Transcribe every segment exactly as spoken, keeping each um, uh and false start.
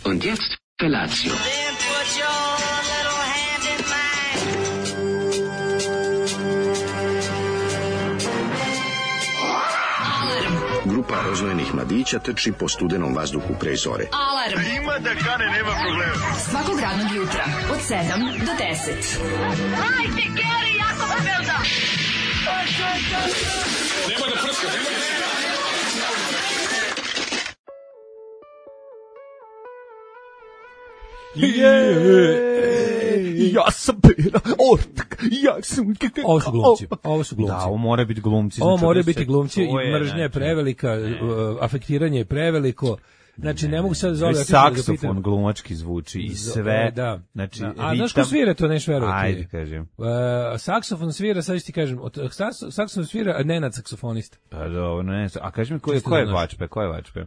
Und jetzt Felatio. Then put your little hand in mine. Grupa rozvojenih mladića trči po studenom vazduhu pre zore. Alarm! Ima da kane, nema problema. Svakog radnog jutra, od sedam do deset. Hajde, Geri, jako se velda! Nema da prska, nema da prska. Je, ja sam Pera Ortak, ja sam... Ovo su glumci, ovo su glumci. Da, ovo mora biti glumci. Ovo znači, mora da biti se- glumci to i je, mržnja je znači, prevelika, uh, afektiranje je preveliko. Znači, ne mogu sad to zove... je saksofon glumački zvuči i sve. Da. Znači, Da. A znaš ko ritam- svira to, neš verovati? Ajde, kažem. Uh, saksofon svira, sad ću ti kažem, od, saks- saksofon svira Nenad saksofonista. Pa dobro, ne znam. A kaži mi ko je, Čisto ko je da znaš. vačpe, ko je vačpe?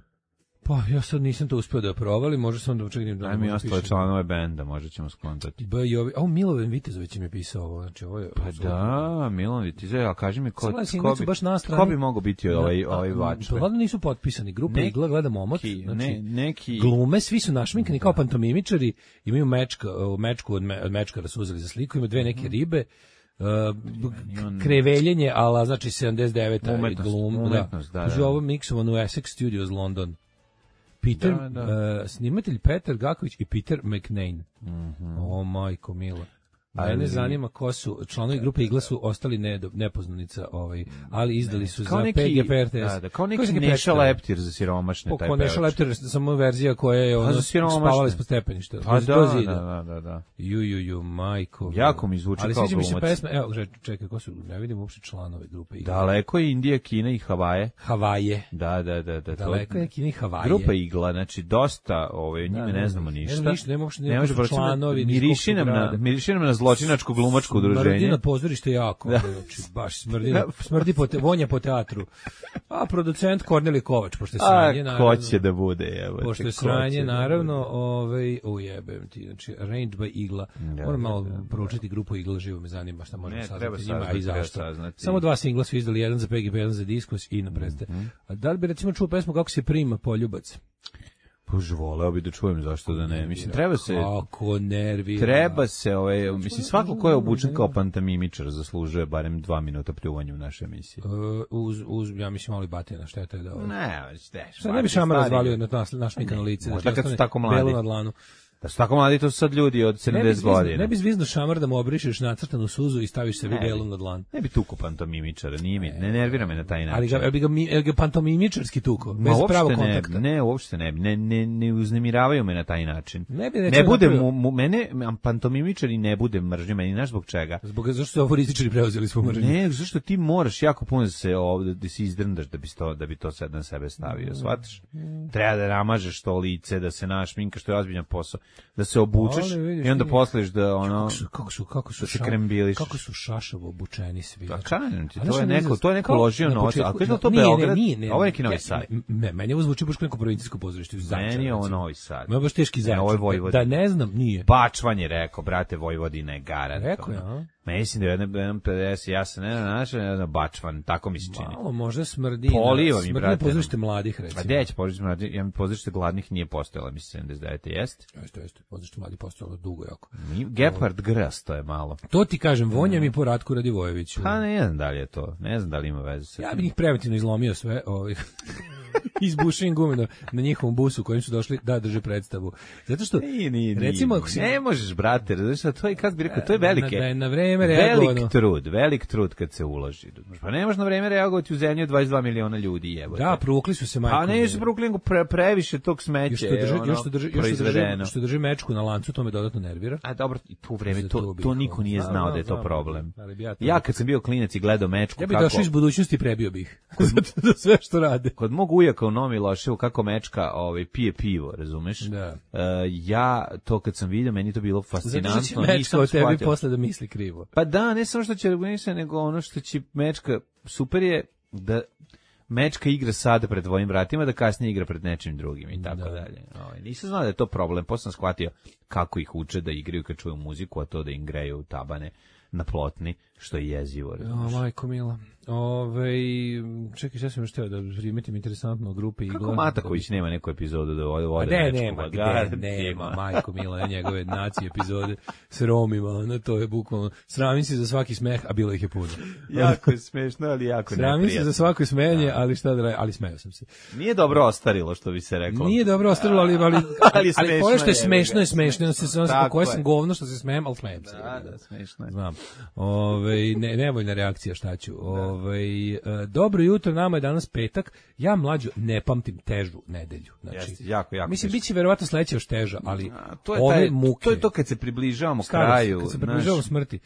Pa ja sad nisam to uspeo da provalim, može sam da učeknem da... Daj mi možda ostale piše. članove benda, možda ćemo skontati. B i ovi, a Milovan Vitezović mi je pisao ovo, znači ovo je... Pa da, Milan Vitize, a kaži mi ko, Sada ko, singlecu bi, baš na strani. ko bi mogao biti ovaj, ovaj vačpe? Pa nisu potpisani, grupa Neki- Igla gleda momot, Neki, znači, ne, neki... glume, svi su našminkani kao pantomimičari, imaju mečka, o, mečku od, me, od mečkara su uzeli za sliku, ima dve neke ribe, uh, on- kreveljenje, ala znači sedamdeset deveta Umetnost, glum, umetnost, da, Kaže, da. ovo miksovano u Essex Studios London. Peter, Da, da. uh, snimatelj Petar Gaković i Peter McNane. O, majko mila. Mene Ali- zanima ko su, članovi grupe Igla su ostali ne, nepoznanica, ovaj, ali izdali su Kao za neki, P G P R T S. da, da, kao Koji neki su Neša predstavili? Leptir za siromašne, Po taj ko Neša pevač. Leptir, samo verzija koja je ono, za siromašne. spavala ispod stepeništa. Pa do- da, do da, zida. da, da, da. Ju, ju, ju, majko. Jako mi zvuči ali kao sviđa mi se glumac. pesma, evo, že- čekaj, ko su, ne vidim uopšte članove grupe Igla. Daleko je Indija, Kina i Havaje. Havaje. Da, da, da, da. to- Daleko je Kini Havaje. Grupa Igla, znači dosta, ovaj, njime Da, ne ne znamo znam. ništa. Ne znam ništa, nema uopšte- nema Ne može ko su proći- članovi, ni miriši iz kog nam su na, grada. miriši nam na zločinačko glumačko udruženje. Smrdi na pozorište jako, znači, baš smrdi, na- smrdi po te, vonja po teatru. A producent Kornelij Kovač, pošto je A, sranje, ko naravno. će da bude, evo. Pošto je sranje, naravno, ovaj, ujebem ti, znači, Arranged by Igla. Da, Moram malo da, da. proučiti grupu Igla, živo me zanima šta možemo Ne, treba saznati njima, a saznati, i treba zašto. saznati. Samo dva singla su izdali, jedan za P G P, jedan za Diskurs i na predstave. A da li bi recimo čuo pesmu kako se prima poljubac? Bož, voleo bi da čujem, zašto da ne. Mislim, treba se... Kako nervira. Treba se, ovaj, mislim, svako ko je obučen kao pantomimičar zaslužuje barem dva minuta pljuvanja u našoj emisiji. Uh, uz, uz, ja mislim, mali batina, šteta je da ovo. Ne, već te. Šta ne bi šamar razvalio na nas, naš mikano lice? Možda da ti kad su ostane tako mladi. belo na dlanu. Da su tako mladi, to su sad ljudi od Ne bi, sedamdeset zvizno, godina. ne bi zvizno šamar da mu obrišeš nacrtanu suzu i staviš sebi Ne bi. belu na dlan. Ne bi tuko pantomimičara, nije mi, ne nervira me na taj način. Ali ga, bi ga, mi- jel ga pantomimičarski tuko, Ma bez uopšte pravog ne, kontakta. ne, uopšte ne, ne, ne, ne uznemiravaju me na taj način. Ne bi, Ne recimo, bude napravio- mu, mu, mene, pantomimičari ne bude mržnje, meni znaš zbog čega? Zbog zašto su aforističari preuzeli svu mržnju. Ne, zašto ti moraš jako puno da se ovde da se izdrndaš da bi to da bi to sad na sebe stavio, shvataš? Treba da namažeš to lice, da se našminkaš, što je ozbiljan posao, da se obučeš Ali vidiš i onda ti- posliš da ono Kako su, kako su, kako su, da se ša- krembiliš. kako su šašavo obučeni svi. Pa Znači, kažem ti, a to znaš je ono neko, izraz- to je neko kao ložio na novac, početku- ali kako je to Nije, ne, Beograd? nije, ne, Ovo je neki Novi ja- Sad. Ne, meni ovo zvuči baš kao neko provincijsko pozorište. Meni je ovo Novi Sad. Ma baš teški Ne, ovo je začin. Vojvodina. Da ne znam, nije. Bačvan je rekao, brate, Vojvodina je garant. Rekao je, ono. a? Mislim da je jedan jedan pedeset, ja sam ne našao, ne znam, Bačvan, tako mi se čini. Malo možda smrdi. Poliva na- mi, smrdi brate, na pozorište mladih, A recimo. gde će pozorište mladih? Ja mi pozorište gladnih nije postojala, mislim, sedamdeset devete jeste. Jeste, jeste, pozorište mladih postojalo dugo jako. Ni- Gepard Gras, to je malo. To ti kažem, vonja mi po Ratku Radivojeviću. Pa ne znam da li je to, ne znam da li ima veze sa Ja tim. bih njih preventivno izlomio sve, ovaj, izbušio im gume na, na njihovom busu kojim su došli da drže predstavu. Zato što, Nije, nije, recimo, nije. ako si- ne možeš, brate, znaš šta, to je, kako bi rekao, to je velike, Da je na vreme reagovano. velik trud, velik trud kad se uloži. Pa ne možeš na vreme reagovati u zemlji od dvadeset dva miliona ljudi, jebote. Da, pruvukli su se majkom. Pa ne, su pruklingu pre, previše tog smeća, Još što drži, ono, još što drži, još što proizvedeno. drži, što drži mečku na lancu, to me dodatno nervira. A dobro, i tu vreme, Za to, to bih, to niko nije znam, znao znam, da je to znam, problem. ali bi ja to- Ja kad sam bio klinac i gledao mečku, Ja bih kako... došao iz budućnosti i prebio bih. Zato da sve što rade. Kod mog ujaka u Novom Miloševu kako mečka ovaj, pije pivo, razumeš? Da. E, ja, to kad sam vidio, meni to bilo Zato fascinantno. što će mečka nisam o tebi shvatio. posle da misli krivo. Pa da, ne samo što će regulisati, nego ono što će mečka, super je da mečka igra sada pred tvojim vratima, da kasnije igra pred nečim drugim i tako Da. dalje. Ovaj, nisam znao da je to problem, posle sam shvatio kako ih uče da igraju kad čuju muziku, a to da im greju tabane na plotni, što je jezivo. O, majko mila. Ove, čekaj, šta sam još teo da primetim interesantno o grupi Igla. Kako Mataković nema neku epizodu da vode A vode ne, nema, gde, nema, majko mila, njegove nacije epizode s Romima, ono, to je bukvalno, sramim se za svaki smeh, a bilo ih je puno. Jako je smešno, ali jako neprijatno. Sramim se za svako smenje, ali šta da radim, ali smeo sam se. Nije dobro ostarilo, što bi se reklo. Nije dobro ostarilo, ali, ali, ali, ali, ali pore što je smešno je smešno. smešno, se sam Tako koje je. sam govno što se smejem, ali smejem se. Da, da, smešno je. Znam. Ove, ne, nevoljna reakcija, šta ću. Ove, e, dobro jutro, nama je danas petak. Ja mlađo ne pamtim težu nedelju. Znači, Jeste, jako, jako mislim, teško. biće verovatno sledeća još teža, ali A, to je ove taj, muke. to je to kad se približavamo starost, kraju. kad se znaš, približavamo smrti.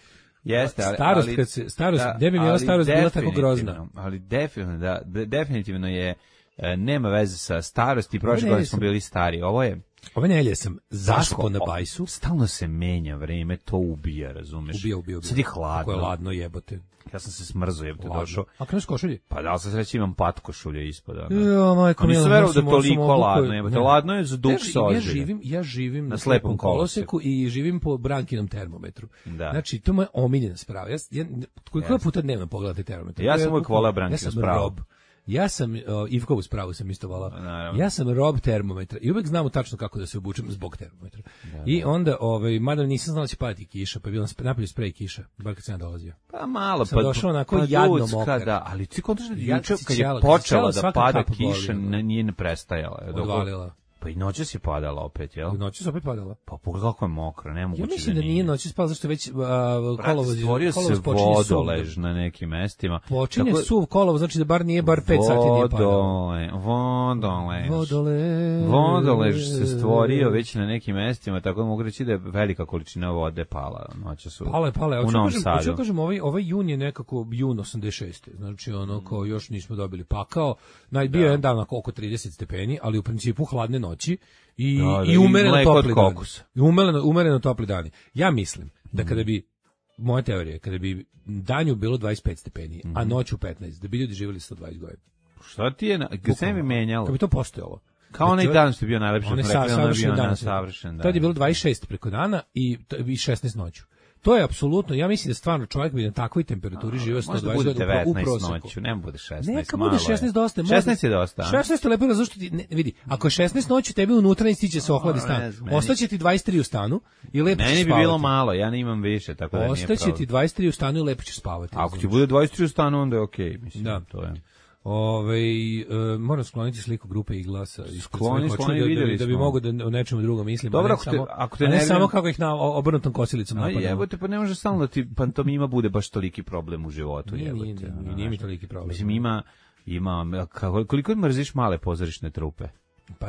Jeste, ali, starost, ali, kad se, starost, da, gde bi bila ali starost bila tako grozna? definitivno, Ali definitivno, da, de- definitivno je, e, nema veze sa starosti, prošle ne, godine nisam. smo bili stari. Ovo je, Ove nelje sam zaspao na o, bajsu. Stalno se menja vreme, to ubija, razumeš? Ubija, ubija, ubija. Sad je Kako hladno. je ladno, jebote. Ja sam se smrzo, jebote, Ladno. došao. A kada s košulje? Pa da li sam sreći imam pat košulje ispod. ono. Jo, majko Pa nisam mila, verovao ja da sam- je toliko sam obukao- ladno, jebote. Ne. Ladno je za duh Ja, sa ja ozbilja. živim, ja živim na, slepom slepom koloseku. koloseku i živim po Brankinom termometru. Da. Znači, to je moja omiljena sprava. Ja, ja koliko Jeste. puta dnevno pogledati termometar? Ja sam Ja uvijek bukvalno- volao Brankinu ja sam spravu. rob. Ja sam, uh, Ivkovu spravu sam isto volao. Naravno. Ja sam rob termometra i uvek znamo tačno kako da se obučem zbog termometra. I onda, ovaj, mada nisam znao da će padati kiša, pa je bilo napolju sprej kiša, bar kad sam ja dolazio. Pa malo, Sam pa, došao onako pa jadno ljudska, mokar. da, ali ti kontaš da Ja juče si kad je ćela- počela ćela da svaka pada kapa boli, kiša, ono. ne, nije ne prestajala. je, dok- Odvalila. Pa i noćas je padala opet, jel? Noći se opet padala. Pa pogledaj kako je mokro, nemoguće Ja mislim da nije noći spala, zašto već uh, kolovoz, stvorio se kolovoz počinje suv. vodolež na nekim mestima. Počinje Tako- suv kolovoz, znači da bar nije bar pet sati nije padalo. Vodole, vodolež. Vodolež. Vodolež se stvorio već na nekim mestima, tako da mogu reći da je velika količina vode pala noća su. Pale, pale. u Hoću Novom kažem, Sadu. hoću kažem, ovaj, ovaj jun je nekako jun osamdeset šeste. Znači, ono, kao još nismo dobili pakao. Naj, bio je jedan dan oko trideset stepeni, ali u principu hladne noći i, Da, da, i i umereno mleko od topli dani. kokosa. I umereno, umereno topli dani. Ja mislim da kada bi, moja teorija je, kada bi danju bilo dvadeset pet stepeni, a noću petnaest, da bi ljudi živjeli sto dvadeset godina. Šta ti je, na- kad se ne bi menjalo? Kad bi to postojalo. Kao onaj dan što je bio najlepši, Onaj smo sa, rekli, ono je savršen bio dan. na savršen dan. Tad je bilo dvadeset šest preko dana i, i šesnaest noću. To je apsolutno, ja mislim da stvarno čovjek bi na takvoj temperaturi živio sto Možda dvadeset bude godina u devetnaest proseku. noću, ne bude šesnaest. Neka malo bude je. šesnaest dosta. možda- šesnaest je dosta. a? šesnaest je lepo, zašto ti, ne, vidi, ako je šesnaest noću, tebi unutra istiće se ohladi ne stan. znam, meni- Ostaće ti dvadeset tri u stanu i lepo ćeš Meni bi spavati. bilo malo, ja ne imam više, tako da nije Ostaće problem. ti dvadeset tri u stanu i lepo ćeš spavati. A ako ti razumiješ? bude dvadeset tri u stanu, onda je okej, mislim, Da. to je. Ove, e, moram skloniti sliku grupe i glasa. ispred Skloni, svojih očiju skloni, da, da, vidjeli da bi smo. mogo da o nečemu drugom mislim. Dobro, a ne ako te- samo, ako te a ne nervira- samo kako ih na o- obrnutom kosilicom A napadamo. jebote, pa ne može stalno da ti pantomima bude baš toliki problem u životu, Nije, jebote. nije, nije, ono, nije mi znaš. toliki problem. Mislim, ima, ima, kako, koliko mrziš male pozorišne trupe? Pa,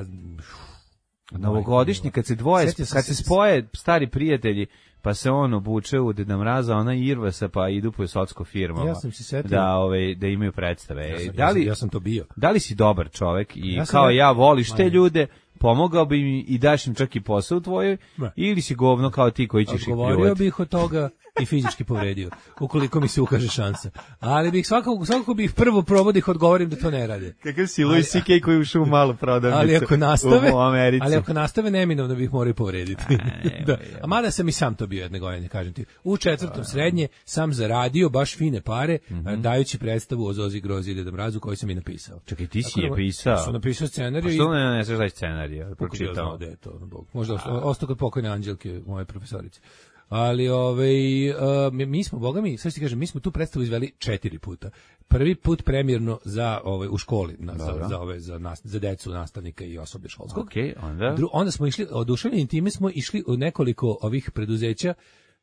Novogodišnji, kad se dvoje, Sjetio sam kad se- se spoje stari prijatelji, pa se on obuče u Deda Mraza, ona Irva se pa idu po socko firmama. Ja sam se setio- Da, ovaj, da imaju predstave. ja sam, da li, ja sam to bio. da li si dobar čovek i Ja sam kao re- ja voliš te Ma, ljude, pomogao bi im i daš im čak i posao tvojoj, Ma. ili si govno kao ti koji ćeš ih Odgovorio pljuvati? bih od toga i fizički povredio, ukoliko mi se ukaže šansa. Ali bih svakako, svakako bih prvo probao da ih odgovorim da to ne rade. Kakav si Louis C K koji ušao u malu prodavnicu Ali ako nastave, u Americi. ali ako nastave neminovno bih morao i povrediti. ne, da. ne. A mada sam i sam to bio jedne godine, kažem ti. U četvrtom srednje sam zaradio baš fine pare, dajući predstavu o Zozi Grozi i Deda Mrazu koju sam i napisao. Čekaj, ti si Tako da- je pisao. Sam napisao Pa scenariju i što ne ne znaš taj scenarij? kako bi ja Pročitao. znao da je to, Bog. Možda osta- ostao kod pokojne Anđelke, moje profesorice. Ali ovaj, uh, mi, mi smo, boga mi, sad ti kažem, mi smo tu predstavu izveli četiri puta. Prvi put premjerno za ovaj, u školi, na, za, Dobro. za, ove, za, nas, za decu, nastavnika i osoblje školskog. Okej, onda? Dru, onda smo išli, oduševljeni time smo išli u nekoliko ovih preduzeća,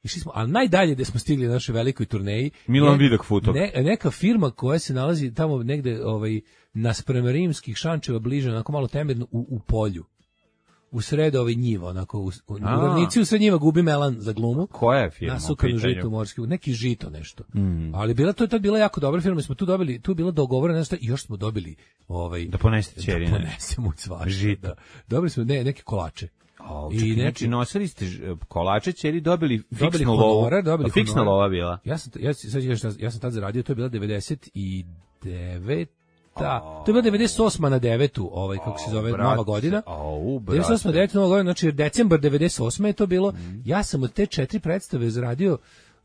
išli smo, ali najdalje gde smo stigli na našoj velikoj turneji. Milan je Vidak Futog. Ne, neka firma koja se nalazi tamo negde ovaj, nasprem rimskih Šančeva bliže, onako malo temerno, u, u polju. U sred ove njiva, onako, u, u, u A. ravnici u sred njiva gubi Melan za glumu. Koja je firma u Nasukanu pitanju? žitu morski, neki žito nešto. Ali bila to je tad bila jako dobra firma, mi smo tu dobili, tu je bila dogovorena nešto i još smo dobili ovaj Da ponesete ćerine. Da ponesemo svašta. Žito. Da. Dobili smo ne, neke kolače. O, I čekaj, neki- znači nosili ste ž- kolače, ćeri dobili Dobili fiksnu lovu. honorar, dobili A fiksna honorar. lova bila. Ja sam ja sad ću kažem šta- ja sam tad zaradio, to je bila devedeset devet Da, to je bila devedeset osma na devetu, ovaj kako se zove, brate, nova godina. au, brate. devedeset osma deveta nova godina, znači decembar devedeset osme je to bilo. Ja sam od te četiri predstave zaradio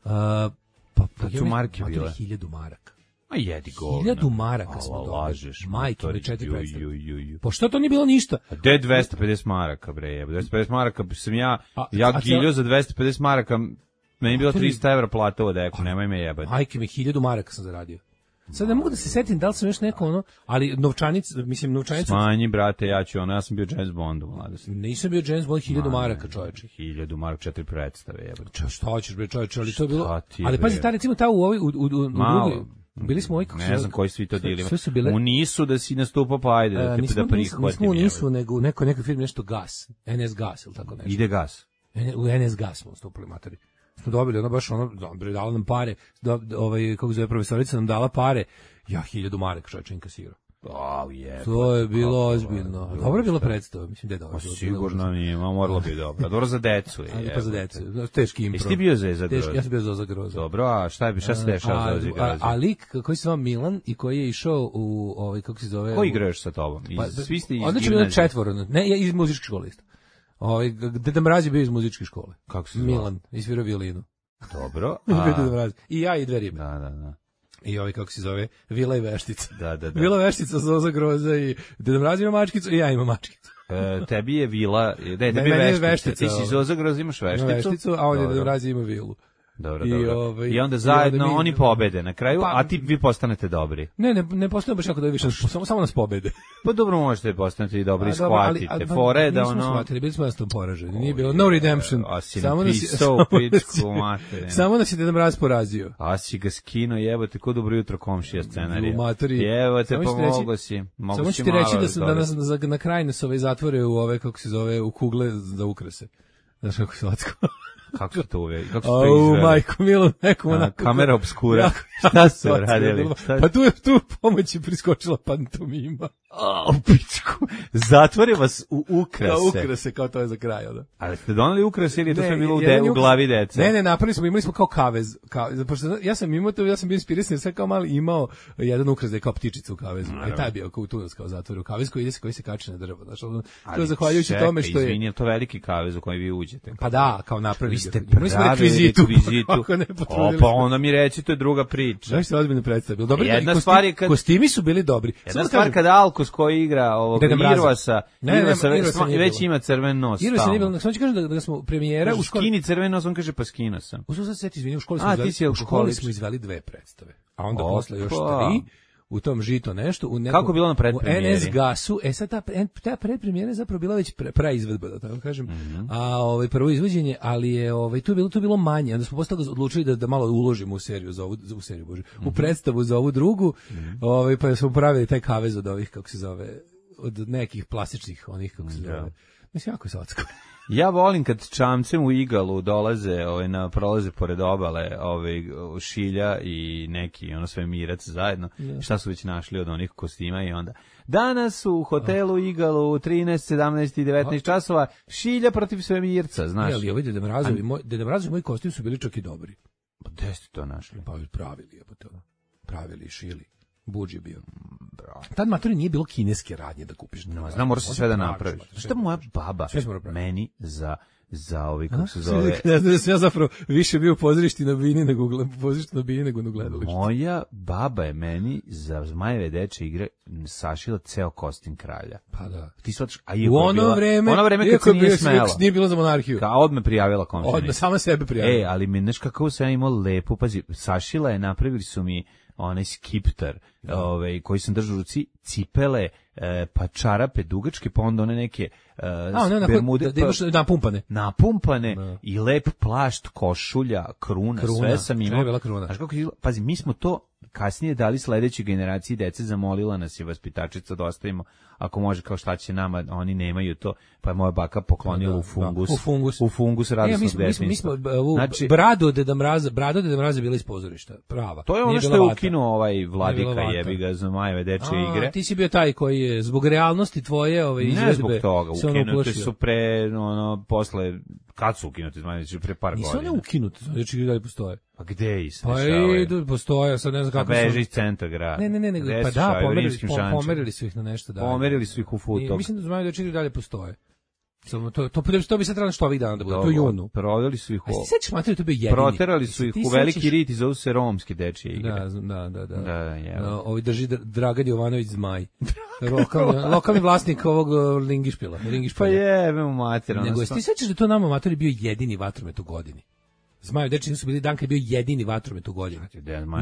uh, Pa, Kad su marke bile? hiljadu maraka. A jedi govna. Hiljadu maraka smo Ala, dobili. lažeš. Majke, matori, mi četiri ju, predstave. ju, ju, ju. Pa što to nije bilo ništa? A gde je dvesta pedeset maraka, bre, jebe? dvesta pedeset maraka sam ja, A- ja a giljo cijel- za dvesta pedeset maraka, meni je bilo Matori- trista evra plata od eku, nemoj me jebati. Majke mi, hiljadu maraka sam zaradio. Sad ne mogu da se setim da li sam još neko ono, ali novčanica, mislim novčanica, Smanji, brate, ja ću ono, ja sam bio James Bond u mladosti. nisam bio James Bond, hiljadu Ma, maraka ne, čoveče. Hiljadu maraka, četiri predstave, jebate. Ča, šta hoćeš bre čoveče, ali to je bilo, Šta ti je, ali pazi, bre? ta recimo ta u ovoj, u, u, u, u Malo. drugoj, bili smo ovoj, kako se Ne zove- znam koji svi to sve- dilima. sve su bile- U nisu da si nastupao, pa ajde, da E, te nismo, da nismo, prihvatim. nismo u jebote. nisu, nego u nekoj, nekoj firmi nešto gas, N S gas ili tako nešto. Ide gas. N- U N S gas smo stupili matori. Smo dobili ono baš ono, dobro, dala nam pare, do, ovaj, kako zove profesorica nam dala pare, ja hiljadu maraka čovječe inkasirao. Au je. To je bilo ozbiljno. Dobro je bila predstava, mislim da je dobro. Pa sigurno nije, ma moralo bi dobro. Dobro za decu je. Ali pa za jebote. decu, teški impro. Jesi ti bio za za Teški, Groza? ja sam bio za Groza. Dobro, a šta je, šta se dešava za A, Ozzy a, Groza? a lik koji se zove Milan i koji je išao u, ovaj, kako se zove? Ko u- igra još sa tobom? Iz, Pa, svi ste iz odlično bilo gimnazije. četvoro, ne, ja iz muzičke škole isto. Ovaj Deda Mraz je bio iz muzičke škole. Kako se zvao? Milan, izvirao violinu. Dobro. Bio A, Deda Mraz. I ja i dve ribe. da, da, da. I ovaj kako se zove, Vila i Veštica. Da, da, da. Vila Veštica, Zoza Groza i Deda Mraz ima mačkicu i ja imam mačkicu. E, tebi je vila, da, tebi Meni je je veštica. veštica, Ti si ovo. iz Ozagroza, imaš Ima vešticu. vešticu, a on je Dobro. Deda Mraz ima vilu. Dobro, I, dobro. ovaj, I onda i zajedno onda mi- oni pobede na kraju, Pa- a ti vi postanete dobri. Ne, ne, ne postoje baš jako da više, samo, samo nas pobede. Pa dobro možete postanete i dobri, A, dobro, ali- shvatite. a, Fore je da nismo ono... shvatili, bili smo nas tom poraženi. Nije bilo no redemption. A si Samo nas je- napisao samo nas je- pičku materinu. Samo nas je Deda Mraz porazio. A si ga skino, jebote, ko dobro jutro komšija scenarija. U materi. Jebote, Samo ću ti pomogo reći- si. Mogu Samo si ću ti reći malo da, sam, da nas razgovarati. za, na kraj nas ove zatvore u ove, kako se zove, u kugle za ukrase. Znaš kako se latko. Kako su to uveli? Kako su to Au, izveli? majko, milo, nekom A, onako. kamera obskura. Jako- Šta su jako radili? bilo. Šta- Pa tu je tu pomoć je priskočila pantomima. A, u pičku. Zatvore vas u ukrase. Kao ukrase, kao to je za kraj, onda. Ali ste doneli ukrase ili je to Ne, sve bilo u, jedan de, je u ukras- glavi deca? Ne, ne, napravili smo, imali smo kao kavez. Kao, pošto ja sam imao to, ja sam bio inspirisan, jer sam kao mali imao jedan ukras da je kao ptičica u kavezu. I taj je bio kao u tunac kao zatvor u kavez koji ide se, koji se kači na drvo. Znači, ono, to je zahvaljujući čekaj, tome što je... Izvini, je to veliki kavez u koji vi uđete? Pa da, kao napravili. Vi ste Imali smo pravili rekvizitu. rekvizitu. Ako ne O, potrudili pa smo. onda mi reći, to je druga priča. Znaš se ozbiljno predstavio. Dobro, Jedna i kostim- stvar je kad- kostimi su bili dobri. Jedna Samo da stvar kažem, kada Alkos koji igra ovog Deda Mraza. Irvasa, Ne, ne, Irvasa, Irvasa već, nije već bilo. ima crven nos. Irva se stalno. nije bilo, samo ću kažem da, da smo premijera u Kažu, školi. skini crven nos, on kaže pa skino sam. U sad se izvini, u školi smo A, izveli, ti si u školi alkoholič. smo izveli dve predstave. A onda Opa. posle još tri. U tom žito nešto u nekom, Kako je bilo na predpremijeri? u N S gasu. E sad ta pre- ta predpremijera je zapravo bila već pre, praizvedba, da tako kažem. Mhm. A ovaj prvo izvođenje, ali je ovaj tu je bilo tu je bilo manje. Onda smo posle toga odlučili da da malo uložimo u seriju za ovu za u seriju bože. Mhm. U predstavu za ovu drugu. Ovaj pa smo pravili taj kavez od ovih kako se zove od nekih plastičnih onih kako se zove. Mislim jako je slatko. Ja volim kad čamcem u Igalu dolaze, ovaj, na prolaze pored obale, ovaj, Šilja i neki, ono sve Mirac zajedno, šta su već našli od onih kostima i onda danas u hotelu Igalu u trinaest, sedamnaest i devetnaest časova Šilja protiv Svemirca, znaš. Ne, ali ovaj Deda Mrazovi, moj Deda Mrazovi moji kostimi su bili čak i dobri. Pa gde ste to našli? Pa pravili je to. Pravili, šili. Budž je bio. Tad matori nije bilo kineske radnje da kupiš. No, znam, mora se sve da praviš, napraviš. mater, Šta moja baba Sve smo napravili. meni za, za ovi, A? kako se zove... Ne znam da sam ja zapravo više bio u pozorišti na bini nego u pozorišti na bini nego na gledalištu. Moja baba je meni za Zmajeve deče igre sašila ceo kostim kralja. Pa da. Ti shvataš, a U iako je ono bila, vreme, ono vreme kad iako se je nije bio- smela. nije bilo za monarhiju. Kao odme prijavila komšinica. Odmah sama sebe prijavila. E, ali mi, znaš kako sam ja imao lepo, pazi, sašila je, napravili su mi onaj skiptar, ovaj, koji sam držao u ruci, cipele, e, pa čarape dugačke, pa onda one neke e, A, ne, onako, bermude, da, da imaš napumpane. napumpane Da. i lep plašt, košulja, kruna, Kruna, sve sam sve imao. je bila kruna. Znaš kako je izgledalo? Pazi, mi smo to kasnije dali sledećoj generaciji dece, zamolila nas je vaspitačica da ostavimo, ako može, kao šta će nama, oni nemaju to, pa je moja baka poklonila Da, u fungus. da, u fungus. U fungus E, radosnog mi smo, mi smo, mi smo, detinjstva. u, Znači, brado Deda Mraza, brado Deda Mraza je bila iz pozorišta, prava. to je Nije ono što bila je vata. ukinuo ovaj Nije vladika, bila vata. jebi ga, za Majeve dečje A, igre. ti si bio taj koji je zbog realnosti tvoje ove izvedbe. Ne zbog toga, se ono ukinute uplašio. su pre, ono, posle, kad su ukinute, znači pre par Nisu one godina. ukinute, znači i dalje postoje. Pa gde ih se Pa dešavaju? idu, postoje, sad ne znam Pa kako beže su. iz centra grada. Ne, ne, ne, nego, Gde pa se da, dešavaju? U pomerili, Rimskim pom- Šančama. pomerili su ih na nešto dalje. Pomerili su ih u I futog. mislim da znaju da čini dalje postoje. Samo to to to bi se trebalo što ovih dana da bude. To je junu. Proveli su ih. A se sećaš materi, to je bio jedini. Proterali su ih u veliki rit i zovu se romski dečije igre. Da, da, da, da. Da, je. Ovi drži Dragan Jovanović Zmaj. Lokalni, lokalni vlasnik ovog Lingišpila, Lingišpila. Pa jebe mu mater. Nego ti sećaš da to nama matori bio jedini vatromet u godini? Zmajev dečiji nisu bili dan kad je bio jedini vatromet u godini.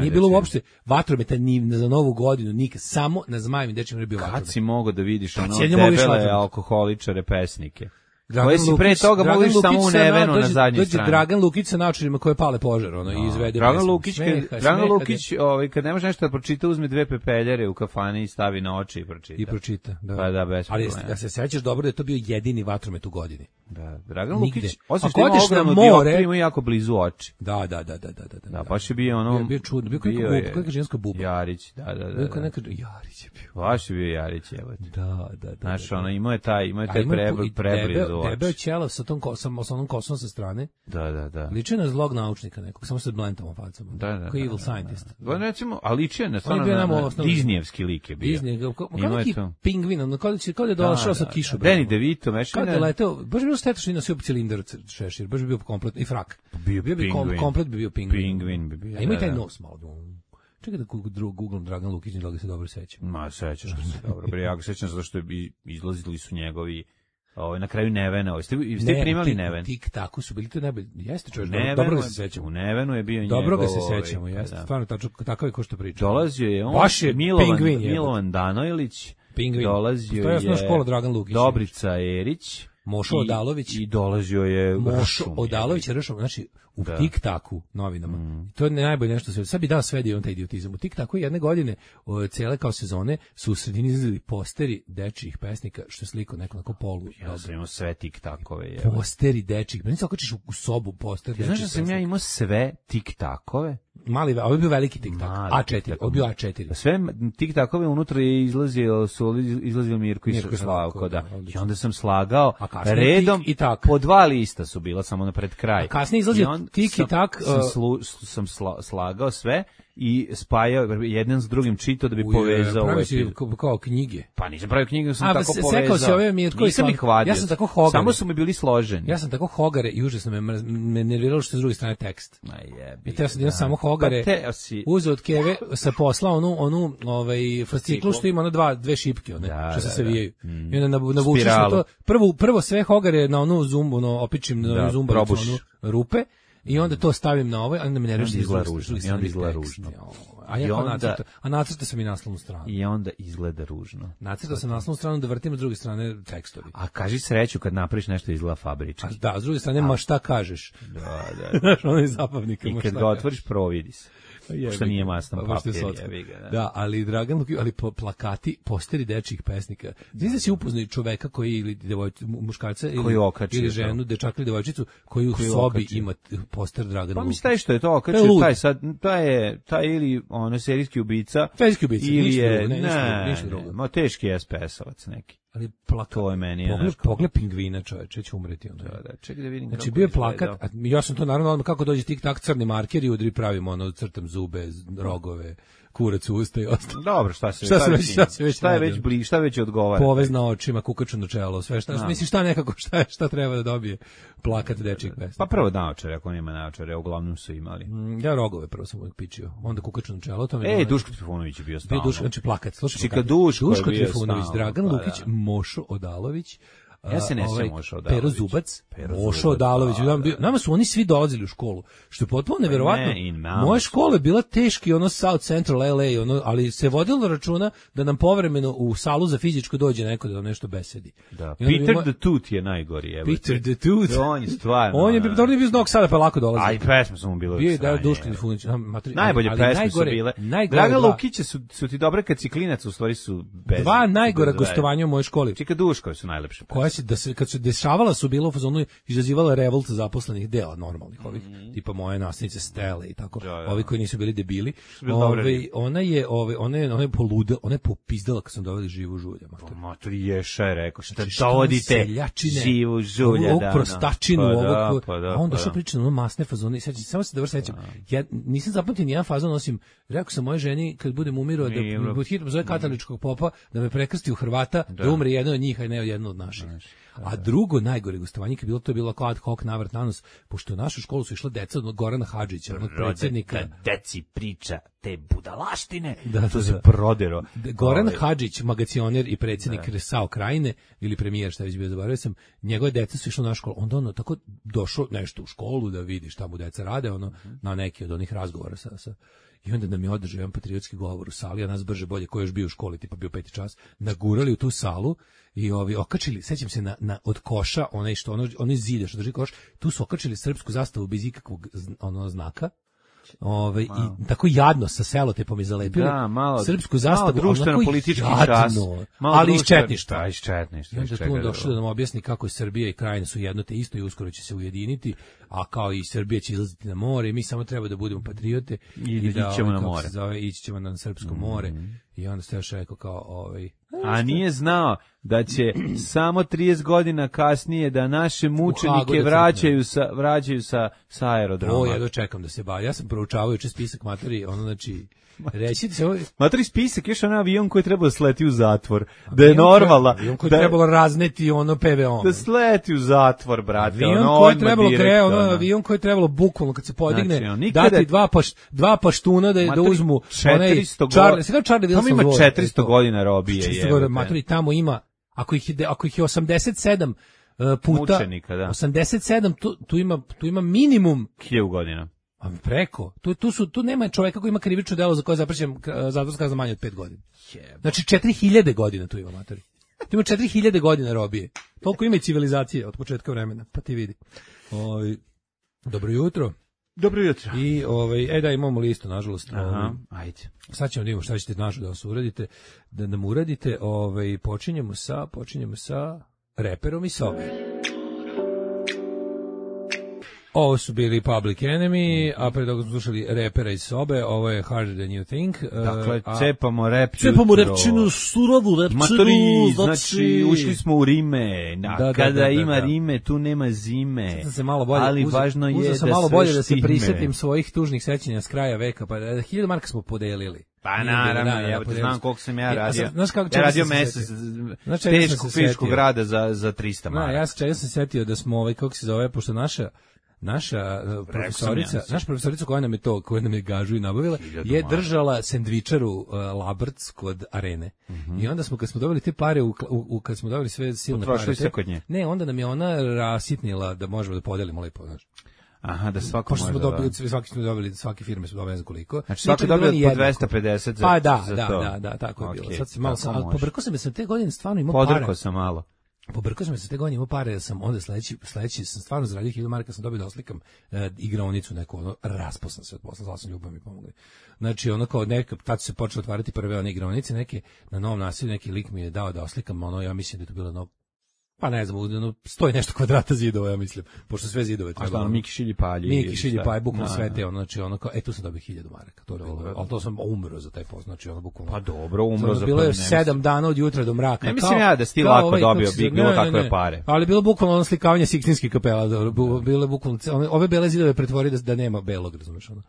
Nije bilo uopšte vatrometa ni za novu godinu, nikad. Samo na Zmajevim dečijima je bio vatromet. Kad si mogao da vidiš ono debele alkoholičare, pesnike? Dragan Koji si pre toga mogu ići samo u Nevenu na zadnjoj strani. Dođe Dragan Lukić sa naočarima koje pale požar, ono, i izvede. Dragan Lukić, kad, Dragan Lukić ovaj, kad ne može nešto da pročita, uzme dve pepeljare u kafani i stavi na oči i pročita. I pročita, da. Pa da, bez ali problema. ja se sećaš dobro da je to bio jedini vatromet u godini. Da, Dragan Nigde. Lukić, osim što ima ogromnu more, ima jako blizu oči. Da, da, da, da, da, da. Da, baš je bio ono... Bio, bio čudno, bio kako buba, kako ženska buba. Jarić, da, da, da. Bio kao neka, Jarić je bio. Baš je bio Jarić, evo. Da, da, da. Znaš, ono, imao je taj, imao je taj preblizu oči. Debeo ćelav sa tom kosom, sa onom kosom sa strane. Da, da, da. Liči na zlog naučnika nekog, samo sa blentom facama. Da, da. Kao evil scientist. Da, recimo, a liči je na stvarno na Disneyevski lik je bio. Disney, kao neki pingvin, ono, kao da je došao sa kišom. Danny DeVito, meš. Kao da je leteo, baš bilo šteta što je nosio cilindar šešir, baš bi bio komplet, i frak. Bio bi komplet bi bio pingvin. Pingvin bi bio. A ima i taj nos malo. Čekaj da googlam Dragan Lukić, da ga se dobro sećam. Ma, sećaš ga se dobro. Bre, ja ga sećam zato što je izlazili su njegovi ovaj na kraju Nevena, ovaj ste ste primali Neven. Tik tako su bili to najbolje. Jeste čovjek, dobro ga se sećamo. U Nevenu je bio njegov. Dobro ga se sećamo, jeste. Stvarno tačno takav je ko što priča. Dolazio je on, baš je Milovan, Milovan Danojlić. Pingvin. Dolazio to je osnovna škola Dragan Lukić. Dobrica Erić. Mošo Odalović i dolazio je Mošo Odalović Ršom, znači u da. Tik Taku novinama. Mm. To je najbolje nešto sve. Sad bi dao sve on taj idiotizam. U Tik Taku jedne godine, o, cele kao sezone, su u sredini izlazili posteri dečijih pesnika, što je sliko neko na polu. Ja sam imao sve Tik Takove. Je. Posteri dečijih. Meni se okačiš u, u sobu poster dečijih. Znaš da sam ja imao sve Tik Takove? Mali, ovo je bio veliki Tik Tak. A četiri, ovo je bio A četiri. Sve Tik Takove unutra je izlazio, su izlazio Mirko i Slavko, da. I onda sam slagao redom i tak. Po dva lista su bila samo na pred kraj. A kasnije izlazio Tik i Tak. Sam, slu, sam sla, slagao sve i spajao jedan s drugim čitao da bi Uje, povezao pravi si kao, kao knjige. Pa nisam pravio knjige, sam A, tako se, povezao. Sekao si ove Mirko i Slavko. Ja sam tako hogare. Samo su mi bili složeni. Ja sam tako hogare i užasno me, me nerviralo što je s druge strane tekst. Ma jebi. I te ja sam da. samo hogare. Pa si... Uzeo od keve sa posla onu onu ovaj fasciklu što ima ona dva dve šipke one da, što se da, savijaju. Da. Mm. I onda navučeš na to. Prvo prvo sve hogare na onu zumbu, ono opičim na da, zumbavicu onu rupe. I onda to stavim na ovaj, onda me nervira što izgleda ružno. I onda izgleda ružno. A ja onda, nacrta, a nacrta sam i naslovnu stranu. I onda izgleda ružno. Nacrta sam naslovnu stranu da vrtim s druge strane tekstovi. A kaži sreću kad napraviš nešto izgleda fabrički. Da, s druge strane, a, ma šta kažeš? Da, da. Znaš, ono je zabavnika. I kad ga otvoriš, providi se. Što nije masno papir, jebi ga. Da. da, ali Dragan Lukić, ali po plakati, posteri dečijih pesnika. Znaš da si upoznao čoveka koji ili devojčicu, muškarca ili, ili ženu, dečaka ili devojčicu koji u koji sobi okači. Ima poster Dragana Lukića. Pa mi staje što je to okačio, taj sad, taj je, taj ili ono serijski ubica. Serijski ubica, ili je, ne, ne, ništa drugo. Ma teški es pe es-ovac neki. Ali plakat, to je meni. Pogled, pogled pingvina, čoveče, će umreti onda. Da, da, čekaj da vidim. Znači bio je plakat, a ja sam to naravno kako dođe Tik Tak crni marker i udri pravimo ono crtam zube, rogove, kurac u usta i ostalo. Dobro, šta se šta se već šta se već šta je već bli, šta već odgovara. Povez na očima, kukaču na čelo, sve šta, mislim šta nekako šta šta treba da dobije plakat dečijeg pesnika. Pa prvo naočare, ako nema naočare, uglavnom su imali. Mm, ja rogove prvo sam uvijek pičio, onda kukaču na čelo, to mi je. Ej, Duško Trifunović je bio stalno. Duško, znači plakat, slušaj. Čika Duško, Duško Trifunović, Dragan Lukić, Mošo Odalović. Ja se ne ovaj, sjećam Mošo Odalović. Pero Zubac, Mošo Odalović. Da, da. Nama su oni svi dolazili u školu, što je potpuno neverovatno. Moja škola je bila teški, ono South Central L A, ono, ali se vodilo računa da nam povremeno u salu za fizičko dođe neko da nam nešto besedi. Da. Peter moj... the Tooth je najgori. Evo. Peter the Tooth. On je stvarno. On je bio dobro iz Novog Sada, pa lako dolazi. Aj, pesme su mu bile. Bio je da Duško Trifunović. Najbolje pesme su bile. Dragan Lukić su, su ti dobre kad si klinac, u stvari su bez. Dva najgora gostovanja u mojoj školi. Čika Duškovi su najlepše. Koja se da se kad se dešavala su bilo u fazonu izazivala revolt zaposlenih dela normalnih ovih mm. tipa moje nastavnice Stele i tako da, da. Ovi koji nisu bili debili ove, ona je ove ona je ona je poludela ona je popizdala kad sam doveli živu žulja mater matori je še rekao šta dovodite živu žulja da prostačinu pa ovog pa da, a onda što priča ono masne fazone sećam samo se dobro sećam ja nisam zapamtio ni jedan fazon osim rekao sam mojoj ženi kad budem umirao da pod hitno zove katoličkog popa da me prekrsti u Hrvata da, da umre jedan od njih a ne jedan od naših. A drugo najgore gostovanje kad je bilo to je bilo kao ad hoc navrat nanos, pošto u našu školu su išla deca od Gorana Hadžića, onog predsjednika. Da deci priča te budalaštine, da, to da, se da. prodero. Goran Ove. Hadžić, magacioner i predsjednik da. SAO Krajine, ili premijer, šta već bio, zaboravio sam, njegove deca su išla na školu, onda ono tako došlo nešto u školu da vidi šta mu deca rade, ono, mm-hmm. na neki od onih razgovora sa, sa i onda nam je održao jedan patriotski govor u sali, a nas brže bolje, ko još bio u školi, tipa bio peti čas, nagurali u tu salu i ovi okačili, sećam se na, na od koša, onaj što ono, onaj zide što drži koš, tu su okačili srpsku zastavu bez ikakvog ono znaka. Ove, i tako jadno sa selotepom i zalepili da, malo, srpsku zastavu, malo društveno politički čas, ali iz četništva. Iz četništva. I onda tu on došao da nam objasni kako je Srbija i Krajina su jedno te isto i uskoro će se ujediniti, a kao i Srbija će izlaziti na more i mi samo treba da budemo patriote i, i da ćemo na more. Zove, ići ćemo na srpsko mm-hmm. more. I onda ste još rekao kao ovaj a nije znao da će samo trideset godina kasnije da naše mučenike vraćaju sa vraćaju sa sa aerodroma. O, ja dočekam da se ba. Ja sam proučavao juče spisak matori, ono znači reći se ovaj matori spisak još onaj avion koji treba da sleti u zatvor. Da je normalno. Avion koji da trebalo razneti ono P V O. Da sleti u zatvor, brate. Avion ono koji trebalo kre, ono avion koji trebalo bukvalno kad se podigne znači, nikada... dati dva paš, dva paštuna da da uzmu onaj Charlie, se kao Charlie Wilson. Tamo ima četiristo godina robije. četiristo godina matori tamo ima ako ih je, ako ih je osamdeset sedam uh, puta mučenika, da. osamdeset sedam tu, tu ima tu ima minimum hiljadu godina. A preko. Tu tu su tu nema čovjeka koji ima krivično delo za koje zaprećen zatvorska kazna manje od pet godina. Znači četiri hiljade godina tu ima matori. Tu ima četiri hiljade godina robije. Toliko ima i civilizacije od početka vremena. Pa ti vidi. Ovaj dobro jutro. Dobro jutro. I ovaj e da imamo listu nažalost. Aha, ovaj, ajde. Sad ćemo da vidimo šta ćete našu da vas uradite, da nam uradite. Ovaj počinjemo sa počinjemo sa reperom i sobe. Ovo su bili Public Enemy, a pre toga smo slušali repera iz sobe, ovo je Harder Than You Think. Dakle, a, cepamo rep jutro. Cepamo repčinu, surovu repčinu. Matori, znači, ušli smo u Rime, da, da, kada da, da, ima da, da. Rime, tu nema zime. Se malo bolje, ali uze, važno je da malo bolje da se štime. prisetim svojih tužnih sećanja s kraja veka, pa hiljadu marka smo podelili. Pa naravno, da, ja znam koliko sam ja radio. Znaš kako ja radio mesec teškog fizičkog rada za, za trista maraka. Ja se čega sam setio da smo, ovaj, kako se zove, pošto naša Naša profesorica, naša profesorica koja nam je to, koja nam je gažu i nabavila, je držala sendvičaru uh, Labrc kod Arene. Mm-hmm. I onda smo, kad smo dobili te pare, u, u, kad smo dobili sve silne pare, sve kod nje. Ne, onda nam je ona rasitnila da možemo da podelimo lepo, znaš. Aha, da svako može. Smo dobili, svaki smo dobili, svake firme su dobile ne znam koliko. Znači svaki dobio po dvesta pedeset za, pa da, za da, to. Da, da, tako je okay, bilo. Sad se malo sam, pobrkao sam se te godine stvarno imao pare. Podrkao sam malo. Pobrkao sam se te godine imao pare, da sam onda sledeći sledeći sam stvarno zaradio hiljadu maraka, sam dobio da oslikam e, igraonicu neku, ono raspao sam se od posla, zvao sam ljubav mi pomogli. Znači ono kao neka tad se počelo otvarati prve one igraonice neke na Novom naselju, neki lik mi je dao da oslikam, ono ja mislim da je to bilo no pa ne znam, ono, stoji nešto kvadrata zidova, ja mislim, pošto sve zidove treba. A šta, ono, Miki Šilji Palji? Miki Šilji Palji, bukvalno sve te, ono, znači, ono, kao, e, tu sam dobio hiljadu maraka, to je bilo, ali to sam umro za taj post, znači, ono, bukvalno. Pa dobro, umro za bilo je sedam dana od jutra do mraka. Ne mislim ja da si ti lako ovaj, dobio, bi bilo takve pare. Ali bilo bukvalno ono slikavanje Sikstinskih kapela, bilo je bukvalno, ove bele zidove pretvori da, da nema belog, razumeš, ono.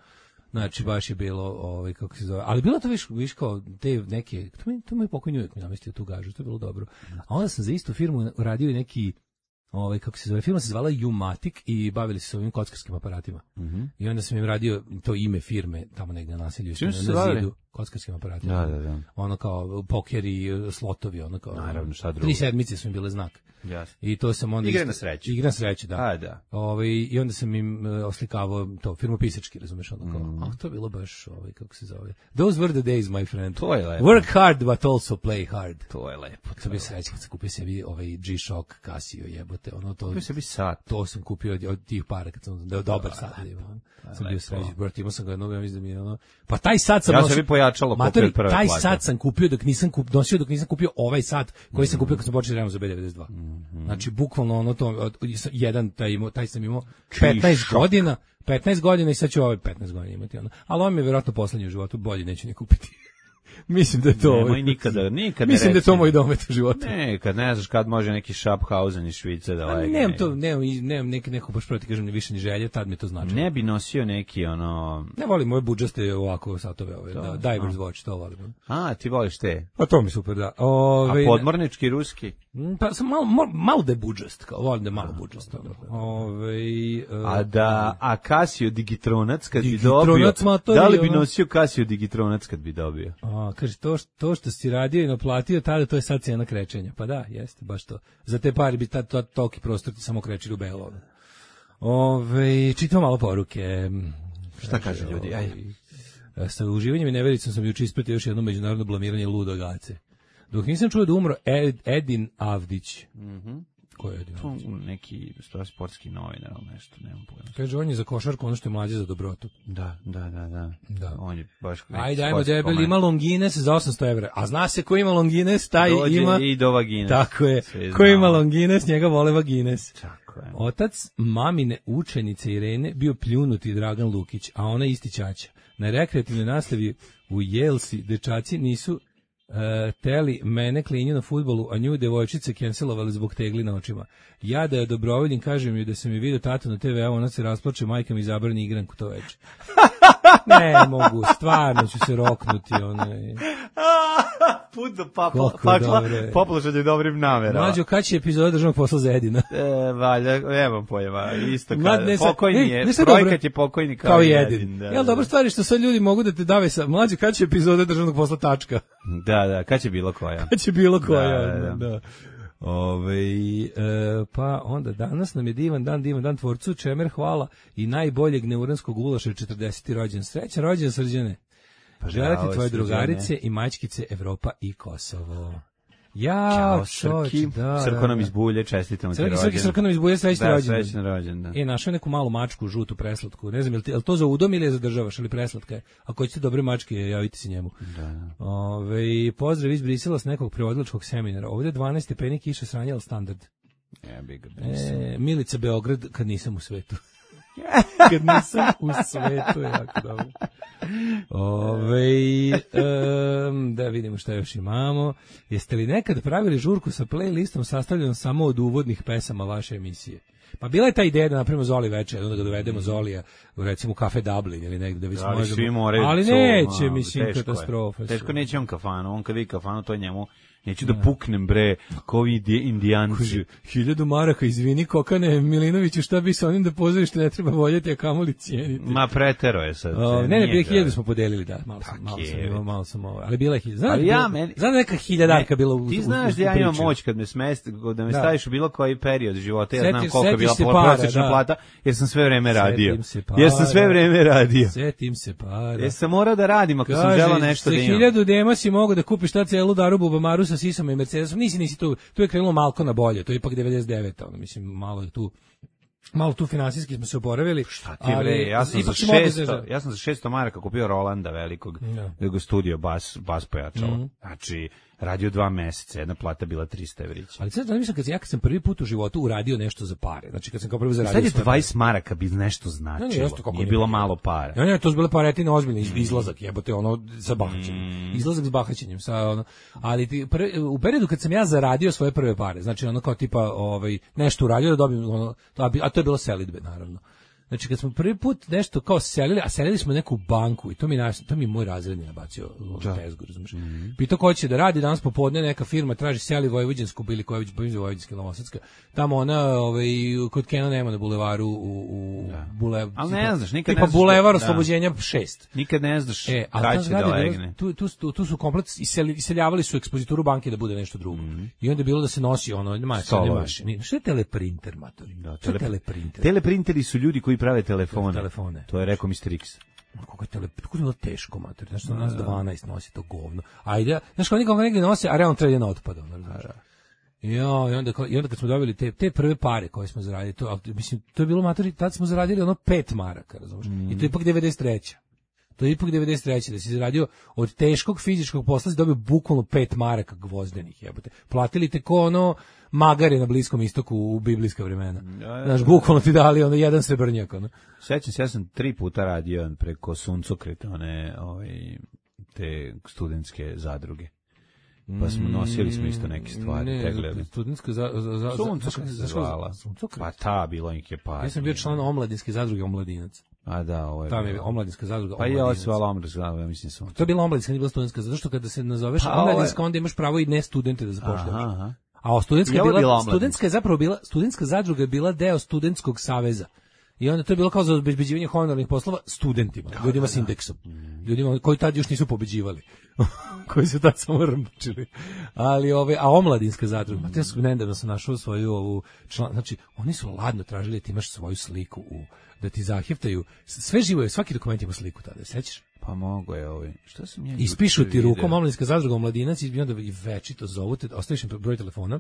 Znači baš je bilo ovaj kako se zove, ali bilo to viš viš kao te neke to mi to moj pokojni uvijek mi namestio tu gažu, to je bilo dobro. A onda sam za istu firmu uradio i neki ovaj kako se zove, firma se zvala Umatic i bavili se s ovim kockarskim aparatima. Mm-hmm. I onda sam im radio to ime firme tamo negde na naselju na zidu kockarskim aparatima. Da, da, da. Ono kao poker i slotovi, ono kao. Naravno, šta drugo. Tri sedmice su im bile znak. Jasno. I to sam onda igra na sreću. Igra na sreću, da. A, da. Ovaj i onda sam im uh, oslikavao to firmopisački, razumeš, ono kao. Mm. A to je bilo baš ovaj kako se zove. Those were the days, my friend. To je lepo. Work hard but also play hard. To je lepo. To bi sreća kad sam kupio sebi ovaj G-Shock Casio, jebote, ono to. Kupio sebi sat. To sam kupio od, od tih para kad sam da dobar sat imao. Sam bio srećan, brate, imao sam ga jednog, ja mislim da mi je ono. Pa taj sat sam ja sebi pojačalo kupio prve taj plate. Sat sam kupio dok nisam kup, nosio dok nisam kupio ovaj sat koji mm-hmm. sam kupio kad sam počeo da za B devedeset dva. Mm-hmm. Znači bukvalno ono to jedan taj imao, taj sam imao petnaest godina, petnaest godina i sad ću ovaj petnaest godina imati ono. Ali on mi je vjerojatno poslednji u životu, bolje neću ni kupiti. Mislim da je to... Nemoj nikada, nikad ne Mislim da je to reci. moj domet u životu. Ne, kad ne znaš kad može neki Schaffhausen iz Švice da Pa legne. nemam to, nemam, nemam neki, neko baš proti kažem ni više ni želje, tad mi je to znači. Ne bi nosio neki ono... Ne volim moje budžaste ovako satove, ove, da, Divers Watch, to volim. A, ti voliš te? Pa to mi super, da. Ove, A podmornički ruski? Pa sam malo, malo, malo da je budžast, kao volim da je malo budžast. Ove, A da, a Casio Digitronac kad bi Digitronac, dobio, matori, da li bi ono. nosio Casio Digitronac kad bi dobio? A, kaže, to, što- to što si radio i naplatio tada, to je sad cijena krečenja. Pa da, jeste, baš to. Za te pare bi tad to, toliki prostor ti samo krečili u belo. Ove, čitam malo poruke. Šta kaže ljudi? Ajde. Ovaj, sa uživanjem i nevericom sam juče ispratio još jedno međunarodno blamiranje ludog Ace. Dok nisam čuo da umro Ed, Edin Avdić. Mhm. Ko je Edin Avdić? To neki sportski novinar, ali nešto, nemam pojma. Kaže, on je za košarku ono što je mlađe za dobrotu. Da, da, da, da. Da. On je baš... Ajde, ajmo, debel, ima Longines za osamsto evra. A zna se ko ima Longines, taj Dođe ima... i do vagines. Tako je. Sve Ko ima znamo. Longines, njega vole vagines. Tako je. Otac mamine učenice Irene bio pljunuti Dragan Lukić, a ona isti ćaća. Na rekreativnoj nastavi u Jelsi dečaci nisu e, teli mene klinju na fudbalu, a nju devojčice cancelovali zbog tegli na očima. Ja da je dobrovoljen, kažem joj da sam je vidio tatu na te ve, a ona se rasplače, majka mi zabrani igranku to večer. Ne mogu, stvarno ću se roknuti. Onaj. Put do pakla, Koliko pakla dobre. popložen dobrim namerama. Mlađo, kad će epizoda državnog posla za Edina? E, valjda, nemam pojma, isto Ma, kada, ne, sad- pokojni ej, je, znaš šta je dobro? projekat je pokojni kao, Kao i Edin. Edin. Da, Jel da. dobro stvari što sad ljudi mogu da te dave sa... Mlađo, kad će epizoda državnog posla tačka? Da, da, kad će bilo koja? Kad će bilo koja? Da, da, da. da. Ove, e, pa onda danas nam je divan dan, divan dan tvorcu, čemer hvala i najboljeg neuranskog ulaša četrdeseti rođen. Srećan rođen, Srđane. Pa Želeti bravo, tvoje Srđane. drugarice i mačkice Evropa i Kosovo. Ja, Ćao, čovječ, Srki, da, Srko nam da. iz Bulje, čestitam ti Srki, rođendan. Srki, Srko nam izbuje srećni Da, rođendan. srećan rođendan. E, našao je neku malu mačku, žutu, preslatku. Ne znam, je li, ti- je li to za udom ili je za državaš, ali preslatka je. Ako hoćete dobre mačke, javite se njemu. Da. Ove, pozdrav iz Brisela s nekog prevodilačkog seminara. Ovdje dvanaest stepeni kiša sranja, ali standard. Ja bih ga E, Milica Beograd, kad nisam u svetu. Kad nisam u svetu, je jako dobro. Ove, um, da vidimo šta još imamo. Jeste li nekad pravili žurku sa playlistom sastavljenom samo od uvodnih pesama vaše emisije? Pa bila je ta ideja da napravimo Zoli večer, onda da dovedemo Zolija, recimo u Kafe Dublin ili negde da vi Ali možemo. svi moraju Ali to, neće, a, mislim, teško je. katastrofa. Teško neće on kafanu, on kad vidi kafanu, to je njemu, neću da puknem bre, ko ovi indi- indijanci. Kaže, hiljadu maraka, izvini Kokane Milinoviću, šta bi sa onim da pozorište ne treba voljeti, a kamoli cijeniti. Ma pretero je sad. O, ne, ne, nije prije ga- hiljadu smo podelili, da, malo sam, Tak malo sam je, imao, već. malo sam ovo, ali bila je hiljada. Znam, Ali da ja, bila- meni- znam da neka hiljadarka Ne, bila u, ti u- znaš u- da ja u imam priči. moć kad me smesti, da me Da. staviš u bilo koji period života, ja Setiš- znam koliko je setiš bila se pro- para, prosječna da. plata, jer sam sve vreme radio. Setim se para. Jer sam sve vreme radio. Setim se para. Jer sam morao da radim ako sam Kaže, želao nešto sa da imam. hiljadu dema si mogu da kupiš ta celu darubu Bamaru sa Sisom i Mercedesom. Nisi, nisi tu. Tu je krenulo malko na bolje. To je ipak devedeset deveta. Ono, mislim, malo je tu. Malo tu finansijski smo se oporavili. Šta ti bre, ja sam za ipak si mogao šesto, da- ja sam za šesto maraka kupio Rolanda velikog, Da. da ga studio bas, bas pojačalo. Mhm. Znači, radio dva meseca, jedna plata bila trista evrića. Ali sad mislim kad sam, ja kad sam prvi put u životu uradio nešto za pare. Znači kad sam kao prvi zaradio. Sad je svoje dvadeset maraka bi nešto značilo, Ne, ne, jeste, kako nije ne bilo bi. malo para. Ne, ne, to su bile paretine ozbiljne, iz- izlazak, jebote, ono, sa bahaćenjem. Izlazak s bahaćenjem, sa ono, ali ti, prvi, u periodu kad sam ja zaradio svoje prve pare, znači ono kao tipa, ovaj, nešto uradio da dobijem, ono, a bi- a to je bilo selidbe, naravno. Znači kad smo prvi put nešto kao selili, a selili smo u neku banku i to mi naš, to mi je moj razredni nabacio u tezgu, razumiješ. Pitao ko će da radi danas popodne, neka firma traži seli Vojvođansku ili koja već bojim Vojvođanska Novosadska. Tamo ona, ovaj kod Kena nema na bulevaru u u bulevar. Ali ne znaš, nikad tipa ne znaš bulevar da- Oslobođenja šest. Nikad ne znaš E, a kada ta će da zgrada je bila- legne. tu, tu, tu, tu su komplet iseli- iseljavali su ekspozituru banke da bude nešto drugo. I onda je bilo da se nosi ono, ma, Stolovi. mašini. Što je teleprinter, matori? Da, Što je tele- teleprinter? Teleprinteri su ljudi koji prave telefone. Telefone. To je rekao mister X. Kako je tele, kako je bilo teško, mater. Znaš, što nas dvanaest nosi to govno. Ajde, znaš, kao nikoga negdje nose, a realno treba na otpada. Ono, znaš. Ja, i onda, kao- i onda kad smo dobili te, te prve pare koje smo zaradili, to, ali, mislim, to je bilo, matori, tad smo zaradili ono pet maraka, razumiješ? I to je ipak devedeset treća. To je ipak devedeset treća da si zaradio od teškog fizičkog posla, si dobio bukvalno pet maraka gvozdenih, jebote. Platili te ko ono magare na Bliskom istoku u biblijska vremena. Znaš, bukvalno ti dali ono jedan srebrnjak, ono. Sećam se, ja sam tri puta radio preko suncokreta, one, ovaj, te studentske zadruge. Pa smo nosili smo isto neke stvari, ne, teglili. Studentska za, za, za, Suncokret se zvala. Pa ta, bilo ih je par. Ja sam bio član omladinske zadruge Omladinac. A da, ovo je. Tamo je omladinska zadruga Pa Omladinac. ja se zvala omladinska zadruga, mislim sam. To je bila omladinska, nije bila studentska, zato što kada se nazoveš Pa, omladinska, onda imaš pravo i ne studente da zapošljavaš. Aha. A studentska je bila, bila, bila studentska je zapravo bila, studentska zadruga je bila deo studentskog saveza. I onda to je bilo kao za obezbeđivanje honorarnih poslova studentima, da, ljudima da, s indeksom. Ljudima koji tad još nisu pobeđivali. koji su tad samo rmčili. Ali ove, a omladinska zadruga, mm. te su nedavno sam našao svoju ovu član, znači oni su ladno tražili da ti imaš svoju sliku u, da ti zaheftaju, sve živo je, svaki dokument ima sliku tada, sećaš? Pa mogu je ovi. Šta sam ja? Ispišu ti rukom omladinska zadruga Omladinac i onda i večito zovu te, ostaviš im broj telefona.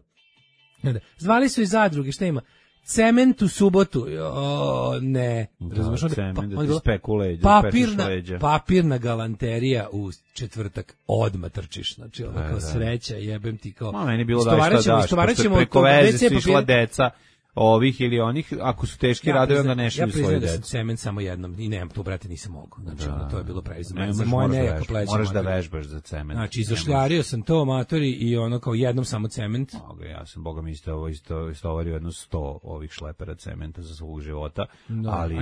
Onda, zvali su iz zadruge, šta ima? Cement u subotu. O, ne. Da, razumeš, onda, cement, pa, da onda ti speku leđa, papirna, leđa. papirna galanterija u četvrtak odmah trčiš. Znači, ono kao da. sreća, jebem ti kao... Ma, meni bilo da šta daš, pošto preko veze su išla deca ovih ili onih, ako su teški ja, radovi, onda ne šalju svoje dece. Ja decu. priznam da sam cement samo jednom i nemam to, brate, nisam mogao. Znači, da, ono, to je bilo previše. Ne, za moje nejako pleće. Moraš da vežbaš za cement. Znači, izašljario sam to amatori i ono kao jednom samo cement. Mogu, ja sam, boga mi isto, ovo isto, istovario jedno sto ovih šlepera cementa za svog života, da. ali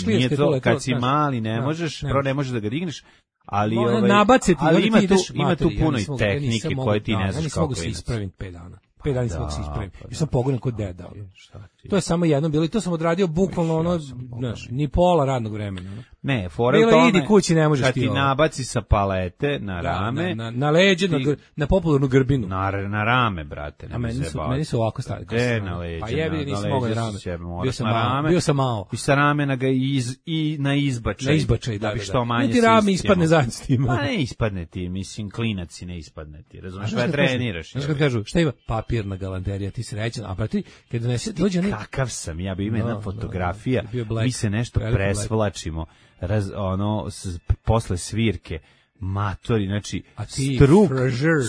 nije to, to, kad si mali ne možeš, prvo ne možeš da ga digneš, ali, ovaj, ovaj, nabaciti, ali ima, tu, ima materi, tu puno ja i tehnike ja koje ti da, ne znaš ja kako mogu se ispraviti pet dana. Pet dana sam se ispravim. Pa I sam pogodan kod deda. Ti, to je samo jedno bilo i to sam odradio bukvalno ono, znaš, ni pola radnog vremena. Ono. Ne, fora u tome, idi kući, ne možeš kad ti ti ovo. nabaci sa palete na rame, da, na, na, na leđe, ti, na, na popularnu grbinu. Na, na rame, brate. Ne a meni su, meni su ovako stali. De, na leđe. Pa jebi, nisam mogao na rame. Sebe, bio sam na rame, bio sam malo. I sa ramena ga iz, i na izbačaj. Na izbačaj, da, da bi da, što da. manje ne ti rame ispadne zajedno s tim. Pa ne ispadne ti, mislim, klinac si ne ispadne ti. Razumeš, kada treniraš. Znaš kad kažu, šta ima? Papirna galanterija, ti srećan, a brate, kad donese, dođe onaj... Kakav sam, ja bi ima jedna no, fotografija, no, no. mi se nešto presvlačimo, raz, ono, s, posle svirke, matori, znači, struk,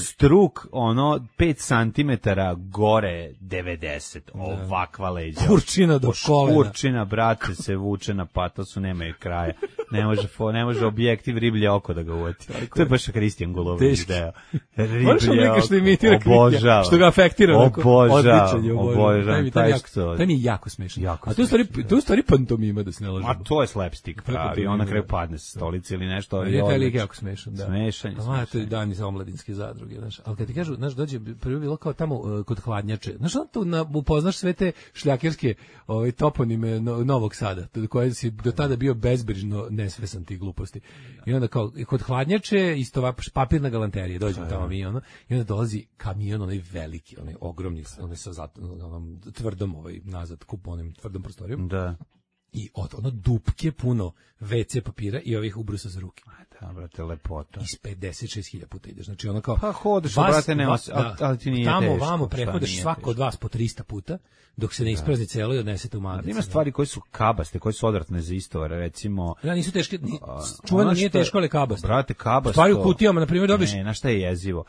struk, ono, pet santimetara gore devedeset, ovakva leđa. Kurčina do kolena. Kurčina, brate, se vuče na patosu, nema je kraja. Ne može, ne može objektiv riblje oko da ga uvati. To je baš Kristijan Gulović deo. Riblje oko, što imitira obožava. Što ga afektira. Obožava, obožava. Taj što... To mi je jako smešno. Jako A to je stvari, to je stvari pantomima, da se ne lažemo. A to je slapstick pravi, on na kraju padne sa stolice ili nešto. Je taj lik jako smešan, da. Smešan je. A to je dan iz omladinske zadruge, znaš. Ali kad ti kažu, znaš, dođe, prvo bilo kao tamo uh, kod Hladnjače. Znaš, on tu na, upoznaš sve te šljakerske ovaj, toponime no, Novog Sada, koje si do tada bio bezbrižno nesvesan tih gluposti. I onda kao, kod Hladnjače, isto papirna galanterija, dođemo tamo mi, ono, i onda dolazi kamion, onaj veliki, onaj ogromni, onaj sa zat, onom tvrdom, ovaj, nazad, kup onim tvrdom prostorijom. Da. I od ono dupke puno ve ce papira i ovih ubrusa za ruke. Da, brate, lepota. Iz pedeset šest hiljada puta ideš. Znači ono kao... Pa hodeš, vas, brate, nema, da, ali ti nije tamo, teško. Tamo, vamo, prehodeš svako od vas po trista puta, dok se ne isprazni celo i odnesete u magac. Ima stvari koje su kabaste, koje su odvratne za istovar, recimo... Da, nisu teške, ni, čuveno nije teško, ali kabaste. Brate, kabasto... Stvari u kutijama, na primjer, dobiš... Ne, na šta je jezivo?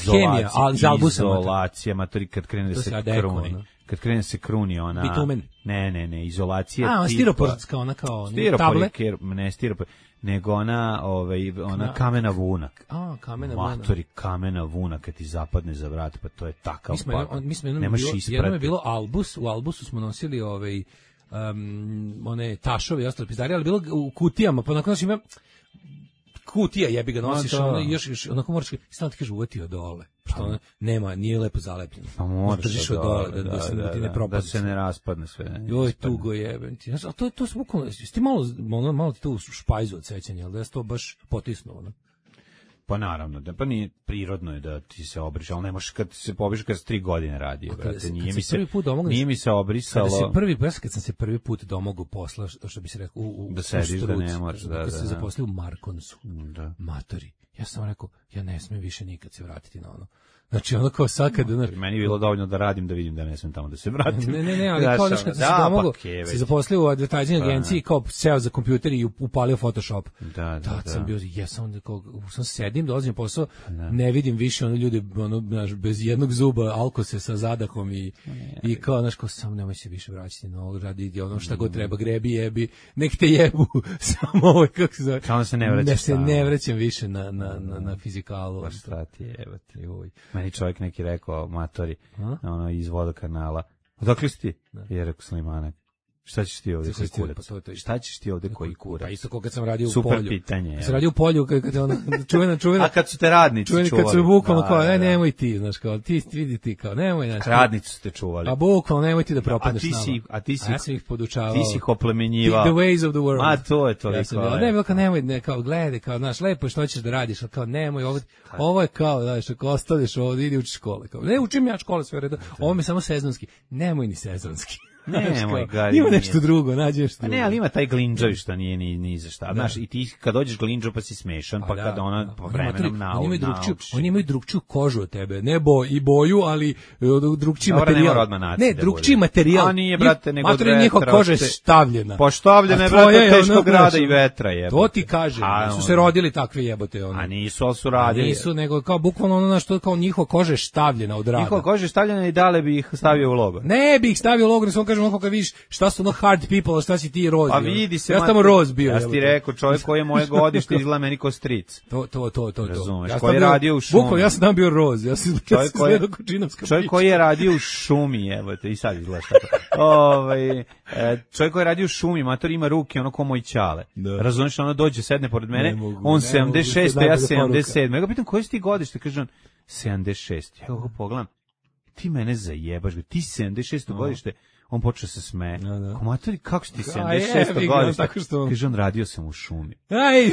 Hemija, ali za albusama. Izolacija, matori, kad krene da se kruni. Kad krene se kruni ona... Bitumen. Ne, ne, ne, izolacija... A, stiroporska, ona kao table? Ne, stiropor, nego ona, ovaj, ona kamena vuna. A, kamena vuna. Matori, kamena vuna, kad ti zapadne za vrat, pa to je takav pakao. Mi smo jednom bilo, jednom je bilo albus, u albusu smo nosili ovaj, um, one tašove i ostale pizdari, ali bilo u kutijama, pa nakon ima kutija jebi ga nosiš, no, ono, još, još, onako moraš, stalno ti kaže uvati od dole, što ona nema, nije lepo zalepljeno. Pa moraš od dole, da, da, da, se, da, ti ne propadne. Da se ne raspadne sve. Ne, joj, tugo jebem ti. Znaš, a to, to su bukvalno, ti malo, malo, malo ti to u špajzu od sećanja, ali da je to baš potisnuo, ono. Pa naravno, da, pa nije prirodno je da ti se obriš, ali ne možeš kad se pobriš kad se tri godine radio, brate, nije mi se, domogli, nije mi se obrisalo. Kada se prvi, kad sam se prvi put domogao posla, što bi se rekao, u, u, da sediš, u da ne moraš, da, kad da, se da. zaposlio u Markonsu, da. matori. Ja sam rekao, ja ne smijem više nikad se vratiti na ono. Znači ono kao sad kad... No, meni je bilo dovoljno da radim, da vidim da ne smem tamo da se vratim. Ne, ne, ne, ali kao nešto kad se domogo, se zaposlio u advertising agenciji, kao seo za kompjuter i upalio Photoshop. Da, da, Tad da. sam bio, jesam onda kao, sam sedim, dolazim posao, da. Ne vidim više ono ljudi, ono, znaš, bez jednog zuba, alkose sa zadahom i, ne, i kao, znaš, kao, sam nemoj se više vraćati na ovo, radi ono šta god treba, grebi, jebi, nek te jebu, samo ovo, kako se zove. Samo se ne vraćam. Ne se ne vraćam više na, na, na, na fizikalu. Pa šta ti je, evo ti, uj. Meni čovjek neki rekao, matori, ono, iz vodokanala. Odakle si ti? Je rekao Slimanak. Šta ćeš ti ovde koji kurac? Pa to, to Šta ćeš ti ovde koji kurac? Pa isto kao kad sam radio Super u polju. Super pitanje. Kad sam radio u polju, kad, kad ona čuvena, čuvena. A kad su te radnici čuveni, čuvali? Kad su bukvalno da, kao, da, aj da. nemoj ti, znaš, kao, ti vidi ti, kao, nemoj, znaš. Radnici su te čuvali. A bukvalno nemoj ti da propadneš a ti si, a ti si, a ja sam ih podučavao. Ti si ih oplemenjivao. The ways of the world. Ma to je toliko. Ja sam bio, ne, bilo kao, nemoj, ne, kao, gledaj, kao, znaš, lepo što ćeš da radiš, ali kao, nemoj, ovo, ovo je kao, znaš, ako ostaneš ovdje, idi uči škole. Kao, ne, učim ja škole sve redo, ovo mi je samo sezonski. Nemoj ni sezonski. Ne, moj gari. Ima nešto drugo, nađi nešto drugo. Ne, ali ima taj glinđavi što nije ni, ni za šta. Znaš, i ti kad dođeš glinđo pa si smešan, pa kad ona po vremenom nauči. Oni imaju drugčiju, oni imaju drugčiju kožu od tebe. Ne bo i boju, ali drugčiji Dobra, materijal. Ne, drugčiji materijal. A nije, brate, nego od vetra. Njihova koža je štavljena. Poštavljena je, brate, teškog grada i vetra je. To ti kaže, su se rodili takve jebote. A nisu, ali su radili. Nisu, nego kao bukvalno ono na što kao njihova koža je štavljena od rada. Njihova koža je štavljena i dale bi ih stavio u logor. Ne bi ih stavio u logor, samo kažem onako kad vidiš šta su ono hard people, šta si ti Roz. A vidi se. Ja sam tamo Roz bio. Ja ti rekao, čovjek koji je moje godište izgleda meni ko stric. To, to, to, to. Razumeš, ja koji je radio u šumi. Bukvalno, ja sam tam bio Roz. Ja sam čovjek koji je, čovjek koji je radio u šumi, evo te, i sad izgledaš tako. Ovaj, čovjek koji je radio u šumi, mator ima ruke, ono ko moj ćale. Razumeš, ono dođe, sedne pored mene, mogu, on sedamdeset šest, ja sedamdeset sedam. Ja ga pitam, koji si ti godište? Kaže on, sedamdeset šest. Ja ga pogledam, ti mene zajebaš, ti si sedamdeset šest godište. On počeo se smeje. No, no. Komatori, kako si ti sedamdeset šest godište? Kaže, on radio sam u šumi. Aj,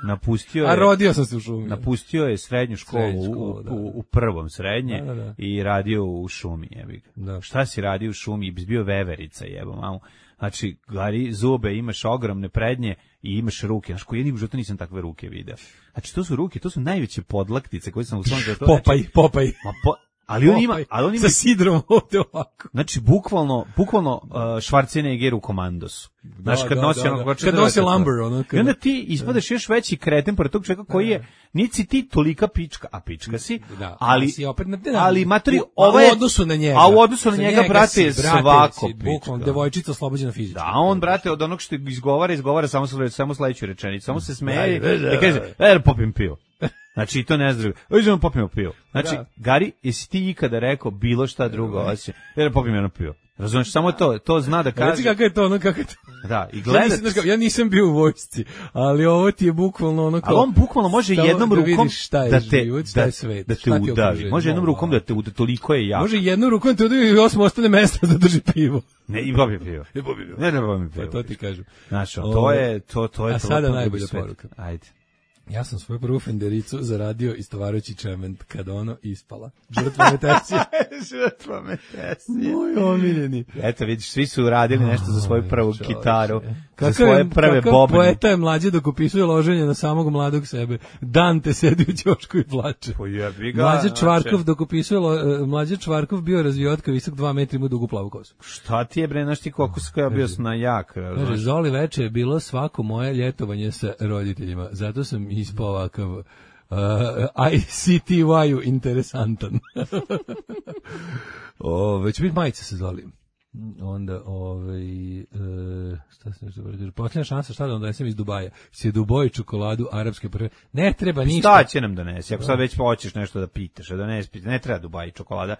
napustio je, a rodio sam se u šumi. Napustio je srednju školu, srednju školu u, da. u, u prvom srednje da, da, da. i radio u šumi. Jebi ga. Šta si radio u šumi? Bio veverica, jebo mamu. Znači, gari zube, imaš ogromne prednje i imaš ruke. Znaš, koji jedni u životu nisam takve ruke video. Znači, to su ruke, to su najveće podlaktice koje sam u svom životu. Popaj, znači, popaj. Ma po, Ali on ima, ali on ima sa sidrom ovdje ovako. Znači bukvalno, bukvalno uh, Schwarzenegger u Komandosu. Znaš, kad da, nosi da, ono, da. Kad nosi lumber, ono. I onda ti ispadaš još veći kreten pored tog čovjeka koji je, nisi ti tolika pička, a pička si, da, ali, si opet na, da, ali matri, ovo je, u odnosu na njega. A u odnosu na njega, njega brate, je svako si, pička. Bukvalno, devojčica oslobođena fizički. Da, on, brate, od onog što izgovara, izgovara samo, samo sledeću rečenicu, samo se smeje i kaže, er, popim pivo. Znači, i to ne zdravo. Ođemo popijemo pivo. Znači, da. Gari, jesi ti ikada rekao bilo šta drugo osim, jer popijemo jedno pivo. Razumiješ, samo to, to zna da kaže. Reci kako je to, ono kako je to. Da, i gledat. Ja nisam, ja nisam bio u vojsci, ali ovo ti je bukvalno ono kao. Ali on bukvalno može jednom rukom da, da te, život, da, svet, da te udavi. Može jednom rukom da te udavi, toliko je jako. Može jednom rukom te udavi i osmo ostane mesta da drži pivo. Ne, i popije pivo. Ne popije pivo. Ne, ne popije pivo. Pa to ti kažem. Znaš, to je, to, to je. A sada najbolja poruka. Ajde. Ja sam svoju prvu Fendericu zaradio istovarajući čement kada ono ispala. Žrtva metesije. Žrtva metesije. Moj omiljeni. Eto vidiš, svi su uradili nešto za svoju prvu čoveče. Kitaru, kakav za svoje je, prve kakav bobne. Poeta je mlađe dok opisuje loženje na samog mladog sebe. Dante sedi u ćošku i plače. Pojebi ga. Mlađe Čvarkov dok opisuje lo, mlađe Čvarkov bio razvijotka visok dva metra ima dugu plavu kosu. Šta ti je bre, znaš ti koliko sam ja bio na jak. Kaže, Zoli veče je bilo svako moje ljetovanje sa roditeljima. Zato sam ispao ovakav uh, I C T Y-u interesantan. o, već biti majice se Zoli. Onda, ovaj, e, šta se nešto kaže, posljednja šansa, šta da vam donesem iz Dubaja? Si Dubai čokoladu, arapske prve, ne treba ništa. Šta će nam donesi, ako sad već hoćeš nešto da pitaš, da ne, ne treba Dubai čokolada,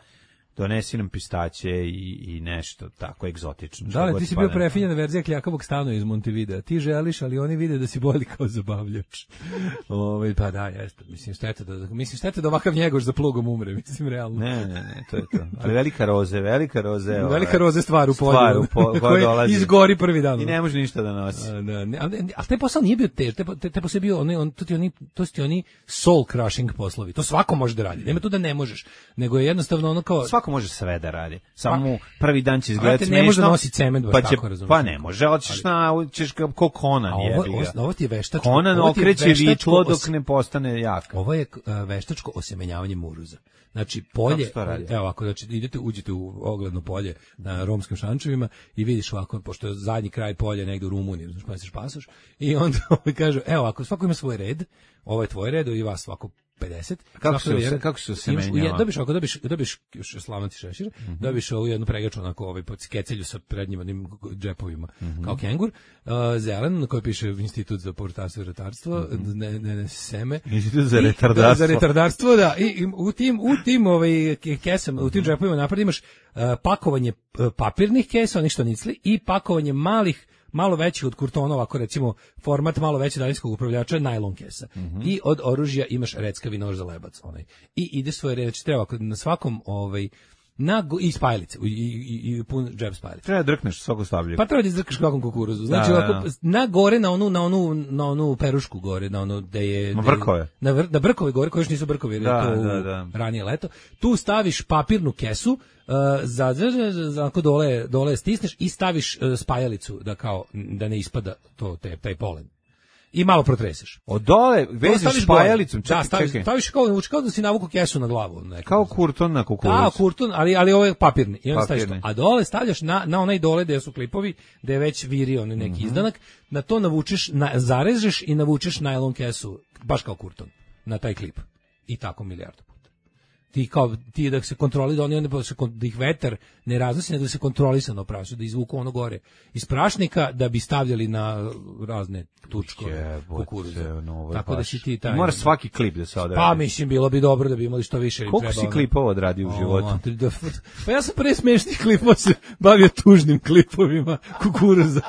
donesi nam pistaće i, i nešto tako egzotično. Da li, ti si bio prefinjena verzija kljakavog stana iz Montevidea. Ti želiš, ali oni vide da si bolji kao zabavljač. Ove, pa da, jeste. Mislim, štete da, mislim, štete da ovakav njegoš za plugom umre, mislim, realno. Ne, ne, ne, to je to. Ali velika roze, velika roze. Ove, velika roze stvar u polju. Stvar u polju, koja dolazi. Izgori prvi dan. I ne može ništa da nosi. A, da, ne, ali, ali taj posao nije bio tež, taj, taj, taj posao je bio, on, on, to, ti oni, to su ti oni soul crushing poslovi. To svako može da radi. Nema tu da ne možeš. Nego je jednostavno ono kao... Svako Daško može sve da radi. Samo mu prvi dan će izgledati smešno. Ne može da nosi cement, baš pa će, tako razumiješ. Pa ne može, hoćeš na, ćeš kao Conan, jebi ga. Ovo, ovo ti je veštačko. Conan okreće vitlo dok ne postane jak. Ovo je uh, veštačko osemenjavanje muruza. Znači polje, evo ovako, znači idete, uđete u ogledno polje na Romskim Šančevima i vidiš ovako, pošto je zadnji kraj polja negde u Rumuniji, znaš pa se pasoš, i onda ovaj kaže, evo ovako, svako ima svoj red, ovo je tvoj red, i vas svako pedeset. Kako se red, kako se semenjava? Dobiš ako dobiš dobiš slavnati šešir, mm -hmm. dobiš ovu jednu pregaču onako ovaj pod skecelju sa prednjim onim džepovima, mm -hmm. kao kengur, uh, zelen na kojoj piše Institut za povrtarstvo i retarstvo, mm -hmm. ne, ne, ne seme. Institut za retardarstvo. Da, za retardarstvo, da. I, i u tim u tim ovaj kesama, u tim džepovima napred imaš uh, pakovanje papirnih kesa, onih što nicli, i pakovanje malih, malo većih od kurtonova, ako recimo format malo veći daljinskog upravljača, najlon kesa. Mm -hmm. I od oružja imaš reckavi nož za lebac, onaj. I ide svoje reći, treba na svakom ovaj na i spajalice, i, i, i pun džep spajalice. Treba da drkneš svako stavlje. Pa treba da izdrkaš kakvom kukuruzu. Znači, da, ovako, da. na gore, na onu, na onu, na onu perušku gore, na ono da je... Na brkove. Na, vr, na brkove gore, koji još nisu brkovi, jer da, je to da, da. ranije leto. Tu staviš papirnu kesu, uh, za, za, za, za ako dole, dole stisneš i staviš uh, spajalicu, da kao, da ne ispada to, te, taj polen. I malo protreseš. Od dole vežeš špajalicom, čekaj, da, staviš, čekaj. Staviš kao, kao da si navuku kesu na glavu. Kao kurton na kukuruzu. Da, kurton, ali, ali ovo je papirni. I onda staviš to. A dole stavljaš na, na onaj dole gde su klipovi, gde je već virio neki mm -hmm. izdanak, na to navučeš, na, zarežeš i navučeš najlon kesu, baš kao kurton, na taj klip. I tako milijardu puta. Ti kao ti da se kontroli da oni onda se da ih vetar ne raznosi, nego da se kontrolisano prašu, da izvuku ono gore iz prašnika da bi stavljali na razne tučkove kukuruze. Tako da si ti taj. Mora svaki klip da se odradi. Pa mislim bilo bi dobro da bi imali što više. Koliko si klipova odradio u životu? Pa ja sam pre smešnih klipova se bavio tužnim klipovima kukuruza.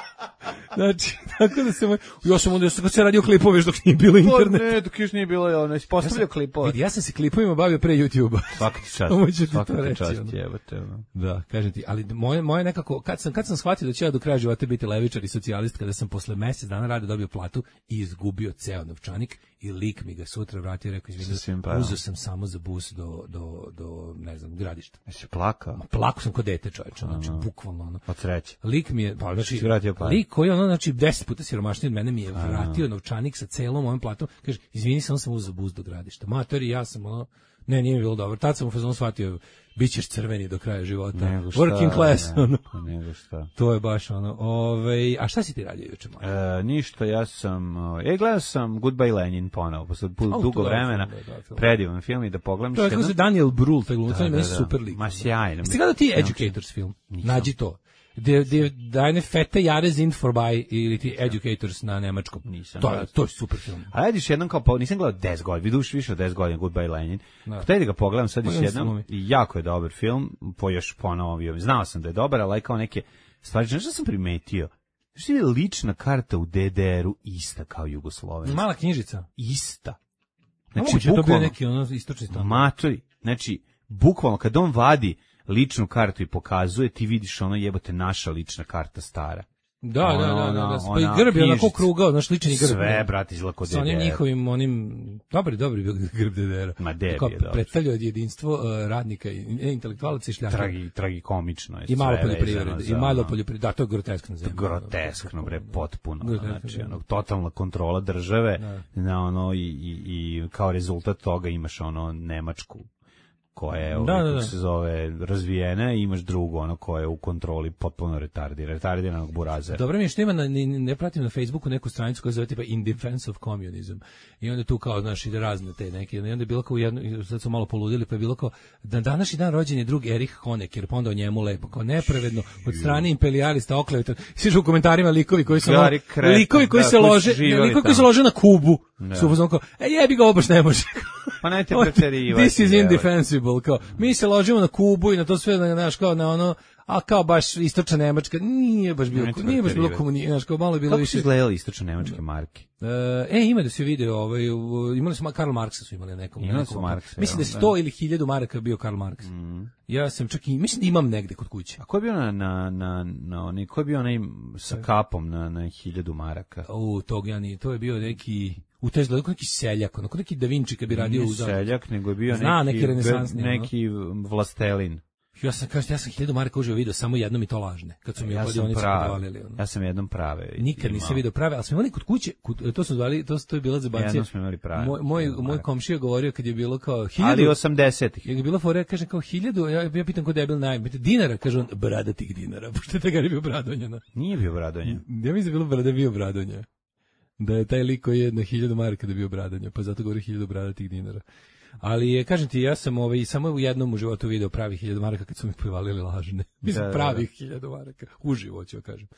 Znači, tako da se moj... Ja sam onda kad se radio klipove dok nije bilo internet. Ne, dok još nije bilo, ono, ispostavljao klipove. Vidi, ja sam se klipovima bavio pre YouTube-a. Svaka ti čast. Svaka ti čast, jebate. Da, kažem ti, ali moje, moje nekako, kad sam, kad sam shvatio da ću ja do kraja života biti levičar i socijalist, kada sam posle mesec dana rada dobio platu i izgubio ceo novčanik i lik mi ga sutra vratio i rekao, izvini, uzeo sam samo za bus do, do, do ne znam, Gradišta. Jesi plakao? Ma, plakao sam kod dete, čoveče, znači, bukvalno, ono. Od sreće. Lik mi je, pa, znači, lik koji, ono, znači, deset puta siromašniji od mene mi je vratio novčanik sa celom mojom platom, kaže, izvini, samo sam uzeo bus do Gradišta. Matori, ja sam, ono, ne, nije mi bilo dobro. Tad sam u fazonu shvatio, bit ćeš crveni do kraja života. Working class, ne, ono. Nego šta. To je baš ono. Ove, a šta si ti radio juče? E, ništa, ja sam... E, gledao sam Goodbye Lenin ponovo, posle oh, dugo vremena. Da, predivan film i da pogledam. To je kako se Daniel Brühl, taj glumac, on je super lik. Ma sjajno. Ste gledao ti Educators film? Nađi to. De, de, Deine fette Jahre sind vorbei ili ti Educators na nemačkom. Nisam. To je, to je super film. A vidiš jednom kao, nisam gledao deset godina, vidiš više od deset godina Goodbye Lenin. Htio da ga pogledam sad još jednom i jako je dobar film, po još ponovio. Znao sam da je dobar, ali kao neke stvari, nešto sam primetio. Što je lična karta u D D R-u ista kao Jugoslovenska? Mala knjižica. Ista. Znači, bukvalno, to bio neki ono istočni standard. Matori, znači, bukvalno, kad on vadi ličnu kartu i pokazuje, ti vidiš ono jebote naša lična karta stara. Da, ono, da, da, da, da. Pa i grb je onako krugao, naš lični grb. Sve, brate, izlako D D R. Sa onim njihovim, onim, dobri, dobri grb D D R-a. Ma debi je dobro. Predstavljao jedinstvo uh, radnika, i intelektualaca i šljaka. Tragi, tragikomično je. I malo poljoprivrede, i malo poljoprivrede, da, to je groteskno zemlja. Groteskno, bre, potpuno. Znači, ono, totalna kontrola države, na ono, i, i, i kao rezultat toga imaš ono Nemačku, koja je, da, da, da. se zove, razvijena, i imaš drugo, ono, koje je u kontroli potpuno retardira, retardiranog burazera. Dobro mi je što ima, na, ne, ne pratim na Facebooku neku stranicu koja se zove tipa In Defense of Communism, i onda tu kao, znaš, ide razne te neke, i onda je bilo kao jedno, sad su malo poludili, pa je bilo kao, da današnji dan rođen je drug Erich Honecker, pa onda o njemu lepo, kao nepravedno, od strane imperialista oklevetan, sviš u komentarima likovi koji su, ono, kret, likovi koji da, se lože, ne, likovi koji se lože na Kubu, da. Su uzmano kao, e jebi ga, ovo baš ne može. Pa najte preterivati. This is indefensible, kao, mi se ložimo na Kubu i na to sve, znaš, kao na ono, a kao baš istočna Nemačka, nije baš bilo, nije, nije baš bilo komunizam, znaš, kao malo je bilo kako više. Kako su izgledali istočne nemačke marke? E, ima da se video, ovaj, imali su, Karl Marksa su imali nekom. Imali su Marksa. Mislim da je sto ili hiljadu maraka bio Karl Marks. Mm. Ja sam čak i, mislim da imam negde kod kuće. A ko je bio na, na, na, na onaj, ko je bio onaj sa kapom na, na hiljadu maraka? U, tog ja nije, to je bio neki... U to je izgledao neki seljak, onako neki Da Vinci kad bi radio u seljak, nego je bio Zna, neki, neki renesansni, neki vlastelin. Ja sam, kažete, ja sam hiljadu maraka uživo video, samo jednom i to lažne, kad su mi ja kladionice podvalili. Ono. Ja sam jednom prave. Nikad nisam video prave, ali smo imali kod kuće, kod, to smo zvali, to, to je bila zabancija. Jednom smo imali prave. Moj, moj, moj komšija govorio kad je bilo kao hiljadu. Ali osamdesetih. Je bilo fora, kaže kao hiljadu, ja, ja pitam kod debil najam, dinara, kaže on, bradatih dinara, pošto je taj bio Bradonjana. Nije bio Bradonja. Ja mislim da je bilo brada bio Bradonja. Da je taj lik koji je na hiljadu maraka da bio Bradonja, pa zato govori hiljadu bradatih dinara. Ali je, kažem ti, ja sam ovaj, samo u jednom u životu video pravi hiljadu maraka kad su mi povalili lažne. Mislim, da, pravih da. hiljadu maraka. Uživo ću kažem.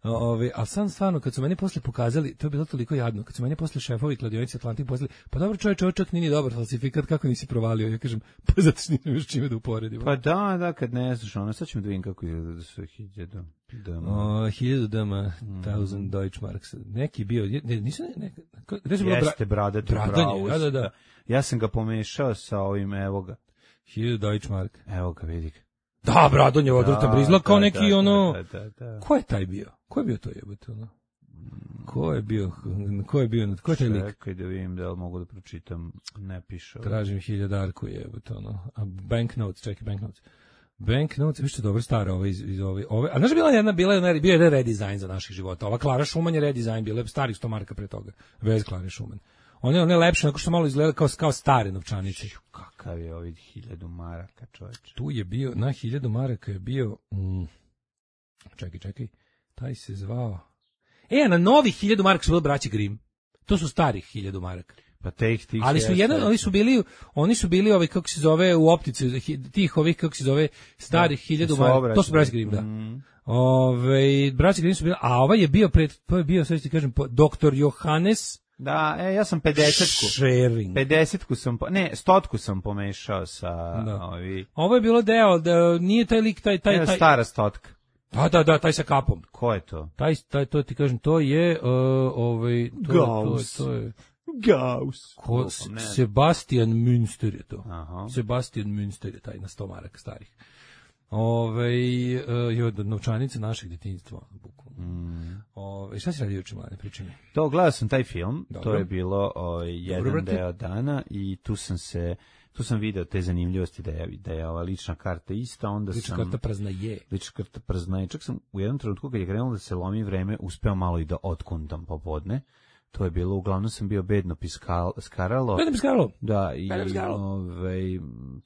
Ove, ali sam stvarno, kad su meni posle pokazali, to je bilo toliko jadno, kad su meni posle šefovi kladionice Atlantik poslali, pa dobro čovječ, ovo čak nije dobar falsifikat, kako nisi provalio? Ja kažem, pa zato što nisam još čime da uporedimo. Pa da, da, kad ne znaš, ono, sad ćemo da vidim kako je da su hiljadu dama. O, hiljadu dama, mm. thousand Deutschmarks. Neki bio, ne, nisu, ne, ne, ne, jeste bradati Bradanje, da, da, da. Ja sam ga pomešao sa ovim, evo ga. hiljadu Deutschmark. Evo ga, vidi ga. Da, Bradonjevo odvrta brizla kao da, neki da, ono. Da, da, da. Ko je taj bio? Ko je bio to jebote ono? Ko je bio? Ko je bio? Ko je taj lik? Čekaj da vidim da li mogu da pročitam. Ne piše. Tražim hiljadarku jebote ono. A banknotes, čekaj banknotes. Banknotes, vi što dobro stara ove iz, iz ove. ove. A znaš bila jedna bila je bio jedan redizajn za naših života. Ova Klara Šuman je redizajn, bila je starih sto maraka pre toga. Bez Klare Šuman. One one lepše, onako što malo izgleda kao kao stare novčanice. Kakav je ovaj hiljadu maraka, čoveče. Tu je bio na hiljadu maraka je bio mm, čekaj, čekaj. Taj se zvao. E, na novih hiljadu maraka su bili braći Grimm. To su starih hiljadu maraka. Pa teh tih. Ali su jedan, oni su bili, oni su bili ovaj kako se zove u optici tih ovih kako se zove starih hiljadu maraka. To su braći Grimm, da. Mm. Ove, braći Grimm su bili, a ovaj je bio pred, to je bio, sad ću ti kažem, doktor Johannes. Da, e, ja sam pedesetku. Sharing. pedesetku sam, ne, stotku sam pomešao sa da. ovi. Ovo je bilo deo, da nije taj lik, taj, taj, Evo, taj. stara stotka. Da, da, da, taj sa kapom. Ko je to? Taj, taj, to ti kažem, to je, uh, ovaj, to, Gauss. to, to je. Gauss. Ko, Sebastian Münster je to. Aha. Sebastian Münster je taj na sto maraka starih. Ove, uh, je od novčanice našeg djetinjstva. Mm. Ove, šta si radio juče, mlade, pričaj mi? To, gledao sam taj film, Dobro. to je bilo o, jedan Dobro, deo dana i tu sam se, tu sam video te zanimljivosti da je, da je ova lična karta ista, onda lična sam... Lična karta prazna je. Lična karta prazna je. Čak sam u jednom trenutku kad je krenulo da se lomi vreme, uspeo malo i da otkundam popodne. To je bilo, uglavnom sam bio bedno piskal, skaralo. Bedno piskaralo? Da, i ovaj,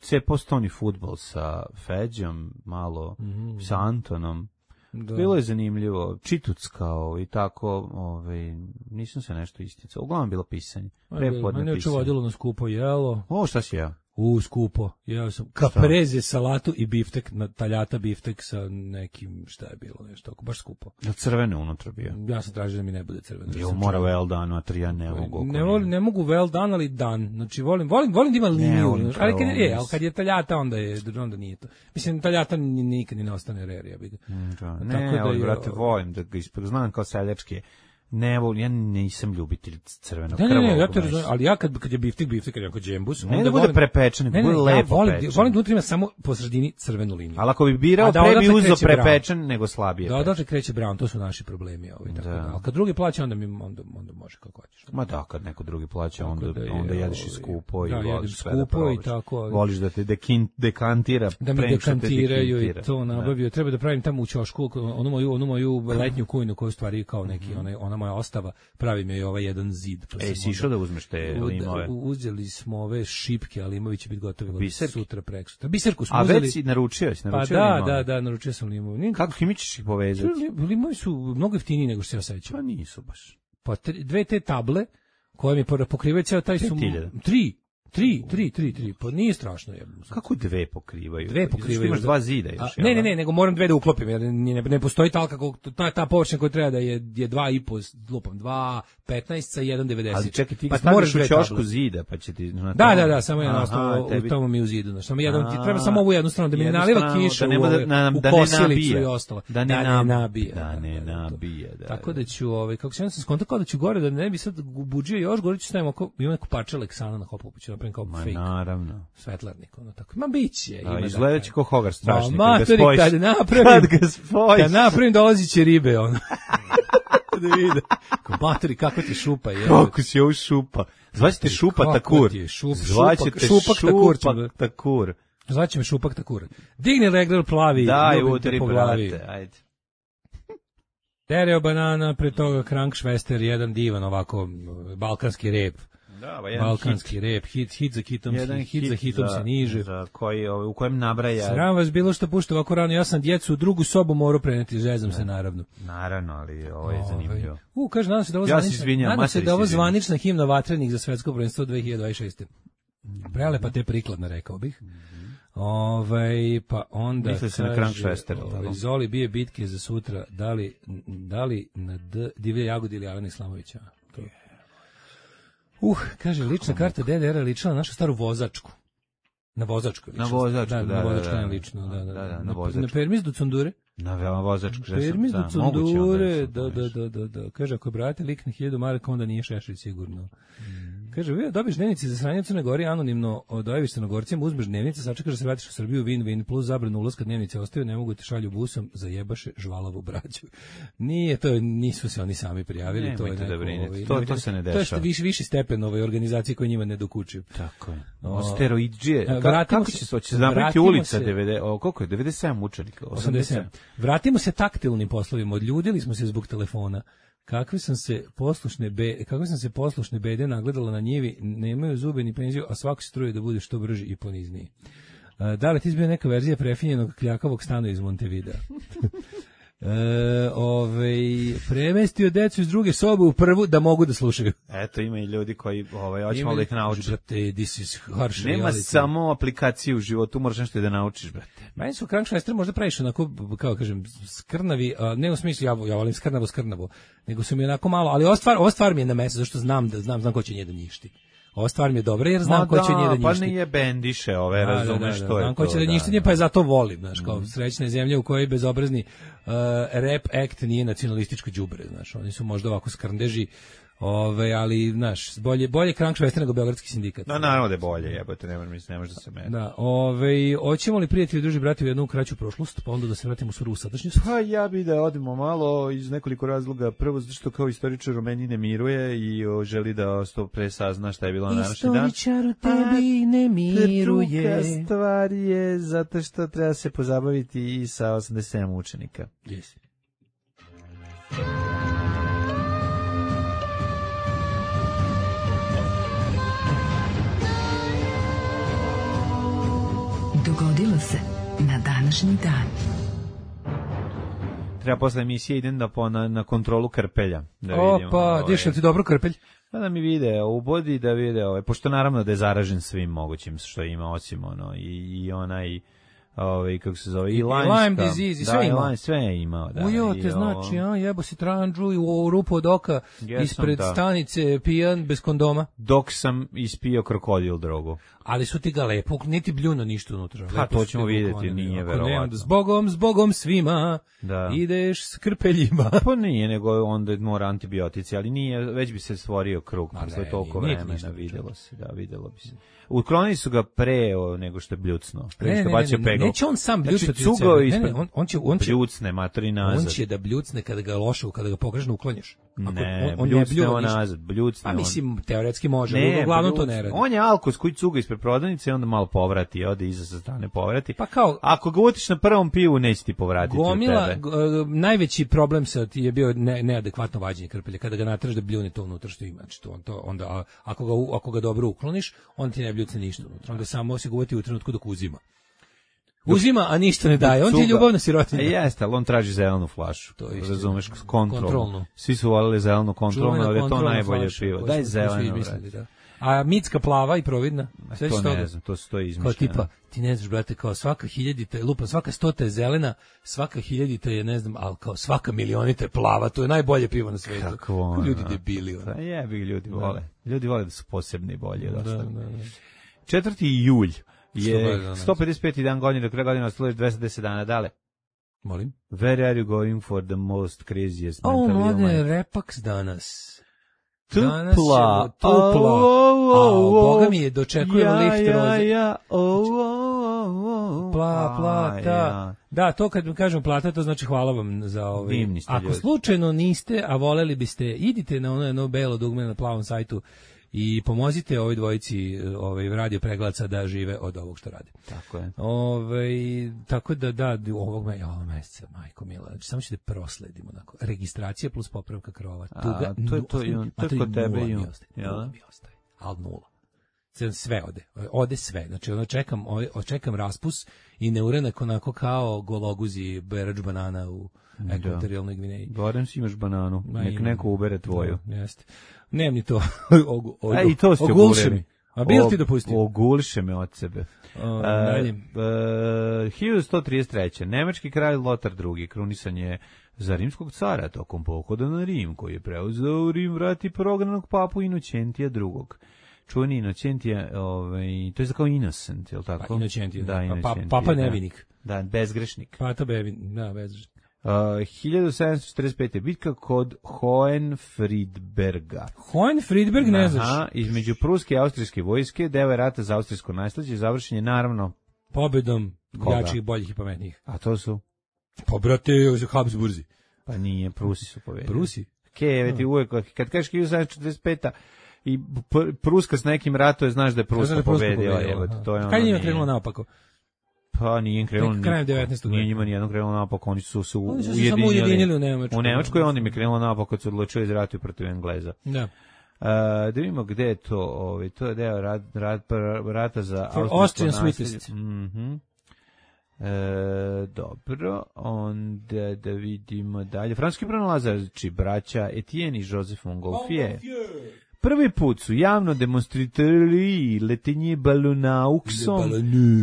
cepo stoni fudbal sa Feđom, malo mm. sa Antonom. Da. Bilo je zanimljivo, čituckao i tako, ovaj, nisam se nešto isticao. Uglavnom bilo pisanje. Prepodne mene je pisanje. vodilo na skupo jelo. O, šta si jeo? U, skupo. Jeo sam kapreze, salatu i biftek, na taljata biftek sa nekim, šta je bilo, nešto, ako baš skupo. Da crvene unutra bio? Ja sam tražio da mi ne bude crveno. Jo, mora well done, a tri ja ne mogu. Ne, volim, ne mogu well done, ali dan. Znači, volim, volim, volim da ima liniju. Ne, ali, kad je, ali kad je taljata, onda, je, onda nije to. Mislim, taljata nikad ni ne ostane rerija. Mm, da. Ne, tako da ali, brate, volim da ga ispod, znam kao seljačke. Ne, volim, ja nisam ljubitelj crvenog krvog. Ne, ne, ne, ja te razumem, ali ja kad, kad je biftek, biftek, kad je jako džembus, ne da bude volim, prepečen, ne, ne, bude lepo ja volim, pečen. Volim da unutra ima samo po sredini crvenu liniju. Ali ako bi birao, da pre bi uzo prepečen brown. Nego slabije. Da, odatle kreće brown, to su naši problemi. Ovaj, tako da. Da. Ali kad drugi plaća, onda, mi, onda, onda može kako hoćeš. Ma da, kad neko drugi plaća, onda, da je, onda jedeš i skupo da, i voliš sve skupo da i tako. Ali, voliš da te dekin, dekantira. Da mi dekantiraju i to nabavio. Treba da pravim tamo u ćošku onu moju, onu moju letnju kujnu koju stvari kao neki, ona moja ostava. Pravi mi je ovaj jedan zid. Pa e, si išao da uzmeš te limove? Uzeli smo ove šipke, ali limovi će biti gotovi Biserki? Sutra, prek sutra. Biserku smo A uzeli. A već si naručio, si naručio Pa da, limove? da, da, naručio sam limove. Kako mi ćeš ih povezati? Limovi su mnogo jeftiniji nego što se ja sećam. Pa nisu baš. Pa tri, dve te table koje mi pokrivaju ceo taj su... Tri. Tri, tri, tri, tri, pa nije strašno je. Kako dve pokrivaju? Dve pokrivaju. Imaš dva zida još. A, ne, ne, ne, nego moram dve da uklopim, jer ne, ne postoji talka, ta, ta površina koja treba da je, je dva i po, lupam, dva, petnaest sa jedan devedeset. Ali čekaj, ti pa staviš u ćošku zida, pa će ti... Da, da, da, samo jedan ostalo, tebi... u tomu mi u zidu. Znaš, samo jedan, ti treba samo ovu jednu stranu, da mi ne naliva kiša da u, ove, da, u kosilicu i ostalo. Da ne, da ne nabije. Da ne nabije, da. Tako da ću, ovaj, kako se ja sam skontakao da ću gore, da ne bi sad buđio još, gore ću stavim oko, ima neku parče Leksana na hopopu, ću napravim kao fake. Naravno. Svetlarnik, ono tako. Ma biće. A, izgledat će ko Hogar strašnik. Ma, kad ga spojiš. Kad napravim, kad ga spojiš. Kad napravim dolazit će ribe, ono. Da vide. Matori, kako ti šupa je. Kako si ovo šupa. Zvaćete šupa takur. Šup, Zvaćete šupak takur. takur. Zvaće me Šupak Takura. Digni regler plavi, Daj, ljubim udri, te po glavi. brate, ajde. Stereo banana, pre toga Krankšvester, jedan divan ovako balkanski rep. Da, ba, jedan Balkanski hit. rep, hit, hit za hitom, Jedan hit, hit za hitom se niže. Za koji, ovaj, u kojem nabraja. Sram vas bilo što pušta ovako rano, ja sam djecu u drugu sobu morao preneti, zezam se naravno. Naravno, ali ovo je zanimljivo. U, kaže, nadam se da ovo Ja se zvanična, izvinjam, nadam se materi da ovo se izvinjam. zvanična himna vatrenih za svetsko prvenstvo dve hiljade dvadeset šeste. Prelepa te prikladna, rekao bih. Ovaj pa onda Misli se na kaže, Krankšvester, ovaj, tako? Zoli bije bitke za sutra, da li, da li na D, Divlje jagode ili Alena Islamovića. To. Uh, kaže, lična karta D D R ličila na našu staru vozačku. Na vozačku. Na vozačku, da, na da, vozačku da, ne da. lično, da, da. Da, da, na na, vozačku. na permis do Cundure. Na veoma vozačku. že sam- Permis do da, moguće onda Cundure, je da, to da, nešto. da, da, da. Kaže, ako je brate lik na hiljadu maraka, onda nije Šešelj sigurno. Kaže, vi dobiš dnevnice za sranje u Crnoj Gori, anonimno dojaviš Crnogorcima, uzmeš dnevnice, sačekaš da se vratiš u Srbiju, win, win, plus zabranu ulaska, dnevnice ostaju, ne mogu te šalju busom, zajebaše žvalavu braću. Nije, to je, nisu se oni sami prijavili, to je Nemojte da neko, brinete, ovaj, to- nemojte- to se ne To je što dešava. viši, viši stepen ove organizacije koje njima ne dokučuju. Tako je. O, O, steroidžije. e, Ka, vratimo kako se- će se, hoće se napraviti vratimo ulica se- devedeset, o, koliko je, devedeset sedam učenika? osamdeset sedam. Vratimo se taktilnim poslovima, odljudili smo se zbog telefona. Kakve sam se poslušne be, kakve sam se poslušne bede nagledala na njivi, nemaju zube ni penziju, a svako se truje da bude što brži i ponizniji. E, da li ti izbio neka verzija prefinjenog kljakavog stana iz Montevidea? E, ovaj, premestio decu iz druge sobe u prvu da mogu da slušaju. Eto, ima i ljudi koji, ovaj, hoće Ima malo da li- ih nauči. Brate, this is harsh Nema reality. samo aplikacije u životu, moraš nešto i da naučiš, brate. Meni su Krankšvester možda previše onako, kao kažem, skrnavi, a, ne u smislu, ja, ja volim skrnavo, skrnavo, nego su mi onako malo, ali ova stvar, ova stvar mi je na mesto, zašto znam da znam, znam ko će nje da njišti. Ova stvar mi je dobra jer znam Ma ko će nje da Pa njišti. nije bendiše ove, Da, da, razumeš da, da, što je znam to. ko će da da, njišti, da. pa je zato volim, znaš, kao srećne zemlje u kojoj bezobrazni uh, rap act nije nacionalističko đubre, znaš, oni su možda ovako skrndeži, ove, ali, znaš, bolje, bolje Krankšvester nego Beogradski sindikat. No, naravno da je bolje, jebote, ne može, ne može da se meni. Da, ove, hoćemo li prijatelji, druži, brati u jednu kraću prošlost, pa onda da se vratimo u svoju sadašnjost? Pa ja bi da odemo malo iz nekoliko razloga. Prvo, zato što kao istoričar u meni ne miruje i o, želi da što pre sazna šta je bilo na današnji dan. Istoričar u tebi ne miruje. Druga stvar je zato što treba se pozabaviti i sa osamdeset sedam učenika. Yes. Dogodilo se na današnji dan. Treba posle emisije idem da po, na, na kontrolu krpelja. Da vidim, Opa, ovaj, diš li ti dobro krpelj? pa da mi vide u bodi, da vide, ovaj, pošto naravno da je zaražen svim mogućim što ima, osim ono, i, i onaj, ovaj, kako se zove, i, I Lymeska. Lyme disease, i sve da, i ima. Lyme, sve je imao, da. Ujo, i te ovo- znači, a, jebo si tranđu i u rupu od oka Jesam, ispred da. stanice pijan bez kondoma, Dok sam ispio krokodil drogu. ali su ti ga lepo, niti bljuno ništa unutra. Pa, lepo to su ti ćemo ga vidjeti, uklonili. nije Ako nema, verovatno. Zbogom, zbogom svima, Da. ideš s krpeljima. Pa nije, nego onda mora antibiotici, ali nije, već bi se stvorio krug, Ma posle ne, toliko nije ti vremena, ništa videlo se, da, videlo bi se. Uklonili su ga pre o, nego što je bljucno, pre Ne, što ne, je ne, bacio ne, pegao. neće on sam Znači, bljucati od cugao sebe. Ne, ispred, ne, on- on će- on će- bljucne, matori nazad. On će da bljucne kada ga loše, kada ga pogrešno uklonješ. Ako Ne, on, on bljucne bljuva on ništa. nazad, bljucne Pa on. mislim, teoretski može, ali uglavnom to bljucne. ne radi. On je alkos koji cuga ispred prodavnice i onda malo povrati, ode iza sa strane povrati. Pa kao- Ako ga utiš na prvom pivu, neće ti povratiti Gomila, od tebe. g- najveći problem sa ti je bio ne, neadekvatno vađenje krpelja, kada ga natraš da bljune to unutra što ima. Znači to, on to, onda, a, ako, ga, u- ako ga dobro ukloniš, on ti ne bljucne ništa unutra. Onda samo se ga uvati u trenutku dok uzima. Uzima, a ništa ne daje. On ti je Cuga- ljubavna sirotinja. A jeste, ali on traži zelenu flašu. To je istina. Razumeš, kontrolnu. Kontrolnu. Svi su volili zelenu kontrolnu, Čuvena ali je to kontrolna najbolje flaša pivo. koju Daj smo- koju smo zeleno, izmislili, brate. da. A mitska plava i providna. Sve To što ne znam, to su to kao izmišljeno. tipa, ti ne znaš, brate, kao svaka hiljadita je lupa, svaka stota je zelena, svaka hiljadita je, ne znam, ali kao svaka milionita je plava, to je najbolje pivo na svetu. Kakvo ono. Ljudi debili, ono. Pa jebi, ljudi vole. Ljudi vole da su posebni i bolji od Da, ostalih. da, da. četvrti julj Što je bolje danas. sto pedeset peti dan godine, do kraja godine ostalo još dvesta deset dana. Dale, Molim? where are you going for the most craziest O, mental mlade, illness? repaks danas. Tupla. Danas je tupla. Au, au, A, au. Boga mi je, dočekujem Ja, lift ja, roze. ja, au, au, au. Pla, A, plata. ja. Da, to kad mi kažem plata, to znači hvala vam za ovaj. Divni ste Ako ljudi. slučajno niste, a voleli biste, idite na ono jedno belo dugme na plavom sajtu i pomozite ovoj dvojici ovaj radio preglaca da žive od ovog što rade. Tako je. Ovaj tako da da ovog me ovog meseca, majko mila, znači samo ćete prosledimo onako. Registracija plus popravka krova. Tuga, A, to je to i on, to je kod tebe i on. Ja, mi ostaje. Al nula. Sve ode. Ode sve. Znači ono čekam, očekam raspus i neuranak onako kao gologuzi berač banana u ekvatorijalnoj Gvineji. Barem si imaš bananu, nek neko ubere tvoju. Da, jeste. Nemam ni to. Ogu, ogu, A i to ste ogulše. A bil ti dopustio? Ogulše me od sebe. O, dalje. Uh, uh, hiljadu sto trideset treće. Nemački kralj Lotar drugi. krunisan je za rimskog cara tokom pohoda na Rim, koji je preuzeo u Rim vrati prognanog papu Inocentija drugog. Čuveni Inocentija, ovaj, to je kao Innocent, je li tako? Pa, Inocentija, da, Inocentija, pa, papa nevinik. Da, bezgrešnik. Pa to bevin, da, bezgrešnik. Uh, hiljadu sedamsto četrdeset pete. bitka kod Hohenfriedberga. Hohenfriedberg, ne znaš? Aha, između pruske i austrijske vojske, deo je rata za austrijsko nasleđe, završen je naravno pobedom Koga? jačih, boljih i pametnijih. A to su? Pa brate, Habsburzi. Pa nije, Prusi su pobedili. Prusi? Keve ti uvek, kad kažeš hiljadu sedamsto četrdeset peta i Pruska s nekim ratuje, znaš da je Pruska pobedila. Kad njima krenulo naopako? Pa nije im krenulo krajem devetnaestog Nije njima nijedno krenulo naopako, oni su se oni su ujedinili. samo ujedinili u Nemačkoj. U Nemačkoj onda im je krenulo naopako kad su odlučili da ratuju protiv Engleza. Da. Uh, da vidimo gde je to, ovaj, to je deo rat, rat, rata za Austrian Sweetest. Mhm. E, dobro, onda da vidimo dalje. Francuski pronalazači braća Etienne i Joseph Montgolfier. Prvi put su javno demonstrirali letenje balonauksom,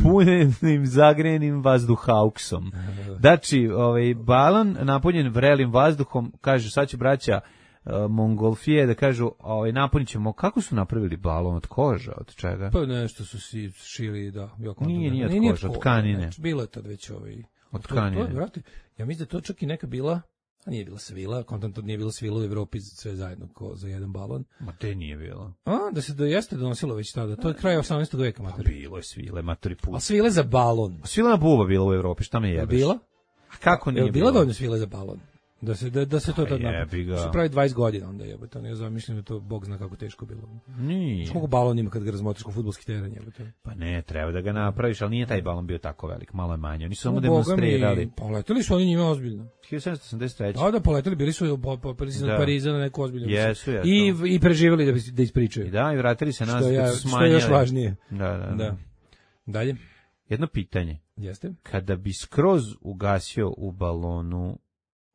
punenim zagrejenim vazduhauksom. Znači, ovaj balon napunjen vrelim vazduhom, kažu sad će braća uh, Montgolfier da kažu, ovaj napunit ćemo, kako su napravili balon, od koža, od čega? Pa nešto su si šili, da. Nije, nije od koža, od tkanine. Bilo je tad već ovaj... Od tkanine. To, to, ja mislim da to čak i neka bila... A nije bila svila, kontant nije bilo svila u Evropi sve zajedno ko za jedan balon. Ma te nije bilo. A, da se da jeste donosilo već tada. To je kraj osamnaestog veka, matori. Bilo je svile, matori put. A svile za balon. Svilena buba bila u Evropi, šta me jebeš? Bila? A kako nije bila? Bila dovoljno svile za balon. Da se da, da se to tad napravi. Se pravi dvadeset godina onda jebote, ne znam, mislim da to bog zna kako teško bilo. Nije. Koliko balon ima kad ga razmotriš ko fudbalski teren jebote. Pa ne, treba da ga napraviš, ali nije taj balon bio tako velik, malo je manje. Oni su samo demonstrirali. Poleteli su oni njima ozbiljno. hiljadu sedamsto osamdeset treće. Da, da, poleteli, bili su popeli iz Pariza na neku ozbiljnu. Jesu, jesu. I i preživeli da da ispričaju. I da, i vratili se nazad kad su smanjili. Što je još važnije. Da, da, da. da. Dalje. Jedno pitanje. Jeste? Kada bi skroz ugasio u balonu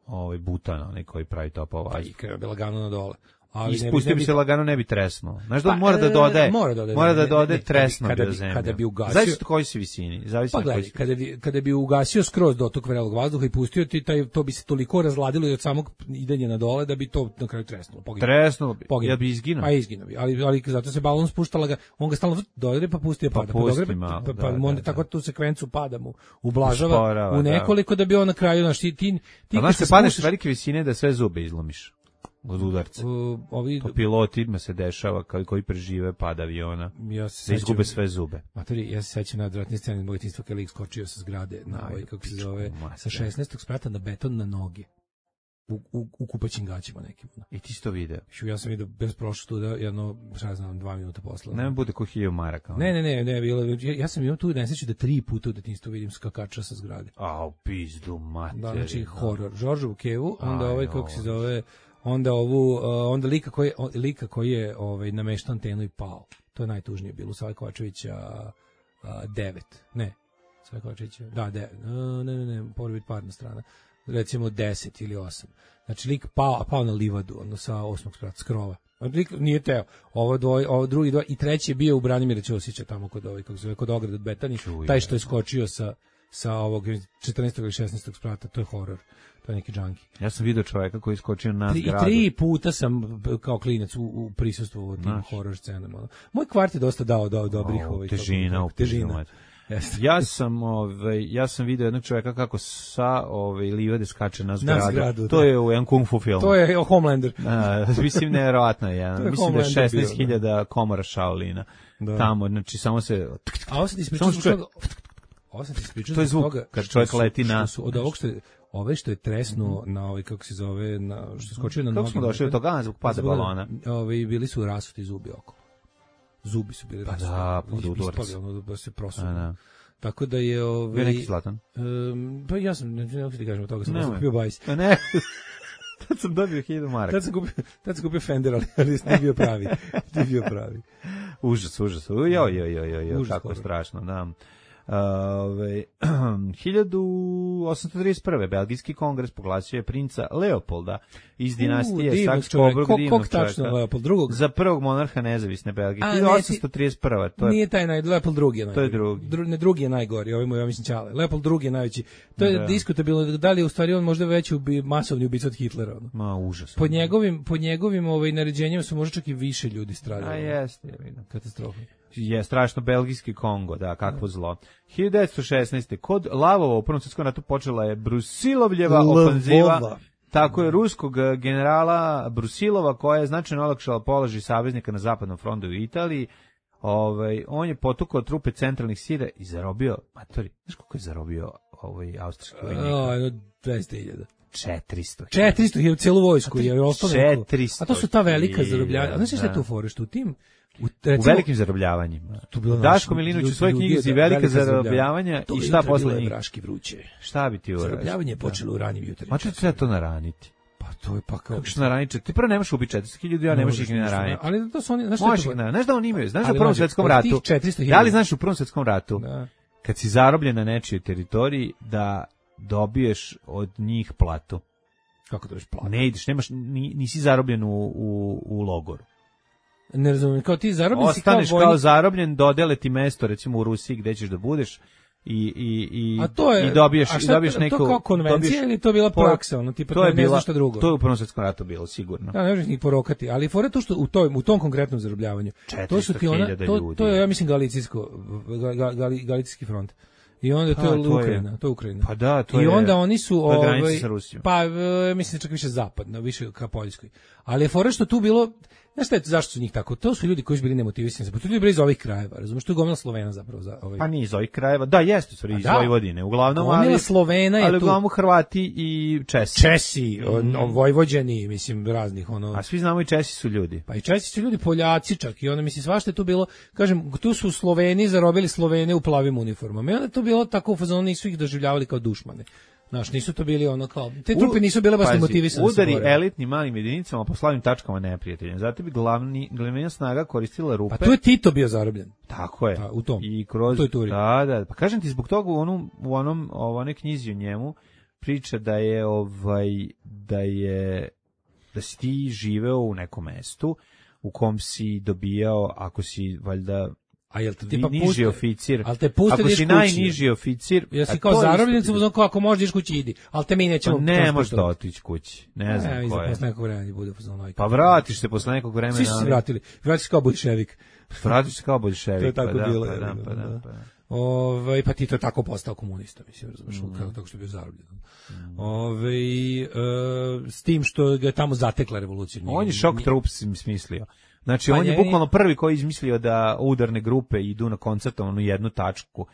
ovaj butan, onaj koji pravi topova. Pa i krenuo bi lagano na dole. Ali ispustio bi se lagano, ne bi tresnuo. Znaš da pa, mora da dodaje, mora da dodaje, mora da ne, dodaje ne, tresno kada do bi, zemlje. kada bi ugasio, zavisi od koje si visini, zavisi pa od koje si kada bi, kada bi ugasio skroz dotok vrelog vazduha i pustio ti taj, to bi se toliko razladilo i od samog idenja na dole da bi to na kraju tresnulo. Poginulo. Tresnulo bi, poginulo. Ja bi izginuo. Pa izginuo bi, ali, ali zato se balon spuštala ga, on ga stalno dodire pa pusti pa pada, pa, pusti pa, malo, pa, da, pa da, onda da. tako tu sekvencu pada mu, ublažava Usporava, u nekoliko da. da bi on na kraju, znaš, ti, ti, ti znaš, se padneš velike visine da sve zube izlomiš. Od udarca. Uh, ovi to pilotima se dešava koji, koji prežive pad aviona. Ja se da izgube sve zube. Matori, ja se sećam nadvratne scene mog djetinjstva kad lik skočio sa zgrade na ovaj kako se zove sa šesnaestog sprata na beton na noge. U, u, u kupaćim gaćima nekim. I ti si to video? Ja sam vidio bez prošlo tu da jedno, šta znam, dva minuta posle. Ne bude ko hiljadu maraka. Ne, ne, ne, ne, bilo, ja, ja sam imao tu nesreću da tri puta u detinjstvu vidim skakača sa zgrade. A, u pizdu materinu. Da, znači, horor. Žoržovu kevu, onda ovaj, kako se zove, onda ovu, uh, onda lika koji, lika koji je ovaj, nameštao antenu i pao. To je najtužnije bilo. Sava Kovačevića uh, devet. Ne, Sava Kovačevića, da, devet. Uh, ne, ne, ne, mora biti parna strana. Recimo deset ili osam. Znači, lik pao, a pao na livadu, ono sa osmog sprata, s krova. Lik nije teo. Ovo dvoj, ovo drugi dva i treći je bio u Branimira Ćosića tamo kod ovaj kako se zove kod ograde od Betani. Taj što je skočio sa sa ovog četrnaestog ili šesnaestog sprata, to je horor. To je neki džanki. Ja sam video čovjeka koji je skočio na tri, zgradu. Tri puta sam kao klinac u, u prisustvu u tim horor scenama. Moj kvart je dosta dao dao dobrih oh, ovih težina, u težina. Ja sam ovaj ja sam video jednog čovjeka kako sa ovaj livade skače na zgradu. Na zgradu to da. je u jednom kung fu filmu. To je Homelander. A, mislim nevjerovatno je. Ja. Mislim da je šesnaest hiljada komora Shaolina. Da. Tamo, znači samo se a ovo se ispričao zbog ovo se ispričao to je zvuk toga, kad čovjek leti na su, od ovog što je ove što je tresnuo mm-hmm. na ovaj kako se zove na što skočio na noge. Kako smo došli do toga zbog pada balona. Ovi bili su rasuti zubi oko. zubi su bili Pa rasuti. da, pod Ispali, udarac. ono, da se prosu. A, da. Tako da je... Ovaj, Bio neki Zlatan? Um, pa ja sam, ne, ne, ne ti kažem od toga, sam Nemoj. kupio bajs. Pa ne, tad sam dobio hiljadu maraka. Tad sam kupio, tad sam kupio Fender, ali, ali nije bio pravi. Nije bio pravi. Užas, užas. Joj, joj, joj, joj, joj, Užas kako toga. strašno, da. Ove, hiljadu osamsto trideset prve. Belgijski kongres proglasio je princa Leopolda iz dinastije Saks-Coburg, Kog tačno Leopold drugog? za prvog monarha nezavisne Belgije. A, hiljadu osamsto trideset prva. To je, Nije taj naj, Leopold drugi je najgori. To je drugi. Dru, ne, drugi je najgori, ovaj mu ja mislim Ćale. Leopold drugi je najveći. To je Da. diskutabilno, da li je u stvari on možda veći ubi, masovni ubica od Hitlera. Ono. Ma, užas. Po njegovim, po njegovim ovaj, naređenjima su možda čak i više ljudi A stradali. jeste, ja vidim. Katastrofa. Je strašno, belgijski Kongo, da, kakvo zlo. hiljadu devetsto šesnaeste. Kod Lavova u Prvom svjetskom ratu počela je Brusilovljeva ofanziva. Lvova. Tako je, ruskog eh, generala Brusilova, koja je značajno olakšala položaj saveznika na zapadnom frontu u Italiji. Ovaj, on je potukao trupe centralnih sila i zarobio, matori, znaš koliko je zarobio ovaj austrijski vojnik? A, jedno dvesta hiljada. četiristo. četiristo hiljada celu vojsku je ostalo. neko- četiristo A to su ta velika hiljada, zarobljavanja. A znaš šta je da. tu fore što u tim u, U recimo, velikim zarobljavanjima. tu bilo Daško naš- Milinović u ljudi- svojoj ljudi- knjizi da, Velika velika zarobljavanja To i jutro šta je bilo posle je njih? Braški vruće. Šta bi ti uradio? Zarobljavanje je počelo u ranim jutarnjim. Ma ću treba to naraniti. Pa to je pa kao... Kako što naraniti? Ti prvo nemaš ubiti četiristo hiljada, ja ne možeš ih ni ništa, naraniti. Ali to su oni, znaš šta je Možeš to? ih na, znaš da oni imaju, znaš da u Ali Prvom mlađe, svjetskom od ratu, tih četiristo hiljada da li znaš u Prvom svjetskom ratu, Da. kad si zarobljen na nečijoj teritoriji, da dobiješ od njih platu. Kako to već plati? Ne ideš, nemaš, ni, nisi zarobljen u, u, u logoru. Ne razumijem, kao ti zarobljen si kao Ostaneš kao, vojnik. zarobljen, dodele ti mesto, recimo u Rusiji gde ćeš da budeš i, i, i, A to je, i dobiješ, a i šta, dobiješ to neku... kao konvencija dobiješ- ili to bila po- praksa, ono, tipa to je ne, ne bila, znaš šta drugo? To je u Prvom svjetskom ratu bilo, sigurno. Da, ne možeš ih porokati, ali fore to što u toj u tom konkretnom zarobljavanju. To su ti ona, četiristo hiljada to, ljudi. to je ja mislim galicijsko ga, ga, gali- galicijski front. I onda to Pa, je to je- Ukrajina, to je Ukrajina. Pa da, to I je... onda oni su to je granica ovaj sa Rusijom. pa e, mislim čak više zapadno, više ka Poljskoj. Ali je fora što tu bilo, znaš šta je, zašto su njih tako? To su ljudi koji su bili nemotivisani, za to su ljudi bili iz ovih krajeva, razumeš, to je gomila Slovena zapravo za ovaj. Pa nije iz ovih krajeva, da, jeste, stvari, iz da. Vojvodine, uglavnom, Gomila ali, Slovena je ali tu. uglavnom Hrvati i Česi. Česi, on, on, Vojvođani, mislim raznih ono. A svi znamo i Česi su ljudi. Pa i Česi su ljudi, Poljaci čak, i onda mislim svašta je tu bilo, kažem, tu su Sloveni zarobili Slovene u plavim uniformama. I onda je to bilo tako u fazonu, nisu ih doživljavali kao dušmane. Znaš, nisu to bili ono kao, te trupe nisu bile baš Pazi, motivisane. da se udari bore. elitnim malim jedinicama po slavnim tačkama neprijatelja. Zato bi glavni, glavna snaga koristila rupe. Pa tu je Tito bio zarobljen. Tako je. Da, u tom. I kroz, U toj turi. Da, da. Pa kažem ti, zbog toga u onom, u onom, u onoj knjizi o njemu priča da je, ovaj, da je, da si ti živeo u nekom mestu u kom si dobijao, ako si, valjda, A jel te vi- tipa niži puste, oficir, ali te puste ako da ideš si kući. najniži oficir, Ja si a kao to je zarobljen, isto- su uzmano kao ako možeš ideš kući idi, ali te mi nećemo. Pa ne možeš da transportovati. otići kući. Ne znam Ne, ko je. posle nekog vremena bude fazon. Pa vratiš se posle nekog vremena. Svi su se ali- vratili. Vratiš se kao boljševik. Vratiš se kao boljševik. To je tako pa da, bilo, Pa je da, li, pa da, da. pa da. Ovaj pa Tito je tako postao komunista, mislim, razumeš, Mm. kako tako što je bio zarobljen. Ovaj e, s tim što ga je tamo zatekla revolucija. On je šok trups im smislio. Znači, Pa on je njeni- bukvalno prvi koji je izmislio da udarne grupe idu na koncertovanu jednu tačku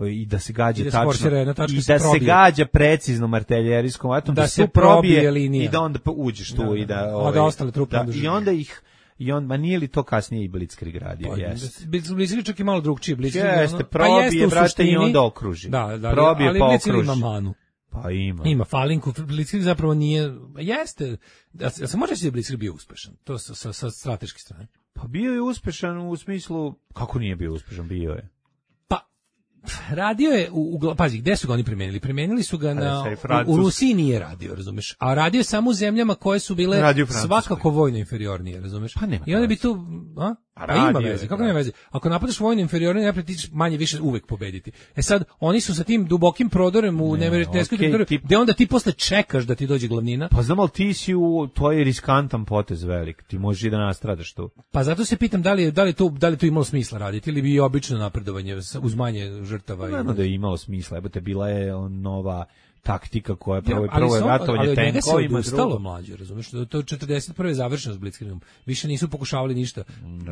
i da se gađa I da se tačno forsira jedna tačka, i se da se probije. gađa preciznom artiljerijskom vatom, Da da, se se probije probije linija. i da onda pa uđeš tu Da, da, i da, da. A ovaj, da ostale trupe da, onda i žive. onda ih i on ma nije li to kasnije i Blitzkrieg radio, Pa, jeste. Blitzkrieg čak i malo drugčije. Blitzkrieg je Jeste, ono- probije, pa jeste u brate, i suštini- onda okruži. Da, da, Probije, ali pa Blitzkrieg okruži. ima manu. Pa ima. Ima falinku, Blitzkrieg zapravo nije, jeste, da se, da se može reći da je Blitzkrieg bio uspešan, to sa, sa, sa strateške strane. Pa bio je uspešan u smislu, kako nije bio uspešan, bio je. Pa, radio je, u, u, pazi, gde su ga oni primenili? Primenili su ga na, sad i u, Francuska. u Rusiji nije radio, razumeš, a radio je samo u zemljama koje su bile Radio u Francuskoj. svakako vojno inferiornije, razumeš? Pa nema I onda bi veze. tu, a? A Pa ima radio je, veze, kako da. nema veze? Ako napadaš vojno inferiornije, napred ti ćeš manje više uvek pobediti. E sad, oni su sa tim dubokim prodorem u Ne, neverovatneskoj okej, teritoriji, tip- gde onda ti posle čekaš da ti dođe glavnina. Pa znam, ali ti si u, to je riskantan potez velik, ti možeš i da nastradaš tu. Pa zato se pitam da li je da li to da li to imalo smisla raditi ili bi i obično napredovanje sa- uz manje žrtava. i- Naravno da je imalo smisla, jebote, bila je on nova taktika koja je Ja, prvo, ali prvo je sam- ratovanje ali od njega se tenkovima, odustalo drugo. mlađe, razumeš? To to je četrdeset prve završeno s Blitzkriegom. Više nisu pokušavali ništa.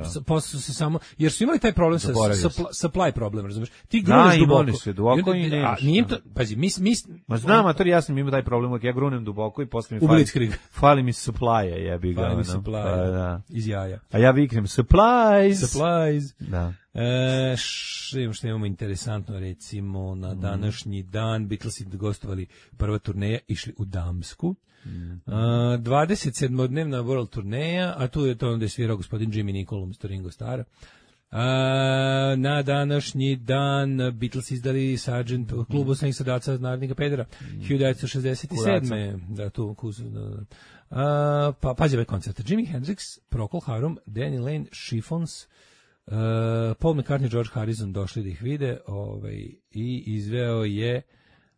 S- Posle su se samo jer su imali taj problem sa Zaboravio supply, supply problem, razumeš? Ti Da, gruneš imali duboko. su je duboko I onda- i a, nemaš, nije im da. to, pazi, mi mi Ma znam, a to ja sam imao taj problem, uvijek ja grunem duboko i posle mi U fali, Blitzkrieg. fali mi supply-a, jebi ga. Fali mi ono. supply. Pa, da. iz jaja. A ja viknem supplies. Supplies. Da. E, š, imamo što imamo interesantno, recimo na današnji dan Beatlesi gostovali prva turneja, išli u Damsku. A, dvadeset sedmodnevna world turneja, a tu je to onda je svirao gospodin Jimmy Nicol umjesto Ringo Starra. A, na današnji dan Beatles izdali Sargent klub osnovnih sadaca Narodnika Pedera hiljadu devetsto šezdeset sedme. Da, tu kus, da, da. A, pa pađe ovaj koncert. Jimi Hendrix, Procol Harum, Danny Lane, Chiffons, Uh, Paul McCartney, George Harrison došli da ih vide, ovaj, i izveo je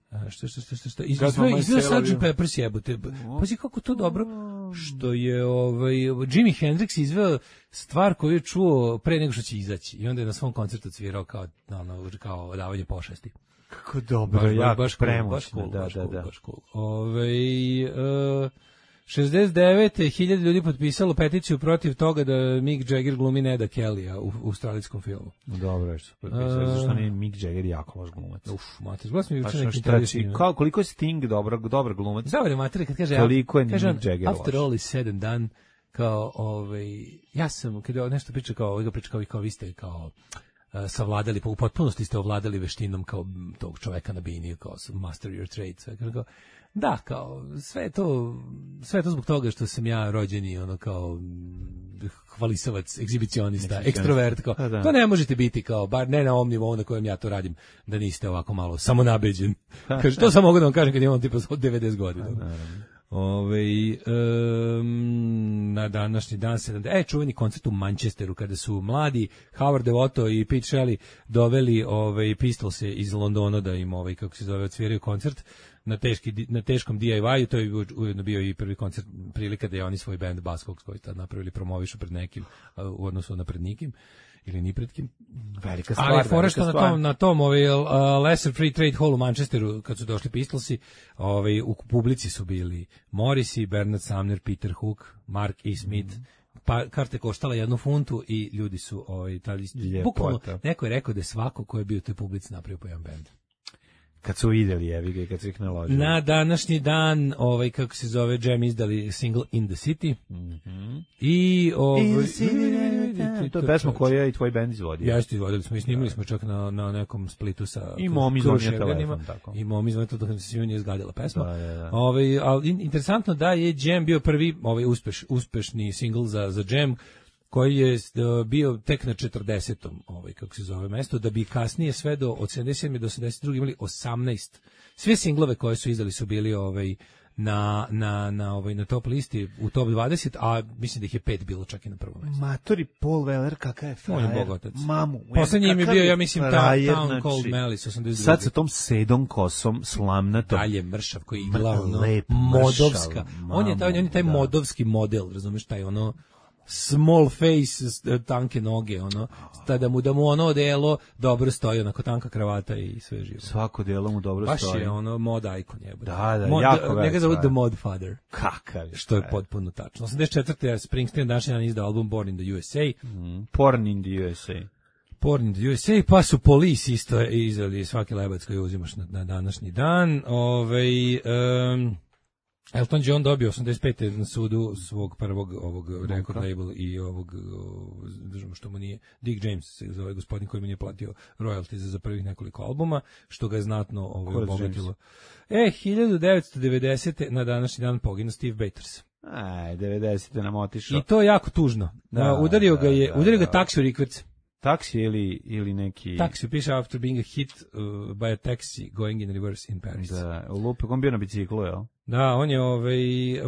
a, što što što što, što izveo, Godmama izveo iz sergeant Tel Pepper's jebote. Pazi kako to dobro što je ovaj Jimi Hendrix izveo stvar koju je čuo pre nego što će izaći i onda je na svom koncertu svirao kao ono, kao davanje pošasti. Kako dobro, Baš, jako baš cool, premoćno, baš cool, da, baš da, cool, da. baš cool. Ovaj, uh, šezdeset devete hiljade ljudi potpisalo peticiju protiv toga da Mick Jagger glumi Neda Kellya u, u australijskom filmu. Dobro je što su potpisali, A- zašto nije Mick Jagger jako loš glumac. Uf, mater, gledam sam Pa juče što neki šta intervju s ti- njim. kao, koliko je Sting dobar, dobar glumac? Zavere mater kad kaže Toliko je kaže on, Mick Jagger after loš. all is said and done, kao ovaj ja sam kad je nešto priča kao ovaj ga priča kao vi kao vi ste kao uh, savladali, pa u potpunosti ste ovladali veštinom kao m, tog čoveka na bini, kao master your trade, sve kao, da, kao, sve je to, sve je to zbog toga što sam ja rođeni, ono, kao, m, hvalisavac, egzibicionista, ekstrovert, kao, Pa da. to ne možete biti, kao, bar ne na ovom nivou na kojem ja to radim, da niste ovako malo samonabeđen. Kaže, to sam mogu da vam kažem kad imam tipa od devedeset godina. Ove, um, na današnji dan sedamdeset E, čuveni koncert u Manchesteru kada su mladi Howard Devoto i Pete Shelley doveli ovaj Pistolse iz Londona da im ovaj kako se zove odsviraju koncert na teški na teškom D I Y-u. To je ujedno bio i prvi koncert prilika da je oni svoj bend Buzzcocks koji tad napravili promovišu pred nekim a, u odnosu na pred nikim ili ni pred kim. Velika stvar, Ali fora velika što na stvar. tom na tom ovaj uh, Lesser Free Trade Hall u Manchesteru kad su došli Pistolsi, ovaj u publici su bili Morrissey, Bernard Sumner, Peter Hook, Mark E. Smith. Pa karte koštala jednu funtu i ljudi su ovaj tali bukvalno neko je rekao da je svako ko je bio u toj publici napravio po jedan bend. Kad su vidjeli, jevi ga, i kad su ih naložili. Na današnji dan, ovaj kako se zove, Jam izdali single In the City. Mm-hmm. I ovaj To je pesma koju je i tvoj bend izvodio. Jeste, izvodili smo i snimili smo čak na, na nekom splitu sa I mom izvonio Kruševljanima. telefon, tako. I mom izvonio telefon, da se njoj nije zgadila pesma. Da, da, da. Ovaj, ali in- interesantno da je Jam bio prvi ovaj uspeš, uspešni singl za, za Jam, koji je uh, bio tek na četrdesetom ovaj kako se zove mesto, da bi kasnije sve do od sedamdeset sedme do osamdeset druge imali osamnaest. Sve singlove koje su izdali su bili ovaj na na na ovaj na top listi u top dvadeset, a mislim da ih je pet bilo čak i na prvom mestu. Matori Paul Weller, kakav je On je frajer. bogotac. Mamu. Poslednji im je kakav bio, ja mislim, ta, frajer, Town znači, Cold Malice, osamdeset druge. Sad sa tom sedom kosom, slamnatom. Dalje mršav koji igla ono, Lep, modovska. mršav, On je taj, on je taj mamu, da. modovski model, razumeš, taj ono small face, s- tanke noge, ono, ta da mu da mu ono odelo dobro stoji, onako tanka kravata i sve živo. Svako delo mu dobro Baš stoji. je ono mod icon jebote. Da, da, mod, jako njega velik zovu stvar. The Mod Father. Kakav je Što je frajer. potpuno tačno. osamdeset četvrte je Springsteen današnji dan izdao album Born in the U S A. Mm, Porn in the U S A. Born in the U S A, pa su Police isto izdali svaki lebac koji uzimaš na, na današnji dan. Ovaj um, Elton John dobio osamdeset pete na sudu svog prvog ovog record label i ovog o, držimo što mu nije Dick James se zove gospodin koji mu nije platio royalties za prvih nekoliko albuma, što ga je znatno ovaj, Ko je obogatilo. E, hiljadu devetsto devedesete na današnji dan poginuo Steve Bators. Aj, devedesete nam otišao. I to je jako tužno. Da, udario da, ga je, da, udario ga da. taksi u rikverc. Taksi ili, ili neki... Taxi piše after being a hit uh, by a taxi going in reverse in Paris. Da, Da, u lupe, on bio na biciklu, jel? on je ovaj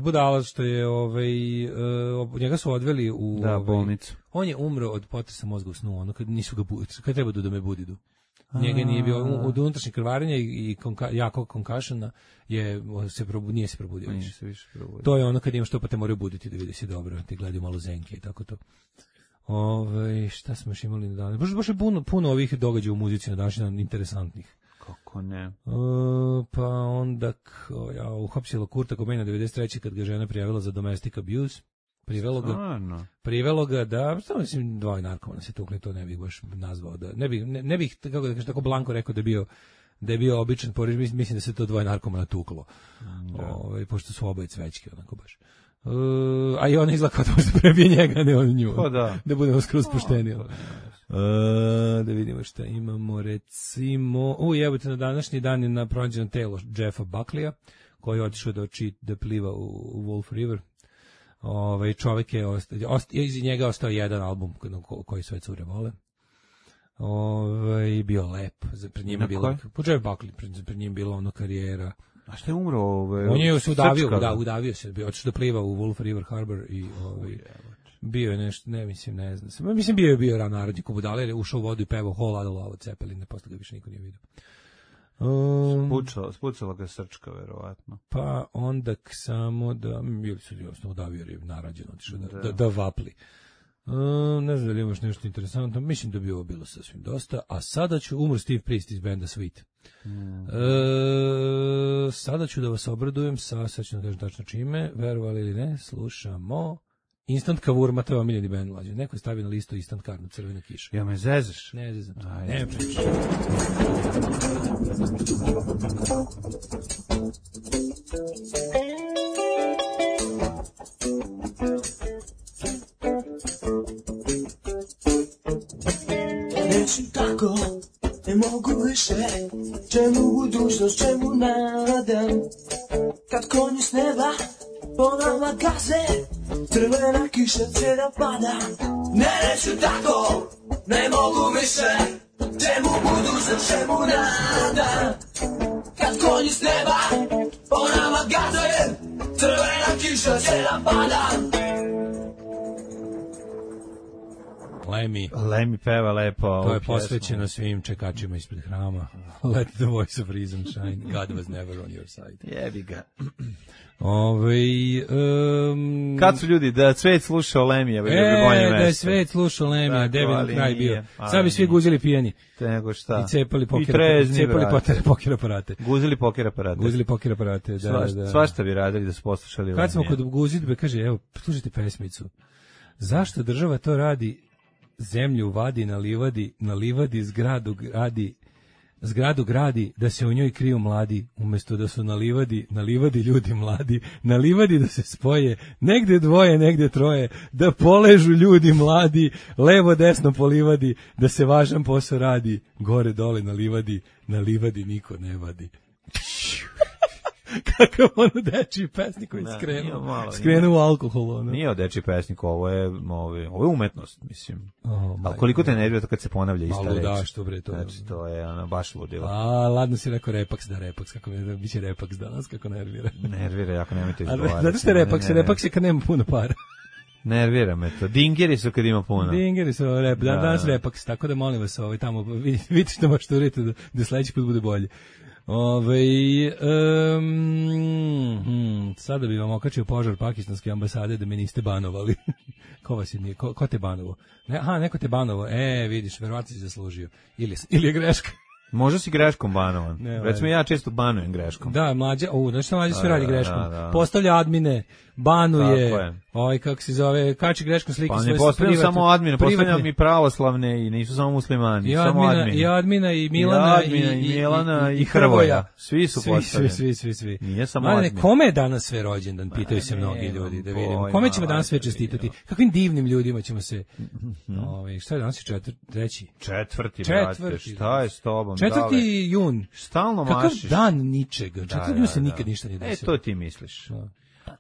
budala što je ovaj uh, njega su odveli u Da, ovaj, bolnicu. On je umro od potresa mozga u snu, ono kad nisu ga budili, kad treba da me budidu. Njega nije bio od unutrašnjeg krvarenja i, i konka, jako konkašena je se probu, nije se probudio Nije više. se više probudio. To je ono kad imaš to pa te moraju buditi da vidi si dobro, ti gledaju malo zenke i tako to. Ove, šta smo još imali na dan? Baš, baš je puno, puno ovih događaja u muzici na današnji dan interesantnih. Kako ne? Uh, pa onda k, ja, uhapsilo Kurta Cobaina devedeset treće kad ga žena prijavila za domestic abuse. Privelo ga, Stvarno? privelo ga da, što mislim, dvoje narkomana se tukli, to ne bih baš nazvao, da, ne bih, ne, ne bih, kako da kažem, tako blanko rekao da je bio, da je bio običan poriž, mislim da se to dvoje narkomana tuklo, da. Ove, pošto su oboje cvećke, onako baš. Uh, a i ona izlaka da možda prebije njega, ne on nju, pa da. Da budemo skroz pošteni. Uh, da vidimo šta imamo, recimo, u jebote, na današnji dan je na pronađeno telo Jeffa Buckleya, koji je otišao da, oči, da pliva u, u Wolf River. Ovaj čovjek je ostao, osta, iz njega ostao jedan album koji sve cure vole. Ovaj bio lep, za pred njim bilo. Počeo Buckley, pred, pred njim bilo ono karijera. A šta je umro ovaj? On je se udavio, da, udavio se, bio otišao da pliva u Wolf River Harbor i ovaj bio je nešto, ne mislim, ne znam. Mislim bio je bio ran narodni kubudale, ušao u vodu i pevao Whole Lotta Love od Zeppelina, posle ga više niko nije vidio. Um, Spucala, spucala ga srčka, verovatno. Pa onda k samo da, bili su jednostavno udavio jer je narađeno, otišao da, da, da vapli. Um, ne znam da li imaš nešto interesantno, mislim da bi ovo bilo sasvim dosta, a sada ću, umro Steve Priest iz benda Sweet. Mm. E, sada ću da vas obradujem sa, sad ću da kažem tačno čime, verovali ili ne, slušamo Instant Cavour, to je omiljeni band mlađe. Neko je stavio na listu Instant Karnu, Crvena kiša. Ja me zezaš? Ne zezam. Ne pričaš. Neću tako, ne mogu više, čemu budućnost, čemu nadam, kad konji s neba po nama gaze, crvena kiša cijela pada. Ne, neću tako, ne mogu više, čemu budućnost, čemu nadam, kad konji s neba po nama gaze, crvena kiša cijela pada. Lemmy. Lemmy peva lepo. To je posvećeno svim čekačima ispred hrama. Let the voice of reason shine. God was never on your side. Jebi ga. Ove, um, kad su ljudi, da svet slušao Lemija, bi e, bolje mesto. Da je svet slušao Lemija, debel kraj bio. Sad bi svi guzili pijeni. Te nego šta. I cepali poker, I trezni, cepali poker, poker aparate. Guzili poker aparate. Guzili poker aparate, da, Svaš, da. Svašta bi radili da su poslušali Lemija. Kad smo kod guzidbe, kaže, evo, slušajte pesmicu. Zašto država to radi? Zemlju vadi na livadi, na livadi zgradu gradi, zgradu gradi da se u njoj kriju mladi, umjesto da su na livadi, na livadi ljudi mladi, na livadi da se spoje, negde dvoje, negde troje, da poležu ljudi mladi, levo desno po livadi, da se važan posao radi, gore dole na livadi, na livadi niko ne vadi. Kakav ono dečiji pesnik koji skrenuo, skrenuo u alkohol. Ono. Nije od dečiji pesnik, ovo je, ovo je, ovo je umetnost, mislim. Oh, ali koliko te nervira to kad se ponavlja ista reč? Malo da, što bre to. Znači, to je ono, baš ludilo. A, ladno si rekao repaks, da repaks, kako mi biće repaks danas, kako nervira. Nervira, jako nemojte izgovarati. Znate ste repaks, repaks je kad nema puno para. Nervira me to. Dingeri su kad ima puno. Dingeri su, rep, da, danas repaks, tako da molim vas, ovaj, tamo, vidite što možete uriti da, da sledeći put bude bolje. Ove, um, hmm, sada bi vam okačio požar pakistanske ambasade da me niste banovali. Ko vas je nije? Ko, ko te banovo? Ne, aha, neko te banovo. E, vidiš, verovatno si zaslužio. Ili, ili je greška. Možda si greškom banovan. Ne, recimo ja često banujem greškom. Da, mlađa, u, znači što mlađa sve radi greškom. Da, da. Postavlja admine, banuje, ovaj, kako se zove, kači greškom slike pa svoje ne postavljam samo admine, postavljam mi pravoslavne i nisu samo muslimani, I samo admina, admine. I admina, i Milana, I, admina, i, i Milana, i, i, i Hrvoja. Svi su postavljeni. Svi, svi, svi, svi. Nije samo Mane, admin. Kome je danas sve rođendan, pitaju se mnogi ljudi, da vidimo. Kome ćemo danas sve čestitati? Kakvim divnim ljudima ćemo se... Ovaj, šta je danas četvrti, treći? Četvrti, brate, šta je s tobom? Četvrti jun. Stalno mašiš. Kakav dan ničega. Četvrti jun se nikad ništa nije desilo. E, to ti misliš.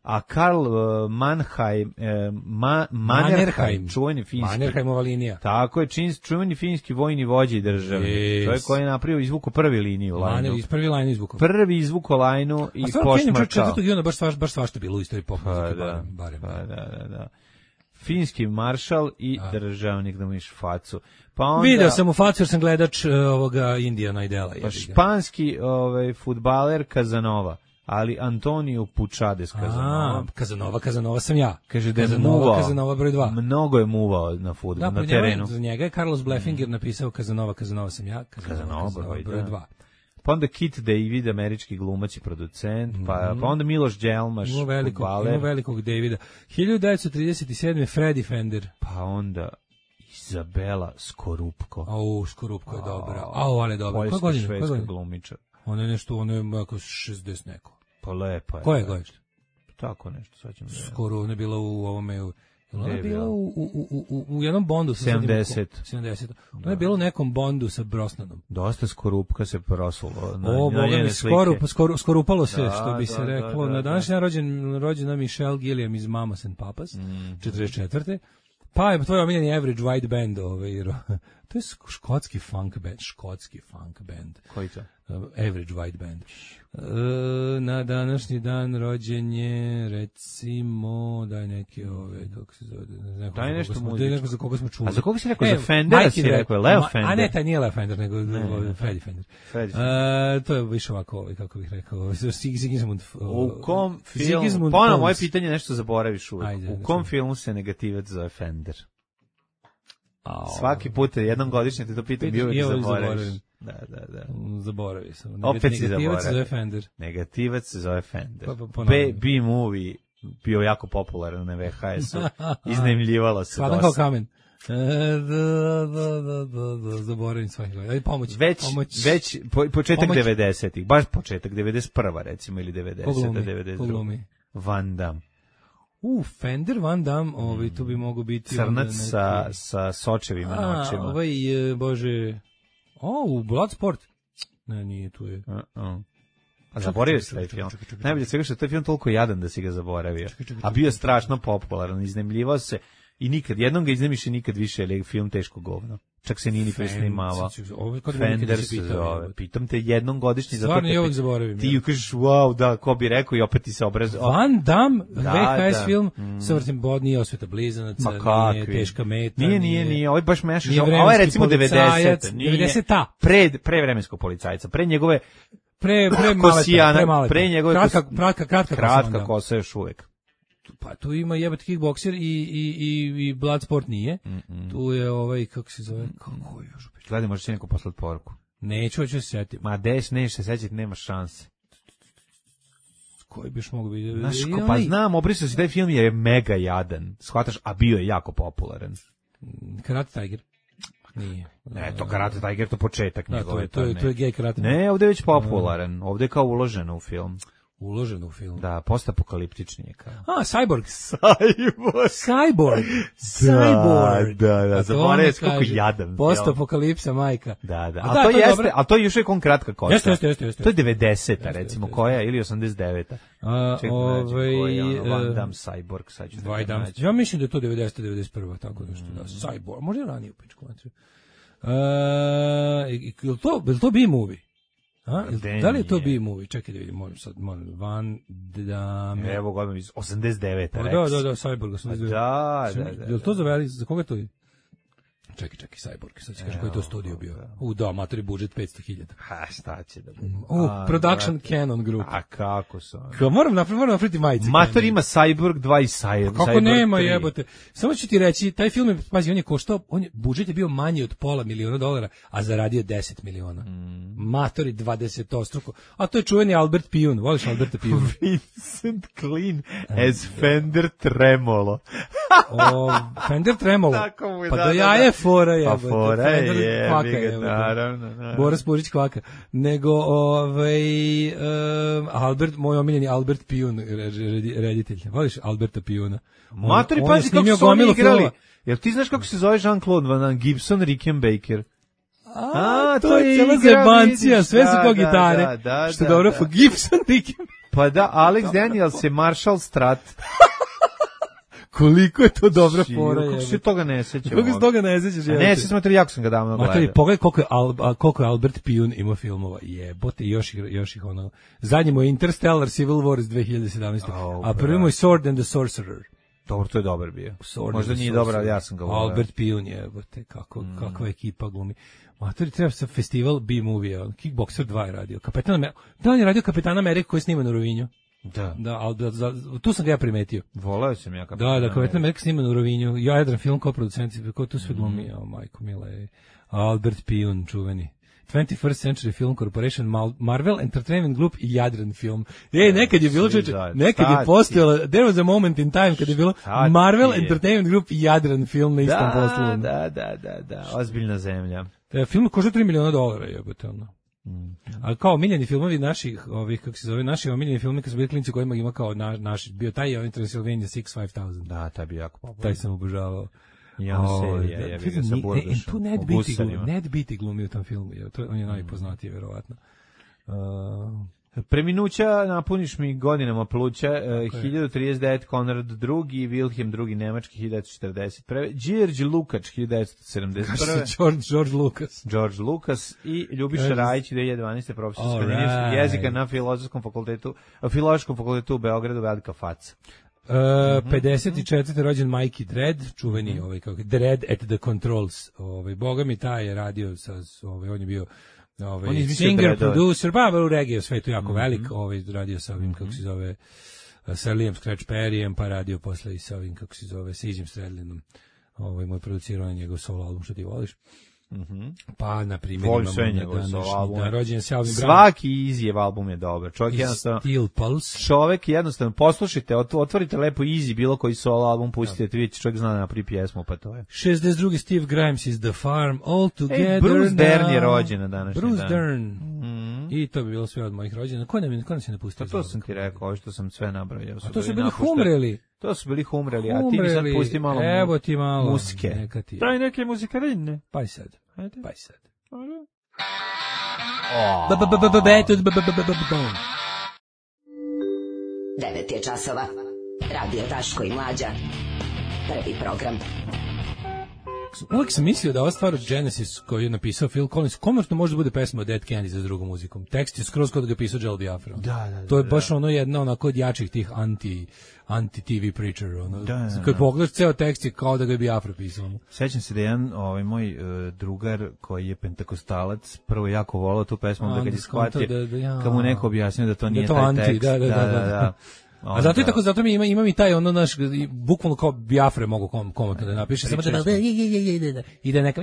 A Karl uh, Mannheim, uh, Ma, Mannerheim, čuveni finski. Mannerheimova linija. Tako je, čin, čuveni finski vojni vođa i državnik. Yes. Čovjek koji je napravio izvuku prvi liniju. Manner, iz prvi lajnu izvuku. Prvi izvuku lajnu i pošmarčao. Četvrtog juna baš svašta, baš svašta bilo u istoriji pop pa, muzike, da, barem. barem. Pa, da, da, da. Finski maršal i a. državnik, da mu iš facu. Pa onda, video sam u facu jer sam gledač uh, ovoga Indijana Idela. Pa španski ovaj, futbaler Kazanova. Ali Antonio Pučades Kazanova. A, Kazanova, Kazanova sam ja. Kaže da je Kazanova, muvao. Kazanova broj dva. Mnogo je muvao na fudbalu, da, na terenu. Za njega je Carlos Bleffinger mm. napisao Kazanova, Kazanova sam ja. Kazanova, Kazanova, Kazanova broj dva. pa onda Kit David, američki glumac i producent, pa, Mhm. pa onda Miloš Đelmaš, Ima velikog, fudbaler, ima velikog Davida. hiljadu devetsto trideset sedme. Freddy Fender. pa onda Izabela Skorupko. Au, Skorupko je dobra. Au, ali je dobra. Koja Poljska, godina? Koja švedska godina? glumičar. Ona je nešto, ona je ako šezdeset neko. Pa lepa je. Koja je da. godište? Tako nešto, sad ćemo da... Skoro ona je bila u ovome... U, ona Gde je je bila bila? u, u, u, u, u jednom Bondu. sa sedamdeset. sedamdeset. Ona je bila u nekom Bondu sa Brosnanom. Dosta Skorupka se prosulo na, O, na boga njene mi, slike. skoro, skoro, skoro upalo se, Da, što bi se da, reklo. da, da, Na današnji dan rođen, rođena Michelle Gilliam iz Mamas and Papas, Mm. četrdeset četvrte. Pa je tvoj omiljeni Average White Band. Ovaj, ro- to je sk- škotski funk band. Škotski funk band. Koji to? Uh, Average White Band. Uh, na današnji dan rođen je, recimo, daj neke ove, kako se zove, ne znam Daj za nešto koga smo, muzičko. daj neko za koga smo čuli. A za koga si rekao? E, Za Fendera Mikey si Red- rekao, Leo Ma- Fender? A ne, taj nije Leo Fender, nego Ne, ovaj, ne, Freddie Fender. Freddie Uh, to je više ovako, ovaj, kako bih rekao, Sig- Sigismund. U kom filmu, Sigismund pa ono, Pons. moje pitanje nešto zaboraviš uvijek. Ajde, U da kom čujem. filmu se negativac zove Fender? Au. Svaki put, jednom godišnje te to pitam, Pitam, bio i uvijek ovo zaboraviš. zaboravim. Da, da, da. Mm, Zaboravio sam. Opet si Negativac se zaboravio. zove Fender. Negativac se zove Fender. Pa, pa, B, ponavljam. B-movie bio jako popularan na V H S-u. Iznajmljivalo se Hladan kao dosta. kamen. E, da, da, da, da, da, zaboravim svaki godin. Ajde, pomoć. Već, pomoć. već po, početak Pomoć. devedesetih, baš početak, devedeset prva recimo, ili Ko devedeseta, glumi? devedeset Ko druga. glumi? Van Damme. U, Fender Van Damme, ovaj, tu bi mogo biti... onda Crnac neki- sa, sa sočevima na A, očima. ovaj, e, bože... O, u Bloodsport. Ne, nije, tu je. Uh-uh. A zaboravio si taj čekaj, film. čekaj, čekaj, čekaj. Najbolje od svega što je taj film toliko jadan da si ga zaboravio. Čekaj, čekaj, A bio je strašno popularan, iznemljivao se i nikad, jednom ga iznemiš i nikad više, jer je film teško govno. Čak se nije ni presnimavao. Ovo je kod mene Fender kada se pitao, zove. jebote. Pitam te jednom godišnji, zato Stvarno te je uvijek pit- zaboravim. ti ja. kažeš, wow, da, ko bi rekao i opet ti se obraz... Van Damme, Da, V H S da. film, Mm. sa vrtim bod, nije Osveta blizanaca, Ma nije kakvi? teška meta. Nije, nije, nije, ovo je baš mešaš. Nije Ovo je vremenski recimo policajac, devedesete. Nije. devedeseta. Pre, pre vremenskog policajca, pre njegove Pre, pre maleta, kosijana, pre maleta. pre njegove kratka, kos- kratka, kratka, kosa kratka onda. kosa još uvek. Pa tu ima jebate kickbokser i, i, i, i Bloodsport nije. Mm-mm. Tu je ovaj, kako se zove, kako je još upiš? Gledaj, možeš ti neko poslati poruku. Neću, hoću se setim. Ma deš, neš se sećati, nema šanse. Koji bi još mogu biti? Znaš, I ko, pa onaj znam, obrisao si taj film jer je mega jadan. Shvataš, a bio je jako popularan. Karate Tiger. Nije. Ne, to Karate Tiger, to početak Da, to njegove. je, to je, ne. to je gay karate. Ne, ovde je već popularan. Ovde je kao uloženo u film. Uložen u film. Da, postapokaliptični je kao. A, Cyborg. Cyborg. Cyborg. Cyborg. Da, da, A to zaboravio ono si kako kaže, jadan film. Postapokalipsa, majka. Da, da. A A da, to to je jeste, dobro. a to je još uvijek on kratka kosa. Jeste, jeste, jeste, jeste. To je devedeseta, Jeste, recimo, jeste, koja, ili osamdeset deveta. A, Čekaj, da nađem ovaj, koji je ono, Van e, Damme, Cyborg, sad ću da Van ga Damme. nađem. Ja mislim da je to devedeseta devedeset prva tako nešto, da. Cyborg, možda i ranije u pičku materiju. E, je li to, je li to B-movie? A, jel- Gde da li je to nije? B-movie? Čekaj da vidim, moram sad, moram, Van Damme. Evo ga odmah iz osamdeset devete. Pa Rex. da, da, da, Cyborg. Pa osamdeset devete. da, da, da. Je li to za veli, za koga to je? Čekaj, čekaj, Cyborg, sad ću kaži koji je to studio bio. U, da, matori budžet petsto hiljada. Ha, šta će da bude? U, A, Production brate. Canon Group. A kako su? oni? Kao, moram napraviti, moram napraviti majice. Mator ima Cyborg dva i Cyborg. Kako Cyborg nema tri. jebote. Samo ću ti reći, taj film je, pazi, on je koštao, on je, budžet je bio manji od pola miliona dolara, a zaradio deset miliona. Mm. Matori dvadesetostruko. A to je čuveni Albert Pijun. Voliš Alberta Pijuna? Vincent Clean as Fender Tremolo. O, Fender Tremolo. Tako mu je, Pa da, do da, jaja da. je fora Pa jebote. fora Fender je, kvaka jebi ga, jebote. naravno, naravno. Boris Purić kvaka. Nego, ovaj, um, Albert, moj omiljeni Albert Pijun, re- re- reditelj. Voliš Alberta Pijuna? On- Matori, on je pazi kako snimio su oni gomilu igrali. filmova. Jel ti znaš kako se zove Jean-Claude Van Damme, Gibson, Rickenbacker? A, A, to, to je je cijela igra, zebancija, vidiš, sve su da, kao da, gitare. da, da, što je da, dobro, da. for Gibson, Ricky. Pa da, Alex Daniels je Marshall Strat. Koliko je to dobra Čiju, fora, kako se jebote. toga ne sećam? Kako se toga ne sećaš, A jebote? ne, sećam se, jako sam ga davno Matori, gledao. pogledaj koliko je, Al, a, koliko je Albert Pijun imao filmova. Jebote, i još, ih- još ih ono... Zadnji mu je Interstellar Civil War iz dve hiljade sedamnaeste. Oh, a prvi mu je Sword and the Sorcerer. Dobro, to je dobar bio. Sword Možda and the nije dobar, ali Sorcerer. ja sam ga voleo. Albert Pijun, jebote, kako, mm. kakva ekipa glumi. Matori, treba se festival B-movie, Kickboxer dva je radio. Kapetan Amerika, da, on je radio Kapetan Amerika koji snima na Rovinju. Da. Da, ali da, za, tu sam ga ja primetio. Voleo sam ja. Da, da, Kapetan Amerika snima na Rovinju. Ja jedan film kao producent, ko tu sve glumi, mm. o, majko mila je. Albert Pijun, čuveni. twenty-first Century Film Corporation, Marvel Entertainment Group i Jadran Film. E, nekad je bilo, čeče, nekad je postojalo, there was a moment in time kad je bilo Marvel Entertainment Group i Jadran Film na istom poslu. Da, da, da, da, ozbiljna zemlja. Film košta tri miliona dolara, jebote, ono. Mm. Ali kao omiljeni filmovi naših, ovih, kako se zove, naši omiljeni filmovi kad su bili klinci kojima ima kao na, naš, bio taj ovaj Transylvania six five thousand. Da, taj bi jako popularan. Taj sam obožavao. Ja, oh, serija, ja bih ga sa Burdušom. Tu Ned Beatty glumi, Ned Beatty glumi u tom filmu, je, to, on je najpoznatiji, verovatno. Uh, Preminuća napuniš mi godinama pluća, uh, hiljadu trideset devet Konrad drugi, Wilhelm drugi nemački, hiljadu četrdeset prve Đorđe Lukač, hiljadu sedamdeset prve George, George Lucas. George Lucas i Ljubiša Rajić, dve hiljade dvanaeste profesor skandinavskog right. jezika na Filozofskom fakultetu, Filološkom fakultetu u Beogradu, velika faca. Uh, pedeset četvrte rođen Mikey Dread, čuveni mm-hmm. ovaj kako Dread at the Controls. Ovaj boga mi taj je radio sa ovaj on je bio ovaj on je singer producer, pa u reggae svetu jako mm-hmm. velik, ovaj radio sa ovim mm-hmm. kako se zove sa Liam Scratch Perryem, pa radio posle i sa ovim kako se zove sa Izim Stradlinom. Ovaj moj producirao njegov solo album Što ti voliš. Mhm. Pa na primjer imamo da rođen se Alvin Brown. Svaki Easy album je dobar. Čovjek jednostavno Steel Pulse. Čovjek jednostavno poslušajte, otvorite lepo Easy bilo koji solo album, pustite, vidite čovjek zna na pri pjesmu, pa to je. šezdeset drugi Steve Grimes is The Farm All Together. Ej, Bruce Dern je rođen na današnji Bruce dan. Bruce Dern. Mm-hmm. I to bi bilo sve od mojih rođena. Ko nam je, ko nam se napustio? Pa to sam ti rekao, ovo što sam sve nabrojao. A to su bili Humreli. To su bili Humreli, a ti mi sad pusti malo Evo ti malo muzike. Daj neke muzikarine. Pa i sad. Ajde. Pa i sad. devet je časova. Radio Daško i Mlađa. Prvi program. Uvijek sam mislio da ova stvar od Genesis koju je napisao Phil Collins komerčno može da bude pesma od Dead Kennedys za drugom muzikom. Tekst je skroz kod da ga pisao Joel Biafra. Da, da, da, to je baš ono jedna onako od jačih tih anti anti-T V preacher. Ono. Da, da, da. Kad pogledaš ceo tekst je kao da ga je Biafra pisao. Sećam se da jedan ovaj, moj uh, drugar koji je pentakostalac prvo jako volao tu pesmu, onda kad je shvatio, da, da, ja, kad mu neko objasnio da to nije da to taj anti, tekst. Da, da, da. da, da, da. A zato je tako, zato mi ima, ima mi taj ono naš, bukvalno kao Biafre mogu kom, komentno da napiše, samo da da i da neka,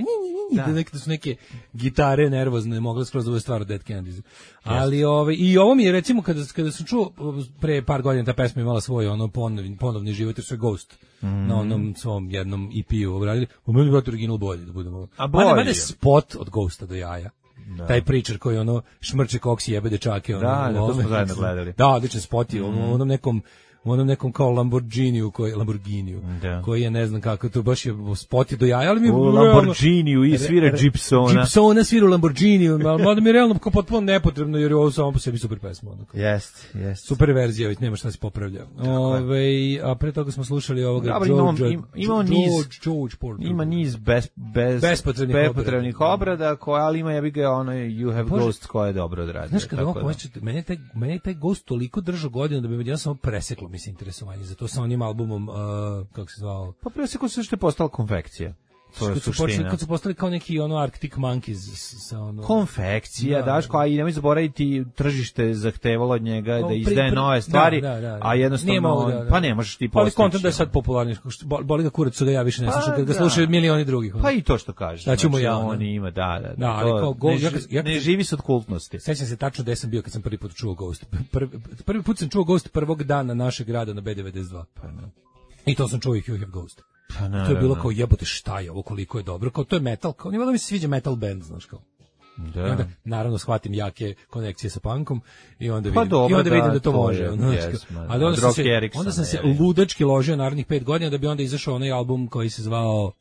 da neke su neke gitare nervozne, mogle skroz da bude stvar od Dead Kennedys. Ali ovaj i ovo mi je recimo kada kada sam čuo pre par godina ta pesma imala svoj ono ponovni ponovni život, jer su Ghost mm. na onom svom jednom E P-u obradili. U meni je original bolje da budemo. A bolje spot od Ghosta do jaja. Da. Taj pričer koji ono šmrče koks i jebe dečake ono, da, da, to smo zajedno gledali. Da, odličan spot je mm. ono, onom nekom u onom nekom kao Lamborghiniju koji Lamborghiniju da. Koji je ne znam kako to baš je spot je do jaja, ali mi u Lamborghiniju i svira Gibsona. Gibsona svira u Lamborghiniju, ali mi je realno kao potpuno nepotrebno jer je ovo samo po sebi super pesma onako. Jest, jest. Super verzija, već nema šta se popravlja. Ovaj a pre toga smo slušali ovoga Dobar, George, ima, ima niz George, George Porter. Ima niz bez bez bespotrebnih, bespotrebnih obrada koja ali ima ja bih ga ono You Have Bože, Ghost koja je dobro odradio. Znaš kada ovo hoćete, meni taj meni taj Ghost toliko držao godina da bi me ja samo preseklo mislim interesovanje za to sa onim albumom uh, kako se zvao. Pa preseko se što je postala konfekcija. To je suština. Počeli, kad su postali kao neki ono Arctic Monkeys sa ono konfekcija, da, Daško, a i nemoj zaboraviti tržište zahtevalo od njega da izdaje nove stvari, da, da, da, da. A jednostavno da, da. Pa ne možeš ti postići. Ali kontent da je sad popularni, boli ga kurac da ja više ne slušam, kad ga slušaju milioni drugih. Pa i to što kažeš. Da ćemo ja, on ima, da, da. Da, ali kao Ghost, ne, ja, ne živi se od kultnosti. Sećam se tačno gde sam bio kad sam prvi put čuo Ghost. Prvi, prvi put sam čuo Ghost prvog dana našeg grada na B devedeset dva. Pa ne. I to sam čuo i You Have Ghost. Pa, to je bilo kao jebote šta je ovo, koliko je dobro, kao to je metal, kao nije da mi se sviđa metal band, znaš kao. Da. I onda naravno shvatim jake konekcije sa punkom i onda vidim, pa dobro, i onda vidim da, da to, to može. Ono, yes, ali onda sam, se, Erickson, onda sam se ludački ložio narednih pet godina da bi onda izašao onaj album koji se zvao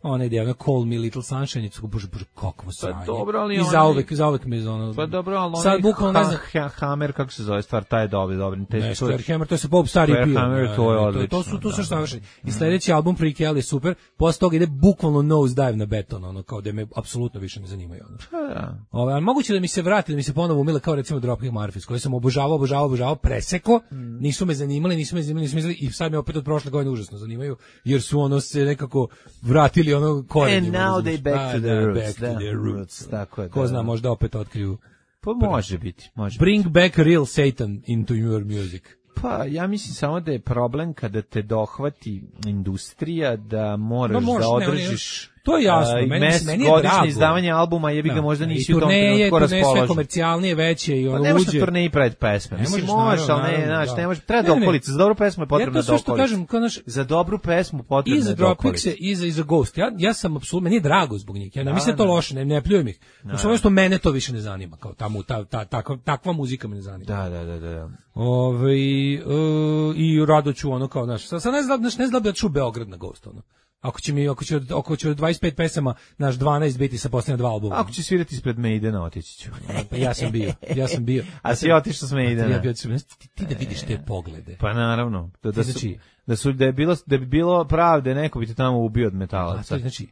onaj ide, ono Call Me Little Sunshine, i bože, bože, kakvo sranje. Pa dobro, ali I onaj... zauvek, zauvek me ono... Pa dobro, ali onaj sad bukvalno ne znam... Ha, Hammer, kako se zove stvar, taj je dobri, dobri. Ne, Square Hammer, to je sa Bob stari pio. Hammer, to je odlično. To, to su, to su savršeni. I sledeći album Freak Hell je super, posle toga ide bukvalno nose dive na beton, ono, kao da me apsolutno više ne zanimaju, ono. Pa da. Ove, ali moguće da mi se vrati, da mi se ponovo umile kao recimo Dropkick Murphys, koje sam obožavao, obožavao, obožavao, preseko, mm. nisu me zanimali, nisu me zanimali, nisu me zanimali, i sad me opet od prošle godine užasno zanimaju, jer su ono se nekako vratili ono korenje. Now they back to the roots. Back to the roots. Tako je. Ko zna, možda opet otkriju. Pa može biti, može. Bring back real Satan into your music. Pa ja mislim samo da je problem kada te dohvati industrija da moraš no, možeš, da održiš. To je jasno, uh, meni, mes, meni je godišnje drago. izdavanje albuma, jebi ga Da, možda i nisi u tom turneje, trenutku turneje sve raspoložen. komercijalnije, veće i Pa ono ne možeš luđe. na turneji pred pesme. Ne Mislim, možeš, možeš, ali naravno, ne, znaš, da. ne možeš. Treba Ne, ne. dokolica. Za dobru pesmu je potrebna Jer to sve što dokolica. kažem, kao naš, Za dobru pesmu potrebna i je za dokolica. Dropkickse i za, i za Ghost. Ja, ja sam apsolutno, meni je drago zbog njih. Ja ne Da, mislim da to da. loše, ne, ne pljujem ih. Samo što mene to više ne zanima. Kao tamo, ta, ta, takva, takva muzika me ne zanima. Da, da, da, da. Ove, uh, i rado ću ono kao, znaš, sad ne znam, znaš, ne znam da ću u Beograd na Ghost, ono. Ako će mi, ako će, ako će od dvadeset pet pesama, naš dvanaest biti sa posljednja dva albuma. Ako će svirati ispred Maidena, otići ću. Pa ja sam bio, ja sam bio. A si otišao s Maidena? Ja bio, ti, ti da vidiš te poglede. Pa naravno. Da, da, su, Znači- da, su, da, je bilo, da bi bilo pravde, neko bi te tamo ubio od A metalaca. to je, znači,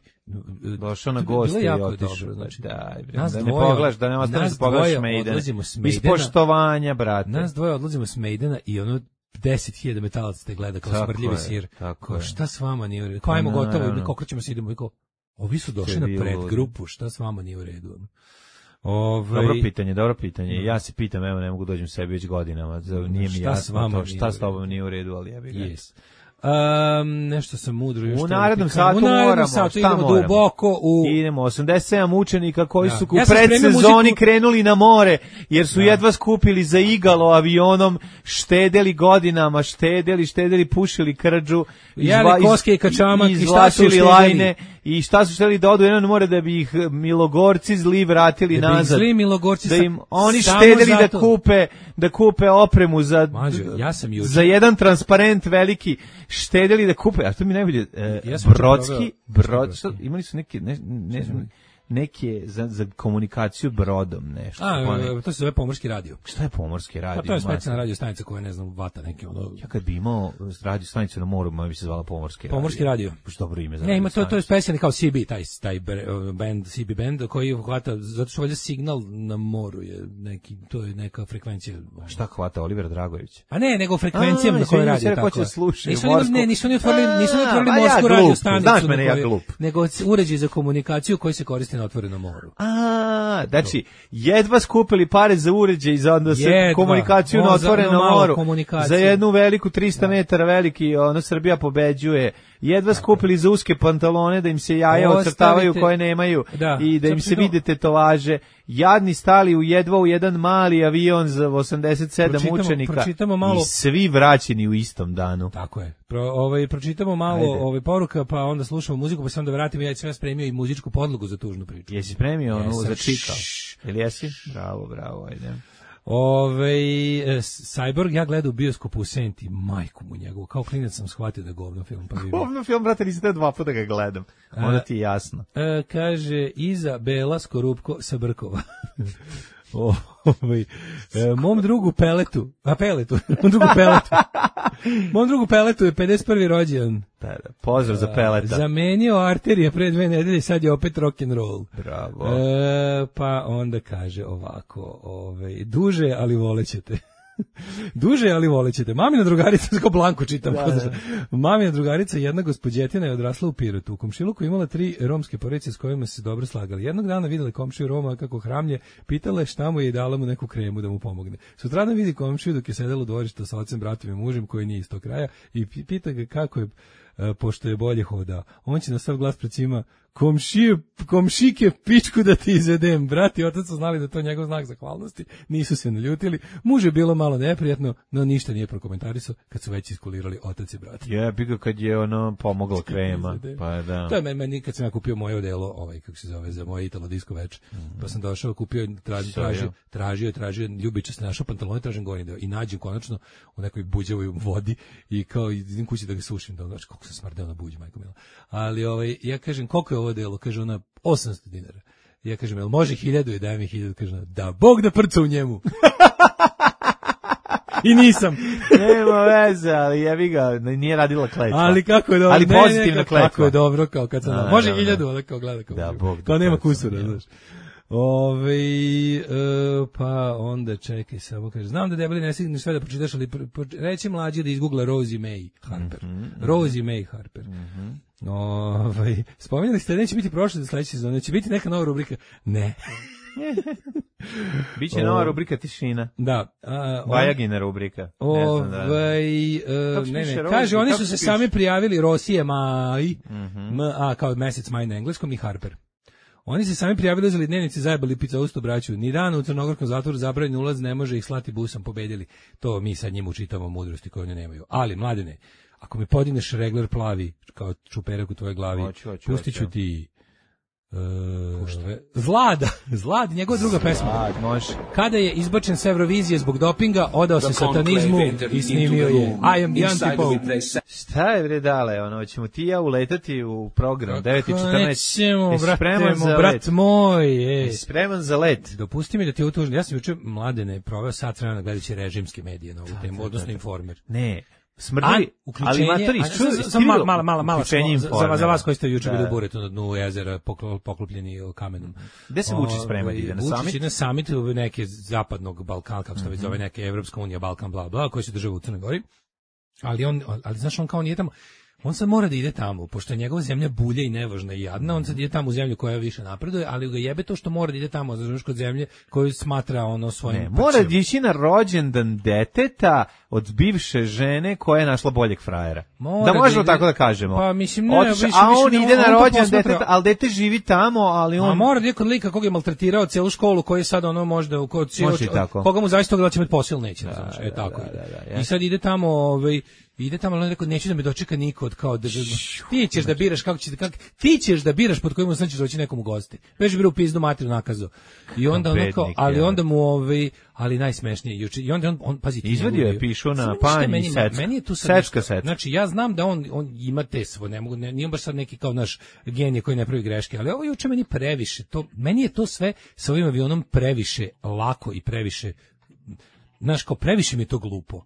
Došao na to bi bilo goste i jako otišao. dobro, znači, Daj, bre, nas da ne dvoje- pogledaš, da ne ostaneš nas da pogledaš dvoje Maidena. odlazimo s Iz Maidena. poštovanja, brate. Nas dvoje odlazimo s Maidena i ono deset hiljada metalaca te gleda kao Tako smrdljivi je, sir. tako Kao, je. šta s vama nije u redu? Kao, ajmo Pa, gotovo, naravno. mi okrećemo se, idemo i kao, ovi su došli Sve na bilo predgrupu, šta s vama nije u redu? Ove, Dobro pitanje, dobro pitanje. Ja se pitam, evo ne mogu dođem sebi već godinama. za- Nije mi Šta s jasno vama to, nije šta u s tobom redu? nije u redu, ali jebi ga. Yes. Um, nešto sam mudro još U to narednom pikam. satu u narednom moramo, satu šta idemo moramo? duboko u Idemo, osamdeset sedam učenika koji Da. su u Ja sam spremio predsezoni muziku- krenuli na more, jer su jedva skupili za igalo avionom, štedeli godinama, štedeli, štedeli, pušili krđu, Jeli izva- iz- koske i kačamak i šta su izvlačili uštedeli? lajne i šta su štedeli da odu jedno more da bi ih milogorci zli vratili Da bi ih nazad. zli milogorci Da sa- im oni samo štedeli da zato- kupe da kupe opremu za Mađo, ja sam juče- za jedan transparent veliki, štedeli da kupe, a to mi najbolje e, Ja sam Brodski, juče brod, probao- što, imali su neke ne, ne, neke za, za komunikaciju brodom nešto. A, pa ne- e, to se zove pomorski radio. šta je pomorski radio? Pa to je Masa? specijalna radio stanica koja, ne znam, vata neke ono. Ja kad bi imao radio stanicu na moru, ma bi se zvala pomorski radio. Pomorski radio. Baš dobro ime za Ne, ima radio to, to je stanicu. specijalni kao C B, taj, taj bre- band, C B band, koji hvata, zato što valjda signal na moru je neki, to je neka frekvencija. Šta hvata Oliver Dragović? A ne, nego frekvencijama A, na kojoj izvinite, radi, ja tako hoće je. da slušaju Nisu oni, morsku- ne, nisu oni otvorili, nisu oni otvorili A, ma ja morsku glup, radio stanicu, znaš mene, na ja kojoj- glup. nego uređaj za komunikaciju koji se koristi na otvorenom moru. A, znači, jedva skupili pare za uređaj za onda se Jedva. komunikaciju O, na za otvorenom ono malo moru. komunikacije. Za jednu veliku trista metara veliki, ono Srbija pobeđuje. Jedva skupili za uske pantalone da im se jaja Ostavite- ocrtavaju koje nemaju Da, i da im zato se što- vide tetovaže. Jadni stali u jedva u jedan mali avion za osamdeset sedam Pročitamo- učenika pročitamo malo- i svi vraćeni u istom danu. Tako je. Pro, ovaj, pročitamo malo Ajde. ovaj, poruka, pa onda slušamo muziku, pa se onda vratimo. Ja sam ja spremio i muzičku podlogu za tužnu priču. Jesi spremio onu Jesam. za čika? Šš. Ili jesi? Bravo, bravo, ajde. Ove, e, Cyborg ja gledao u bioskopu u Senti, majku mu njegovu, kao klinac sam shvatio da je govno film, pa vidim. Ovno film, brate, nisi te dva puta ga gledam. Onda ti je jasno. E, kaže, Iza Bela Skorupko sa Brkova. O, ovaj, e, mom drugu Peletu, a Peletu, mom drugu Peletu, mom drugu Peletu je pedeset prvi rođendan. Da, da, pozdrav za peleta. Zamenio arterije pre dve nedelje, sad je opet rock and roll. Bravo. E, pa onda kaže ovako, ovaj, duže, ali volećete. Duže, ali volećete. Mamina drugarica, kao Blanko čitam. Da, da. Mamina drugarica, jedna gospođetina je odrasla u Pirotu. U komšiluku imala tri romske porodice s kojima se dobro slagali. Jednog dana videla komšiju Roma kako hramlje, pitala je šta mu je i dala mu neku kremu da mu pomogne. Sutradan vidi komšiju dok je sedela u dvorištu sa ocem, bratom i mužem koji nije iz tog kraja i pi- pita ga kako je, e, pošto je bolje hodao. On će na sav glas pred svima, komšije, komšike, pičku da ti izvedem. Brat i otac su znali da je to njegov znak zahvalnosti, nisu se naljutili. Muž je bilo malo neprijatno, no ništa nije prokomentarisao kad su već iskulirali otac i brat. Je, bi ga kad je ono pomogla krema. Izvede. Pa da. To je meni, meni kad sam ja kupio moje odelo, ovaj, kako se zove, za moje Italo disco več, pa sam došao, kupio, tražio, tražio, tražio, tražio, ljubiča se našao pantalone, tražim gornji deo i nađem konačno u nekoj buđavoj vodi i kao idem kući da ga sušim, da znači koliko sam smrdeo na buđi, majko mila. Ali ovaj, ja kažem, koliko je ovo delo? Kaže ona, osamsto dinara. Ja kažem, jel može hiljadu i daj mi hiljadu? Kaže ona, da, Bog da prca u njemu. I nisam. Nema veze, ali jebi ga, nije radila kletva. Ali kako je dobro. Ali ne, ne, pozitivna kako, kletva. kako je dobro, kao kad sam, Da, može da, da. hiljadu, ali kao gleda kao, Da, Bog da kao nema prca u kusura, njemu. znaš. Ove, e, pa onda čekaj samo, kaže, znam da debeli ne stigneš sve da pročitaš, ali pr, pr, reći mlađi da izgoogla Rosie May Harper. Mhm, Rosie May Harper. Ovaj, spominjali ste da neće biti prošle za sledeće sezone, će biti neka nova rubrika. Ne. Biće nova rubrika tišina. Da. A, on, Vajagina rubrika. Ne znam da. Ovaj, e, ne, ne, kaže, oni su se sami prijavili Rosije maj, mm-hmm. M, a, kao mesec maj na engleskom i Harper. Oni se sami prijavili, uzeli dnevnici, zajebali pizza braću. Ni dan u crnogorskom zatvoru zabranjen ulaz, ne može ih slati busom, pobedili. To mi sad njim učitamo mudrosti koje oni nemaju. Ali, mladene, ako mi podigneš regler plavi, kao čuperak u tvojoj glavi, oću, oću, pustit ću ti... Uh, Zlada, Zlad, njegova druga pesma. Zlad, može. Kada je izbačen s Eurovizije zbog dopinga, odao se satanizmu i snimio je I am the anti-pope. Šta je bre dale, ono, ćemo ti ja uletati u program devet i četrnaest. Nećemo, brate, brat moj. E. Spreman za let. Dopusti mi da ti utužim, ja sam juče mladene proveo sat vremena gledajući režimske medije na ovu temu, odnosno Informer. Ne. Smrdi, ali matori, samo malo, malo, malo, malo, za, za vas koji ste juče bili u Buretu na dnu jezera poklopljeni kamenom. Gde se Vučić sprema, ide na samit? Vučić na samit neke zapadnog Balkana, kako se to već zove, neke Evropska unija, Balkan, bla, bla, koji se država u Crnoj Gori. Ali on, ali znaš, on kao nije tamo, on sad mora da ide tamo, pošto je njegova zemlja bulja i nevažna i jadna, on sad ide tamo u zemlju koja više napreduje, ali ga jebe to što mora da ide tamo, znaš, kod zemlje koju smatra ono svojim... Ne, mora da ići na rođendan deteta od bivše žene koja je našla boljeg frajera. Mora da možemo da ide, tako da kažemo. Pa mislim, ne, Otiš, više, a on više, ide na rođendan deteta, ali dete živi tamo, ali on... A mora da ide kod lika koga je maltretirao celu školu, koji je sad ono možda... Kod, koga mu zaista toga da će imati posao ili neće, da, znaš, da, e, tako da, da, da, da, i sad ide tamo, ovaj... Ide tamo, ali on rekao, neću da me dočeka niko od kao da... Ti ćeš da biraš kako će... Kako, ti ćeš da biraš pod kojim značiš doći nekom u gosti. Već bira u pizdu materiju nakazu. I onda ono kao, ali onda mu ovaj, ali najsmešnije juče. I onda on, on pazi, izvadio je pišu na panj i sečka. Meni je tu sečka, sečka. Znači, ja znam da on, on ima te svoje, ne mogu, ne, nije baš sad neki kao naš genije koji ne pravi greške, ali ovo juče meni previše. To, meni je to sve sa ovim avionom previše lako i previše, znaš, kao previše mi je to glupo.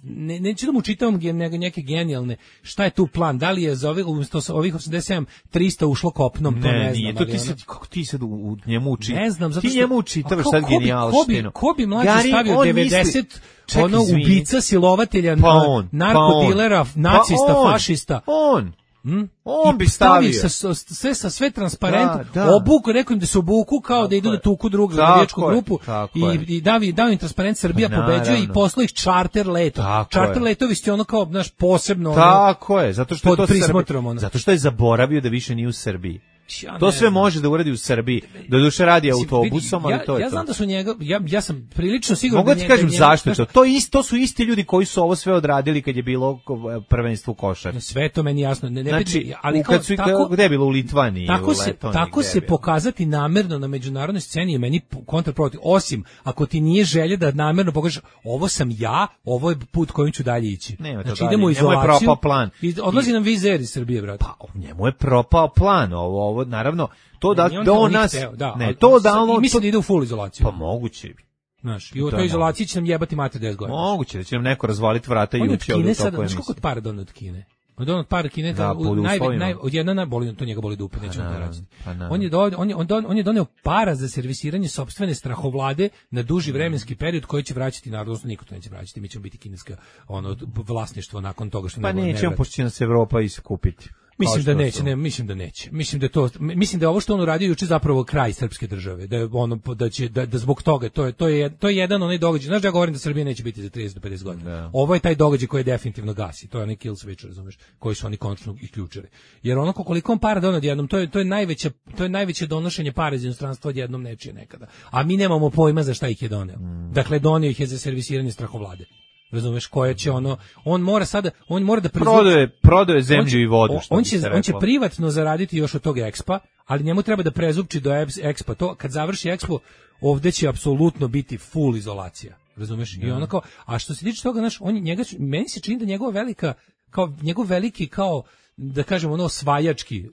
Ne, neću da mu čitam neke genijalne, šta je tu plan, da li je za ovih, ovih osamdeset sedam trista ušlo kopnom, to ne, ne znam. Nije, to ti sad, kako ti sad u, u njemu uči, ne znam, zato ti što, njemu učitavaš sad genijalštinu. Ko bi, ko bi mlađe stavio devedeset misli, ono ubica, silovatelja, pa on, narkodilera, pa nacista, pa on, fašista. On, Hmm? On bi stavio sa, sve sa sve transparentno, da, da. Obuku, rekao im da se obuku kao tako da idu da tuku drugu navijačku grupu i, i davi, davi im transparent Srbija pa, pobeđuje i poslao ih čarter leto. Tako čarter je. Letovi ste ono kao naš posebno tako ono, je, zato što je to Srbija, zato što je zaboravio da više nije u Srbiji. Ja to sve može da uradi u Srbiji. Do duše radi autobusom, ali ja, to je ja to. znam da su njega, ja, ja sam prilično siguran Mogu da ti kažem zašto je to. To, isto, to su isti ljudi koji su ovo sve odradili kad je bilo prvenstvo košarke. Sve to meni jasno. Ne, ne znači, ali kao, kad su, tako, gde je bilo u Litvaniji? Tako u se, tako se pokazati namerno na međunarodnoj sceni je meni kontraprotiv. Osim, ako ti nije želja da namerno pokažeš ovo sam ja, ovo je put kojim ću dalje ići. Nema znači, to idemo u izolaciju. Njemu je propao plan. Odlazi I, nam vizer iz Srbije, brate. Pa, njemu je propao plan. Ovo, ovo naravno, to da, on da on nas... Teo, da, ne, to da on... I mislim da ide u full izolaciju. Pa moguće bi. Znaš, i u toj izolaciji će nam jebati mater deset godina. Moguće da će nam neko razvaliti vrata i ući ovdje u toku emisije. Znaš koliko od para donio od Kine? Od onog para Kine, da, u, naj, naj, od jedna na boli, to njega boli dupe, nećemo da raditi. On je, do, on, je, on, don, on je doneo para za servisiranje sopstvene strahovlade na duži vremenski period koji će vraćati narod, odnosno niko to neće vraćati, mi ćemo biti kineska ono, vlasništvo nakon toga što pa ne nećemo, pošto će nas Evropa iskupiti. Mislim da neće, ne, mislim da neće. Mislim da to mislim da je ovo što on uradio juče zapravo kraj srpske države, da je ono da će da, da zbog toga to je to je to je jedan onaj događaj. Znaš da ja govorim da Srbija neće biti za trideset do pedeset godina. Da. Ovo je taj događaj koji je definitivno gasi. To je onaj kill switch, razumeš, koji su oni konačno isključili. Jer ono koliko on para doneo odjednom, to je to je najveće to je najveće donošenje para iz inostranstva odjednom nečije nekada. A mi nemamo pojma za šta ih je doneo. Mm. Dakle doneo ih je za servisiranje strahovlade. Razumeš, koje će ono, on mora sada, on mora da prodaje, prodaje zemlju i vodu, što on će, on će privatno zaraditi još od tog Expa, ali njemu treba da prezupči do Expa to, kad završi Expo, ovde će apsolutno biti full izolacija, razumeš, i onako, a što se tiče toga, znaš, on, njega, meni se čini da njegova velika, kao, njegov veliki, kao, da kažemo ono osvajački,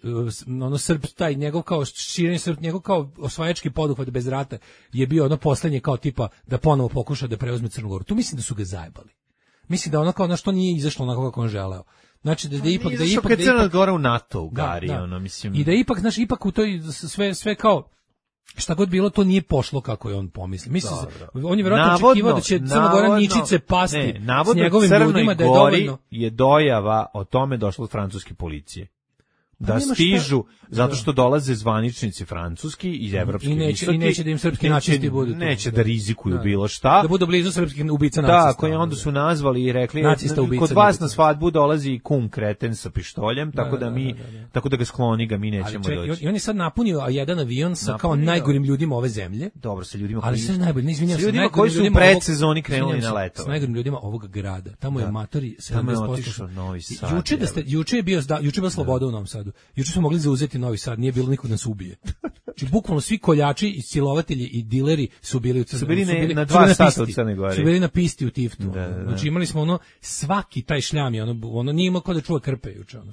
ono Srb, taj njegov kao širenje Srb, njegov kao osvajački poduhvat bez rata je bio ono poslednje kao tipa da ponovo pokuša da preuzme Crnu Goru. Tu mislim da su ga zajebali. Mislim da ono kao na što nije izašlo onako kako on želeo. Znači da, da ipak da ipak da Crna Gora u NATO u Gari, da, da. ono mislim. I da ipak, znaš, ipak u toj sve sve kao šta god bilo, to nije pošlo kako je on pomislio. Mislim, on je vjerojatno očekivao da će Crna Gora ničice pasti ne, navodno s njegovim ljudima, da je dovoljno. Je dojava o tome došla od francuske policije. da nema šta- stižu zato Da. što dolaze zvaničnici francuski i evropski I neće- visoki, i neće da im srpski neće- nacisti budu tu. neće da, Da. rizikuju Da. bilo šta. Da budu blizu srpskih ubica nacista. Tako je, onda su nazvali i rekli Nacista, ubica, kod vas ubica. na svadbu dolazi i kum kreten sa pištoljem, tako da, da, mi da, da, da. tako da ga skloni ga, mi nećemo Ali ček, doći. i on je sad napunio jedan avion sa kao Napunio. najgorim ljudima ove zemlje. Dobro, sa ljudima Ali koji sve najbolje, ne izvinjavam sa se, ljudima najgorim koji su u ljudima ovog- predsezoni krenuli izvinjavam na se, leto. S najgorim ljudima ovog grada. Tamo je Da. matori Tamo je sedamdeset posto. otišao Novi Sad, Juče da ste juče je bio da, juče je bila sloboda u Novom Sadu. Juče smo mogli zauzeti Novi Sad, nije bilo nikog da nas ubije. Znači bukvalno svi koljači i silovatelji i dileri su bili u Crnoj Su bili Gori, ne- na su dva bili sata u pisti. Crnoj Gori. Su bili na pisti u Tiftu. Da, da, da. Znači imali smo ono svaki taj šljam je ono ono nije imao ko da čuva krpe juče ono.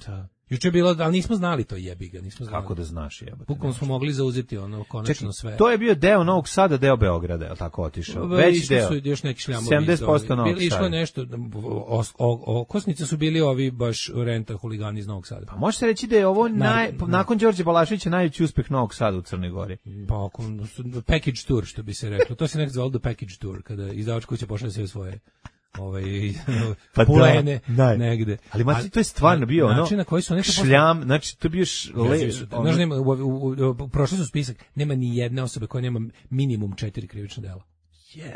Juče je bilo, ali nismo znali to, jebi ga, nismo znali. Kako da znaš, jebote. Bukvalno smo mogli zauzeti ono konačno Čekaj, sve. to je bio deo Novog Sada, deo Beograda, je li tako otišao? Već Išli deo. su još neki šljamovi. sedamdeset posto iz ovih- Novog bili- Išlo je Sada. nešto, o- o- okosnice su bili ovi baš renta huligani iz Novog Sada. Pa može se reći da je ovo naj, Naravno, nakon Đorđe Balaševića najveći uspeh Novog Sada u Crnoj Gori. Pa ako, package tour, što bi se reklo. To se nekako zvalo the package tour, kada izdavač kuća pošalje sve svoje ovaj, Pa da, pulene da. negde. Ali mati, to je stvarno bio ono način na koji su oni to posle- šljam, znači to je bio š, le, Jezivi su- ono- Znaš, nema, u, u, u, prošli su spisak, nema ni jedne osobe koja nema minimum četiri krivična dela.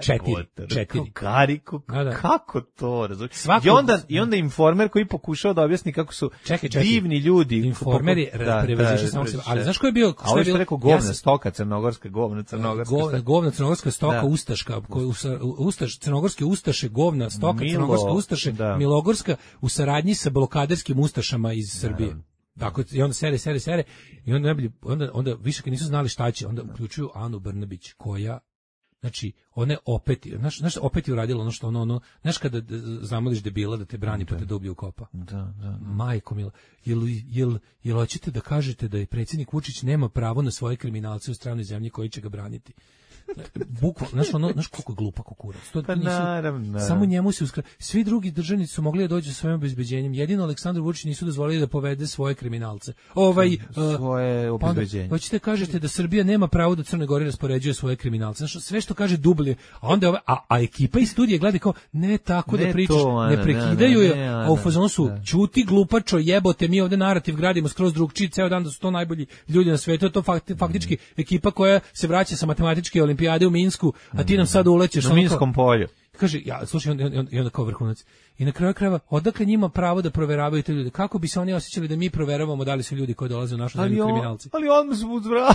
Četiri, Jebote, četiri. Kariku, Da, da. kako to, razumiješ? Svako- I onda, i onda informer koji pokušao da objasni kako su Čekaj, čekaj. divni ljudi. Informer je Da, prevazišao da, samog sebe. da. Ali znaš ko je bio? A Sve ovo je što bilo- rekao ja govna, sam- stoka, crnogorska govna, crnogorska. Govna, stoka. govna crnogorska stoka, Da. ustaška, ko- usa- ustaš, crnogorske ustaše, govna, stoka, Milo, crnogorske ustaše, da. milogorska, u saradnji sa blokaderskim ustašama iz Srbije. Tako, i onda sere, sere, sere, i onda, najbolje- onda, onda više kad nisu znali šta će, onda uključuju Anu Brnabić, koja, znači, ona je opet, znaš, znaš, opet je uradila ono što ono, ono, znaš kada d- zamoliš debila da te brani pa te da ubije u kopa. Da, da. Majko mila, jel, jel, jel hoćete da kažete da je predsjednik Vučić nema pravo na svoje kriminalce u stranoj zemlji koji će ga braniti? Bukvalno, znaš, ono, znaš koliko je glupa kukurac. To Pa nisu- naravno, naravno. Samo njemu se uskra... Svi drugi državnici su mogli da dođu sa svojim obezbeđenjem. Jedino Aleksandar Vučić nisu dozvolili da povede svoje kriminalce. Ovaj, Svoje uh, pa onda, obezbeđenje. hoćete kažete da Srbija nema pravo da Crnoj Gori raspoređuje svoje kriminalce. Znaš, sve što kaže dublje. A onda ove, a, a ekipa iz studije gleda kao, ne tako Ne da pričaš, to, Ana, ne prekidaju ne, je, ne, a u Ana, fazonu su, da. ćuti glupačo, jebote, mi ovde narativ gradimo skroz drugčiji, ceo dan da su to najbolji ljudi na svetu, to fakti, faktički ekipa koja se vraća sa matematičke olimpijade u Minsku, a ti nam sad ulećeš Na ono kao- Minskom polju. Kaže, ja, slušaj, on, on, i onda kao vrhunac. I na kraju krajeva, odakle njima pravo da proveravaju te ljude? Kako bi se oni osjećali da mi proveravamo da li su ljudi koji dolaze u našu zemlju on, kriminalci? ali on su uzvratili.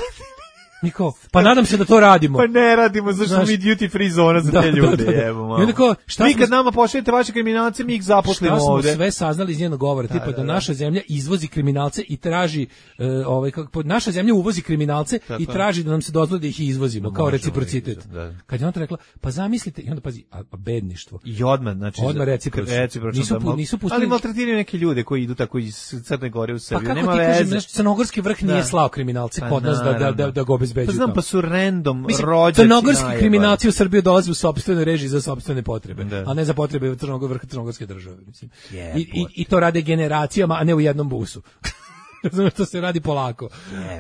Mi kao, pa nadam se da to radimo. Pa ne radimo, zašto Znaš- mi duty free zona za Da, te da, ljude, da, da. jebo, malo. I onda kao, šta vi smo- kad nama pošaljete vaše kriminalce, mi ih zaposlimo Šta smo ovde. sve saznali iz njenog govora, tipa da, da, da. naša zemlja izvozi kriminalce i traži, e, ovaj, kako, naša zemlja uvozi kriminalce Tako i je. traži da nam se dozvoli da ih izvozimo, kao možemo reciprocitet. ih, da. Kad je on to rekla, pa zamislite, i onda pazi, a, a bedništvo. I odmah, znači... Odmah recipročno. recipročno Nisu da pu- mal- nisu pustili- Ali maltretiraju neke ljude koji idu tako iz Crne Gore u Pa Srbiju. kako Nema ti veze. kažem, znaš, crnogorski vrh nije Da. slao kriminalce Pa kod nas da, da, da, naravno. da ga obezbeđuju. Pa znam, tamo. pa su random Mislim, rođaci crnogorski najebani. kriminalci u Srbiju dolaze u sopstvenoj režiji za sopstvene potrebe, Da. a ne za potrebe Crnogor vrha crnogorske države. Mislim. Jebote. I, i, I to rade generacijama, a ne u jednom busu. Znam što se radi polako.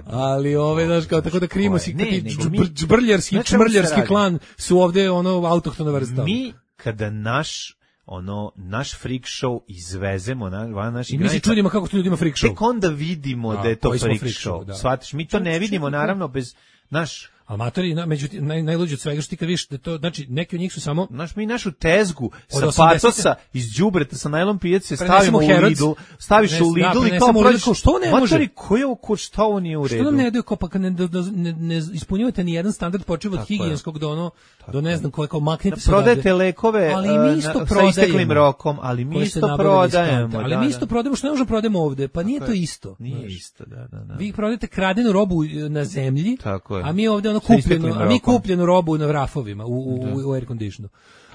Ali ove, znaš, kao tako da krimosi, Ne, ti nego mi- džbr- džbrljarski, Znaš čemu se čmrljarski radi? klan su ovde ono autohtona vrsta. Mi, kada naš ono naš freak show izvezemo na van naših I mi se granica, čudimo kako to ljudima freak show. tek onda vidimo A, da je to koji smo freak, freak show. show, da. Shvatiš, mi to ne vidimo naravno bez naš Amatori, na, međutim, naj, najluđe od svega što ti kad vidiš da to, znači, neki od njih su samo Naš, mi našu tezgu sa osamdesete patosa iz đubreta sa najlon pijace Prenesemo stavimo u Herods. Lidl, staviš Prenes- u Lidl da, i kao prenesemo u Lidl, prođeš, kao, što ne može? Matori, ko je ovo, ko, šta ovo nije u redu? Što nam ne daju kao pa kad ne, ne, ne, ne ispunjavate ni jedan standard počev od Tako je. higijenskog do ono, do ne znam koje, kao maknite Da se prodajete odavde. lekove Ali e, mi isto na- sa prodajemo. isteklim rokom, ali mi Koje ste isto nabavili iz kante. prodajemo. Ali da, mi da. isto prodajemo što ne možemo prodajemo ovde, pa nije to je. isto. Nije znaš. isto, da, da, da. Vi prodajete kradenu robu e, na zemlji, Tako je. a mi ovde ono Sa isteklim kupljenu, a mi rokom. kupljenu robu na rafovima u, u, u air conditionu.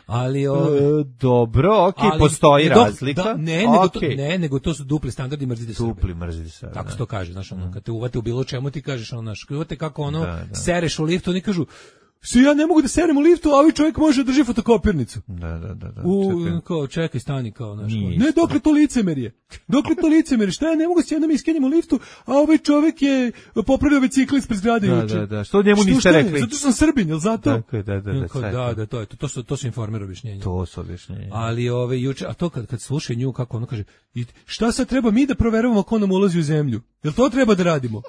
Ali ove, E, dobro, okej, ali- postoji do- razlika. da, ne, nego to, Okej. ne, nego to su dupli standardi, mrzite Srbe. Dupli mrzite se. Tako da. se to kaže, znaš, ono, kad te uvate u bilo čemu ti kažeš, ono, znaš, kad uvate kako ono, Da, da. sereš u liftu, oni kažu, se ja ne mogu da serem u liftu, a ovaj čovjek može da drži fotokopirnicu. Da, da, da, da. U, čekaj. kao, čekaj, stani, kao, znaš, Nije ne, dokle to licemerje? Dokle to licemerje? Šta ja ne mogu se jednom iskenjem u liftu, a ovaj čovjek je popravio bicikl ispred zgrade Da, juče. da, da. Što njemu Što, niste šta je? rekli? Zato što sam Srbin, jel zato? Tako je, da, da, da. Kao, sad da, to. da, to je to. To su, to su informer objašnjenja. To su objašnjenja. Ali ove juče, a to kad kad slušaju nju kako ona kaže, i šta sad treba mi da proveravamo ko nam ulazi u zemlju? Jel to treba da radimo?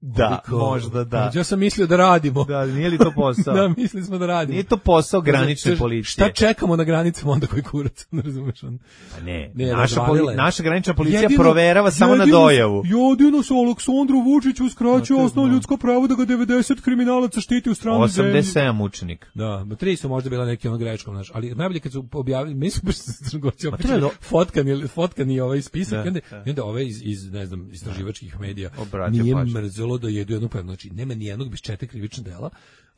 Da, Kao, možda da. Ja sam mislio da radimo. Da, nije li to posao? Da, mislili smo da radimo. Nije to posao granične Kaže, policije. Šta čekamo na granicama onda koji kurac, ne razumeš on. Pa ne, Ne, naša, razvalila poli, je. naša granična policija Jedino- proverava samo na jedino- dojavu. Jedino se Aleksandru Vučiću uskraćuje Ma, to osnovno znam. ljudsko pravo da ga devedeset kriminalaca štiti u stranoj zemlji. osamdeset sedam učenik. Da, ma tri su možda bila neki ono greškom, znaš, ali najbolje kad su objavili, mi smo baš crnogorci Pa treba do- fotkani, fotkani ovaj spisak, Da, i onda, da. i onda ovaj iz, iz, ne znam, istraživačkih medija Obratio nije pažnju. mrzelo da jedu jednu pevnu, znači nema ni jednog bez četiri krivična dela,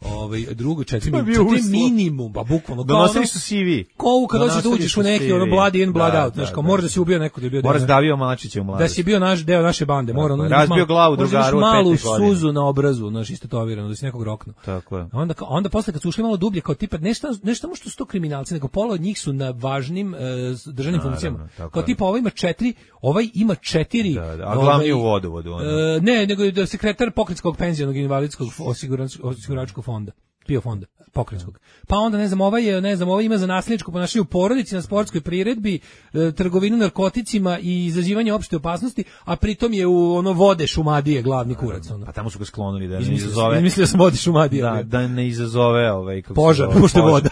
ovaj, drugo četiri, To je min, bio četiri uslov. minimum, ba bukvalno, kao Donosili ono, su C V. kao kad hoćeš da Donosili uđeš su u neki C V. ono blood in, blood Da, out, znaš, da, kao da. mora da si ubio neko da je bio Moraš deo- davio Malačića u mladosti. da si bio naš deo naše bande, mora ono je. Razbio glavu možda imaš drugaru od malu pete godine. suzu na obrazu, znaš, istetovirano, da si nekog roknuo. Tako je. A onda, kao- onda posle kad su ušli malo dublje, kao tipa, nešto, nešto samo što su to kriminalci, nego pola od njih su na važnim e, državnim Naravno, funkcijama. tako Kao je. tipa, ovaj ima četiri, ovaj ima četiri. Da, da, a glavni je u vodovodu, ono. E, ne, nego je da sekretar pokretskog penzionog invalidskog osigurač- osiguračkog fonda. PIO fonda, pokrenjskog. Pa onda, ne znam, ovaj je, ne znam, ovaj ima za nasilničko ponašanje u porodici, na sportskoj priredbi, e, trgovinu narkoticima i izazivanje opšte opasnosti, a pritom je u ono vode Šumadije glavni kurac. Ono. Pa tamo su ga sklonili da ne Izmislio, izazove. izmislio sam vode Šumadije. Da, da ne izazove ovaj kako se Požar, zove, pošto je požar. voda.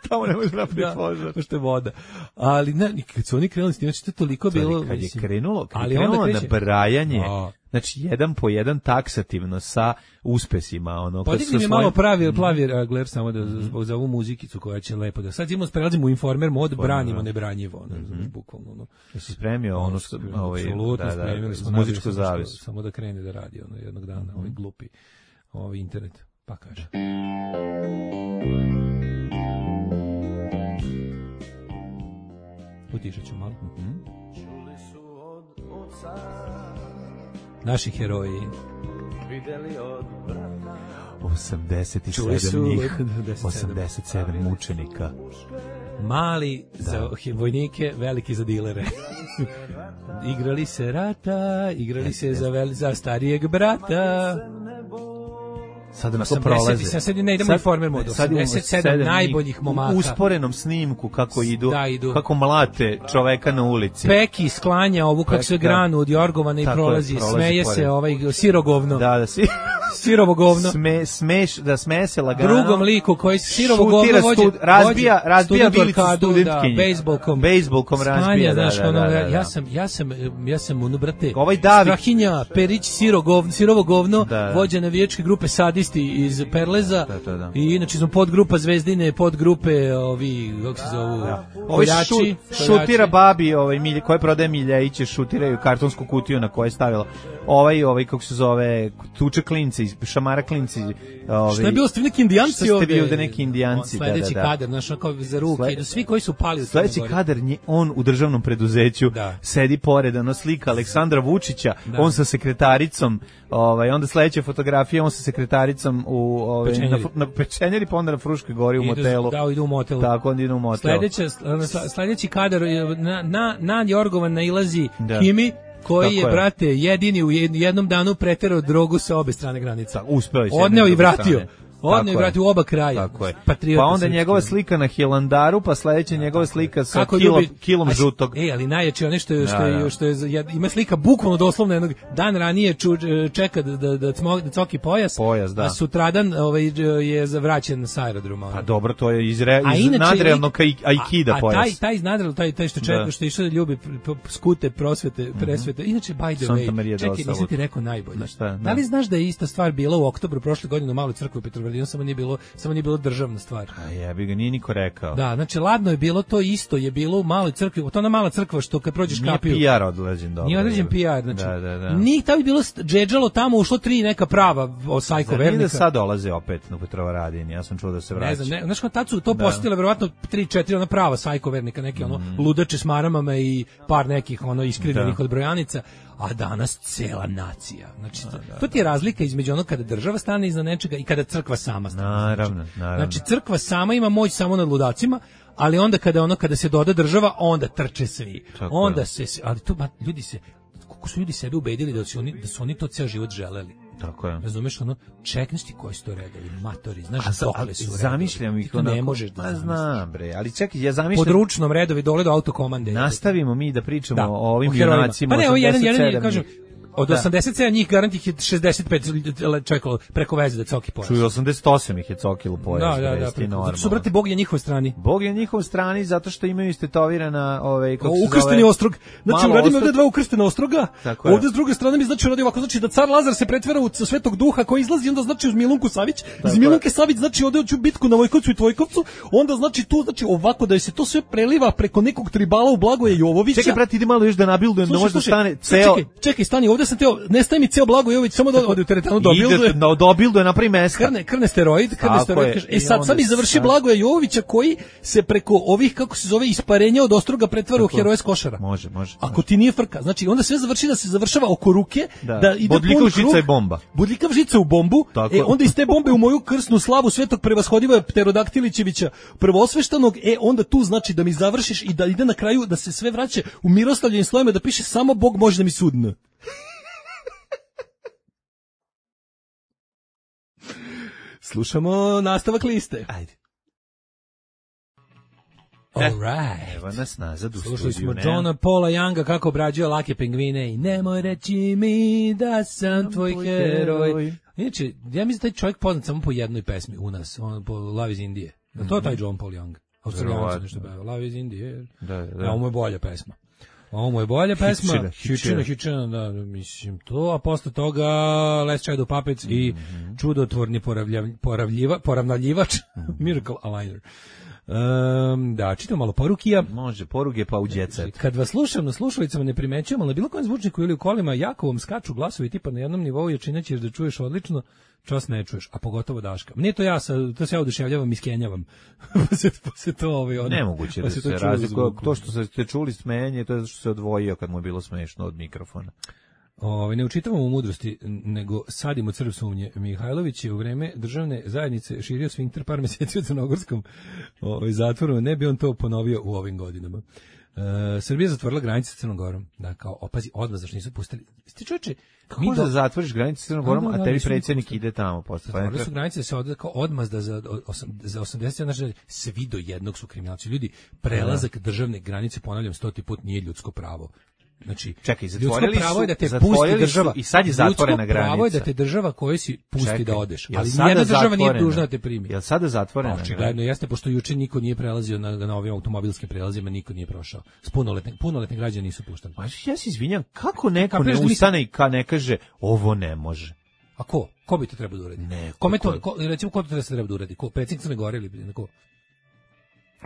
Tamo ne može napraviti Da, požar. pošto je voda. Ali ne, kad su oni krenuli s tim, znači to je toliko Stvari, bilo... kad je mislim, krenulo, kad je ali onda krenulo kreće- nabrajanje, A. znači jedan po jedan taksativno sa uspesima, ono, kad Podigni su mi svojim- malo pravi, plavi regler samo da za, za ovu muzikicu koja će lepo da... Sad imamo, prelazimo u informer mod, branimo nebranjivo, ono, mm bukvalno, ono. Jesi spremio ono što, ovaj, Apsolutno, da, da, spremili smo, muzičku nabili smo zavisu. što- Samo da krene da radi, ono, jednog dana, ovaj glupi, ovaj internet, pa kaže. Utišat ću malo. Naši heroji. osamdeset Čuli su sedam njih, osamdeset sedam. osamdeset sedam mučenika. Mali za vojnike, veliki za dilere. Igrali se rata, igrali se za, vel, za starijeg brata. Sada na to osamdeset prolaze. sad- sad ne idemo informer mod, sad imamo osamdeset sedam sedam njih najboljih momaka. U usporenom snimku kako idu, Da, idu. kako mlate čoveka na ulici. Peki sklanja ovu kako Pek, se da. granu od jorgovana i Tako je, prolazi, prolazi smeje pored. se ovaj sirogovno. Da, da svi Sirovo govno. sme, smeš, da sme se lagano. Drugom liku koji sirovo govno šutira vođe, stud- razbija, vođe razbija student u bilicu arkadu, studentkinje. Da, bejsbolkom. Bejsbolkom razbija, Sklanja, da, znaš, da, ono, da, da, ja da. sam, ja sam, ja sam, ono, brate, Ovaj David- Strahinja, Perić, siro govno, sirovo govno, Da, da. vođa navijačke grupe Sadisti iz Perleza, Da, da, da. i inače smo podgrupa Zvezdine, podgrupe, ovi, kako se zovu, Ovaj koljači, šu, koljači. šutira babi, ovaj milje koje prodaje Miljeviće, šutiraju kartonsku kutiju na kojoj je stavila. Ovaj, ovaj kako se zove, tuče klinci, šamara klinci, ovaj. Što je bilo ste neki indijanci Što ste ovde? bili ovde neki indijanci, da, Sledeći da, da. kadar, znaš, kao za ruke, Sle- idu svi koji su pali u Sledeći Crnoj Gori. kadar, nje- on u državnom preduzeću Da. sedi pored, ono slika Aleksandra Vučića, Da. on sa sekretaricom, ovaj, onda sledeća fotografija, on sa sekretaricom u, ovaj, na, Pečenjeri. fru- na Pečenjeri, pa onda na Fruškoj gori u Idu- motelu. Da, idu u motelu. Tako, onda idu u motelu. Sledeća, sl- sledeći kadar je na, na, na Jorgovan nailazi Da. Kimi, koji Tako je, je. brate, jedini u jed- jednom danu preterao drogu sa obe strane granice. Tako, uspeo je s jedne Odneo i i druge vratio. strane. Odneo Tako i je. vratio u oba kraja. Tako je. Patriota Pa onda srpski. njegova slika na Hilandaru, pa sledeća njegova slika sa Kako kilo, ljubi- kilom A s- žutog. E, ali najjače ono što je, što Da, je, da. što je, za- jed- ima slika bukvalno doslovno jednog dan ranije ču, čeka da, da, da, cmo, da coki pojas, Pojas, da. a sutradan ovaj, je zavraćen sa aerodroma. Pa dobro, to je iz, re, A iz inače, nadrealnog lik- aikida a, a pojas. taj taj iz nadrealnog, taj taj što čeka, Da. što išao da ljubi pr- pr- skute, prosvete, presvete. Inače by the Santa way, Maria čekaj, del nisam ti Salud. rekao najbolje. Da, šta, da. Da li znaš da je ista stvar bila u oktobru prošle godine u Maloj crkvi u Petrovaradinu, samo nije bilo, samo nije bilo državna stvar. A jebi ga, nije niko rekao. Da, znači ladno je bilo to isto, je bilo u Maloj crkvi, to ona mala crkva što kad prođeš Nije kapiju. P R odleđen dobro. Nije određen P R, znači. Da, da, da. Nije tamo je bilo st- džedžalo tamo, ušlo tri neka prava o sajko Zar nije vernika. da sad dolaze opet na Petrovaradin? Ja sam čuo da se vraća. Ne znam, ne, znaš kao tad su to Da. posjetile verovatno tri četiri ona prava sajko vernika, neki ono ludače s maramama i par nekih ono iskrivljenih Da. od brojanica, a danas cela nacija. Znači, to, to ti je razlika između onog kada država stane iza nečega i kada crkva sama stane. Naravno, naravno. Znači, crkva sama ima moć samo nad ludacima, ali onda kada ono kada se doda država, onda trče svi. Tako onda je. se, ali to ba, ljudi se, kako su ljudi sebe ubedili da su oni da su oni to ceo život želeli. Tako je. Razumeš, ono, čekneš ti koji su to redovi, matori, znaš, a, dokle su redovi. Zamišljam ih onako. Ne možeš da zamisliš. Znam, bre, ali čekaj, ja zamišljam. Područnom redovi dole do autokomande. Nastavimo mi da pričamo da, o ovim o junacima. Pa ne, ovo jedan, jedan, jedan, kažem, njih. Od da. osamdeset sedam njih garant ih je šezdeset pet čekalo preko veze da coki pojas. Čuj, osamdeset osam ih je cokilo pojas. Da, da, da. Zato su, brate, Bog je na njihovoj strani. Bog je na njihovoj strani zato što imaju istetovirana ovaj, kako se zove... Ukršteni ostrog. Znači, uradim ovdje dva ukrštena ostroga, ovdje s druge strane mi znači uradio ovako, znači da car Lazar se pretvara u Svetog Duha koji izlazi, onda znači uz Milunku Savić, iz Milunke Savić znači ode u bitku na Vojkovcu i Tvojkovcu, onda znači tu, znači ovako da se to sve preliva preko nekog tribala u Blagoje Jovovića. Čekaj, brate, idi malo još da nabildujem, da možda stane ceo... Čekaj, čekaj, stani, ovdje sam teo, ne staje mi ceo Blago Jović, samo da ode u teretanu dobilduje. Ide, no, dobilduje, napravi meska. Krne, krne steroid, krne steroid. Kaže, e sad, sad mi završi Blagoja Jovovića koji se preko ovih, kako se zove, isparenja od ostroga pretvara u heroje s Košara. Može, može. Ako ti nije frka, znači onda sve završi da se završava oko ruke, da, da ide bodljikav žica i bomba. Bodljikav žica u bombu, tako. E onda iz te bombe u moju krsnu slavu Svetog Prevashodiva Pterodaktilićevića prvosveštanog, e onda tu znači da mi završiš i da ide na kraju da se sve vraća u miroslavljenim slovima, da piše samo Bog može da mi sudne. Slušamo nastavak liste. Ajde. All right. Evo nas nazad u Slušali studiju. Slušali smo Johna Paula Younga kako obrađuje lake pingvine i nemoj reći mi da sam tvoj heroj. heroj. Inače, ja mislim da taj čovjek poznat samo po jednoj pesmi u nas, on po Love is Indije. Mm-hmm. To je taj John Paul Young. Australijanac nešto peva. Love is Indije. Da, da. A ovo je bolja pesma. Ovo mu je bolja pesma. Hičina, hičina, hičina, da, mislim to, a posle toga Let's Child of Puppets mm-hmm. i čudotvorni poravljav, poravljiva, poravnaljivač, mm-hmm. Miracle Aligner. Um, da, čitam malo porukija. Može, poruge pa u jet set. Kad vas slušam na slušalicama ne primećujem, ali na bilo kojem zvučniku ili u kolima jako vam skaču glasovi tipa na jednom nivou, jer činaćeš da čuješ odlično, čas ne čuješ, a pogotovo Daška. Nije to ja, sa, to se ja oduševljavam i skenjavam. pa, se, pa se to ovaj, ono, nemoguće pa da se, se razlikuje. To što ste čuli smenje, to je zato što se odvojio kad mu je bilo smešno od mikrofona. Ove, ne učitavamo mudrosti, nego sadimo crv sumnje. Mihajlović je u vreme državne zajednice širio sfinkter par meseci u Crnogorskom ove, zatvoru, ne bi on to ponovio u ovim godinama. E, Srbija zatvorila granice sa Crnom Gorom. Da, kao, opazi, odmah, zašto nisu pustili. Ste čoče, kako da zatvoriš granice sa Crnom Gorom, a tebi predsjednik ide tamo posle. Zatvorili su granice da se od, kao odmazda za, za osamdeset, znači, svi do jednog su kriminalci. Ljudi, prelazak državne granice, ponavljam stoti put, nije ljudsko pravo. Znači, čekaj, zatvorili pravo je da te su, pusti država i sad je zatvorena granica. Pravo je da te država koja si pusti čekaj, da odeš, ali nijedna država nije dužna da te primi. Jel sada zatvorena? Očigledno jeste, pošto juče niko nije prelazio na, na ovim automobilskim prelazima, niko nije prošao. S punoletni, punoletni građani nisu puštani. Pa ja se izvinjam, kako neko ne ustane i ka ne kaže ovo ne može? A ko? Ko bi to trebao da uradi? Ne, Kome to, ko, recimo, ko to treba, treba da uradi? Ko? Predsjednik Crne Gore ili ko?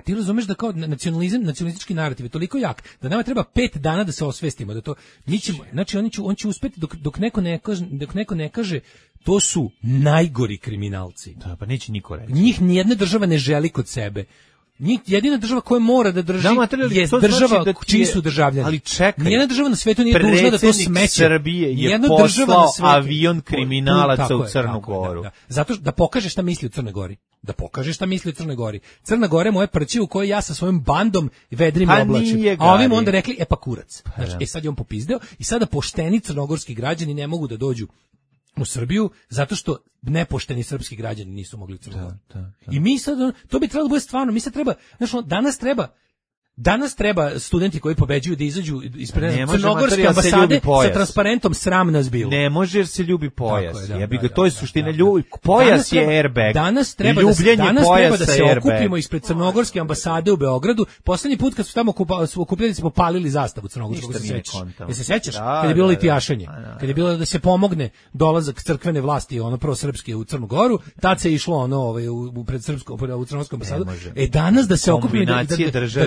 Ti razumeš da kao nacionalizam, nacionalistički narativ je toliko jak da nama treba pet dana da se osvestimo da to mi ćemo, znači oni će on će uspeti dok dok neko ne kaže, dok neko ne kaže to su najgori kriminalci. Da, pa neće niko reći. Njih nijedna država ne želi kod sebe. Njih jedina država koja mora da drži da, je država znači da čiji su državljani. Ali čekaj. Nijedna država na svetu nije dužna da to smeće. Srbije je poslao avion kriminalaca u, u, u Crnu Goru. Da, da. Zato da pokaže šta misli u Crnoj Gori. Da pokaže šta misli u Crnoj Gori. Crna Gora je moje prće u kojoj ja sa svojim bandom vedrim i oblačim. A ovim onda rekli, e pa kurac. Pa, znači, e sad je on popizdeo i sada pošteni crnogorski građani ne mogu da dođu u Srbiju zato što nepošteni srpski građani nisu mogli u Crnu Goru. Da, da, da. I mi sad, to bi trebalo da bude stvarno, mi sad treba, znači danas treba Danas treba studenti koji pobeđuju da izađu ispred crnogorske ambasade sa transparentom sram nas bilo. Ne može jer se ljubi pojas. Da, jebi ga, da, to je suština ljubi. Pojas je airbag. Danas treba da se, danas treba da se okupimo ispred crnogorske ambasade u Beogradu. Poslednji put kad su tamo okupljali smo palili zastavu crnogorskog, se sećaš. Jel se sećaš? Da, kad je bilo litijašenje, kad je bilo da se pomogne dolazak crkvene vlasti, ono prosrpske u Crnu Goru, tad se išlo ono ovaj u pred srpskom u crnogorsku ambasadu. E danas da se okupimo da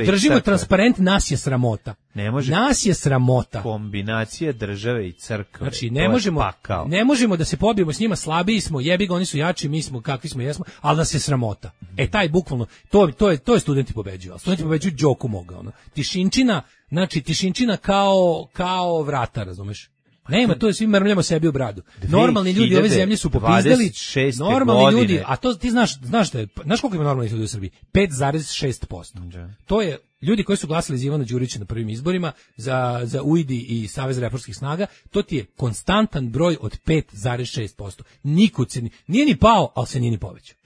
držimo transparent, nas je sramota. Ne može. Nas je sramota. Kombinacija države i crkve. Znači ne možemo, ne možemo da se pobijemo s njima, slabiji smo, jebi ga, oni su jači, mi smo kakvi smo, jesmo, ali nas je sramota. E taj bukvalno, to to je to je studenti pobeđuju. Studenti pobeđuju Đoku moga, ono. Tišinčina, znači tišinčina kao kao vrata, razumeš? Nema, to je svi mrmljamo sebi u bradu. Normalni ljudi ove zemlje su popizdali. Normalni godine. ljudi, a to ti znaš, znaš da je, znaš koliko ima normalnih ljudi u Srbiji? pet zarez šest posto. To je ljudi koji su glasali za Ivana Đurića na prvim izborima, za, za U I D I i Savez reformskih snaga, to ti je konstantan broj od pet zarez šest posto. Nikud se, nije ni pao, ali se nije ni povećao.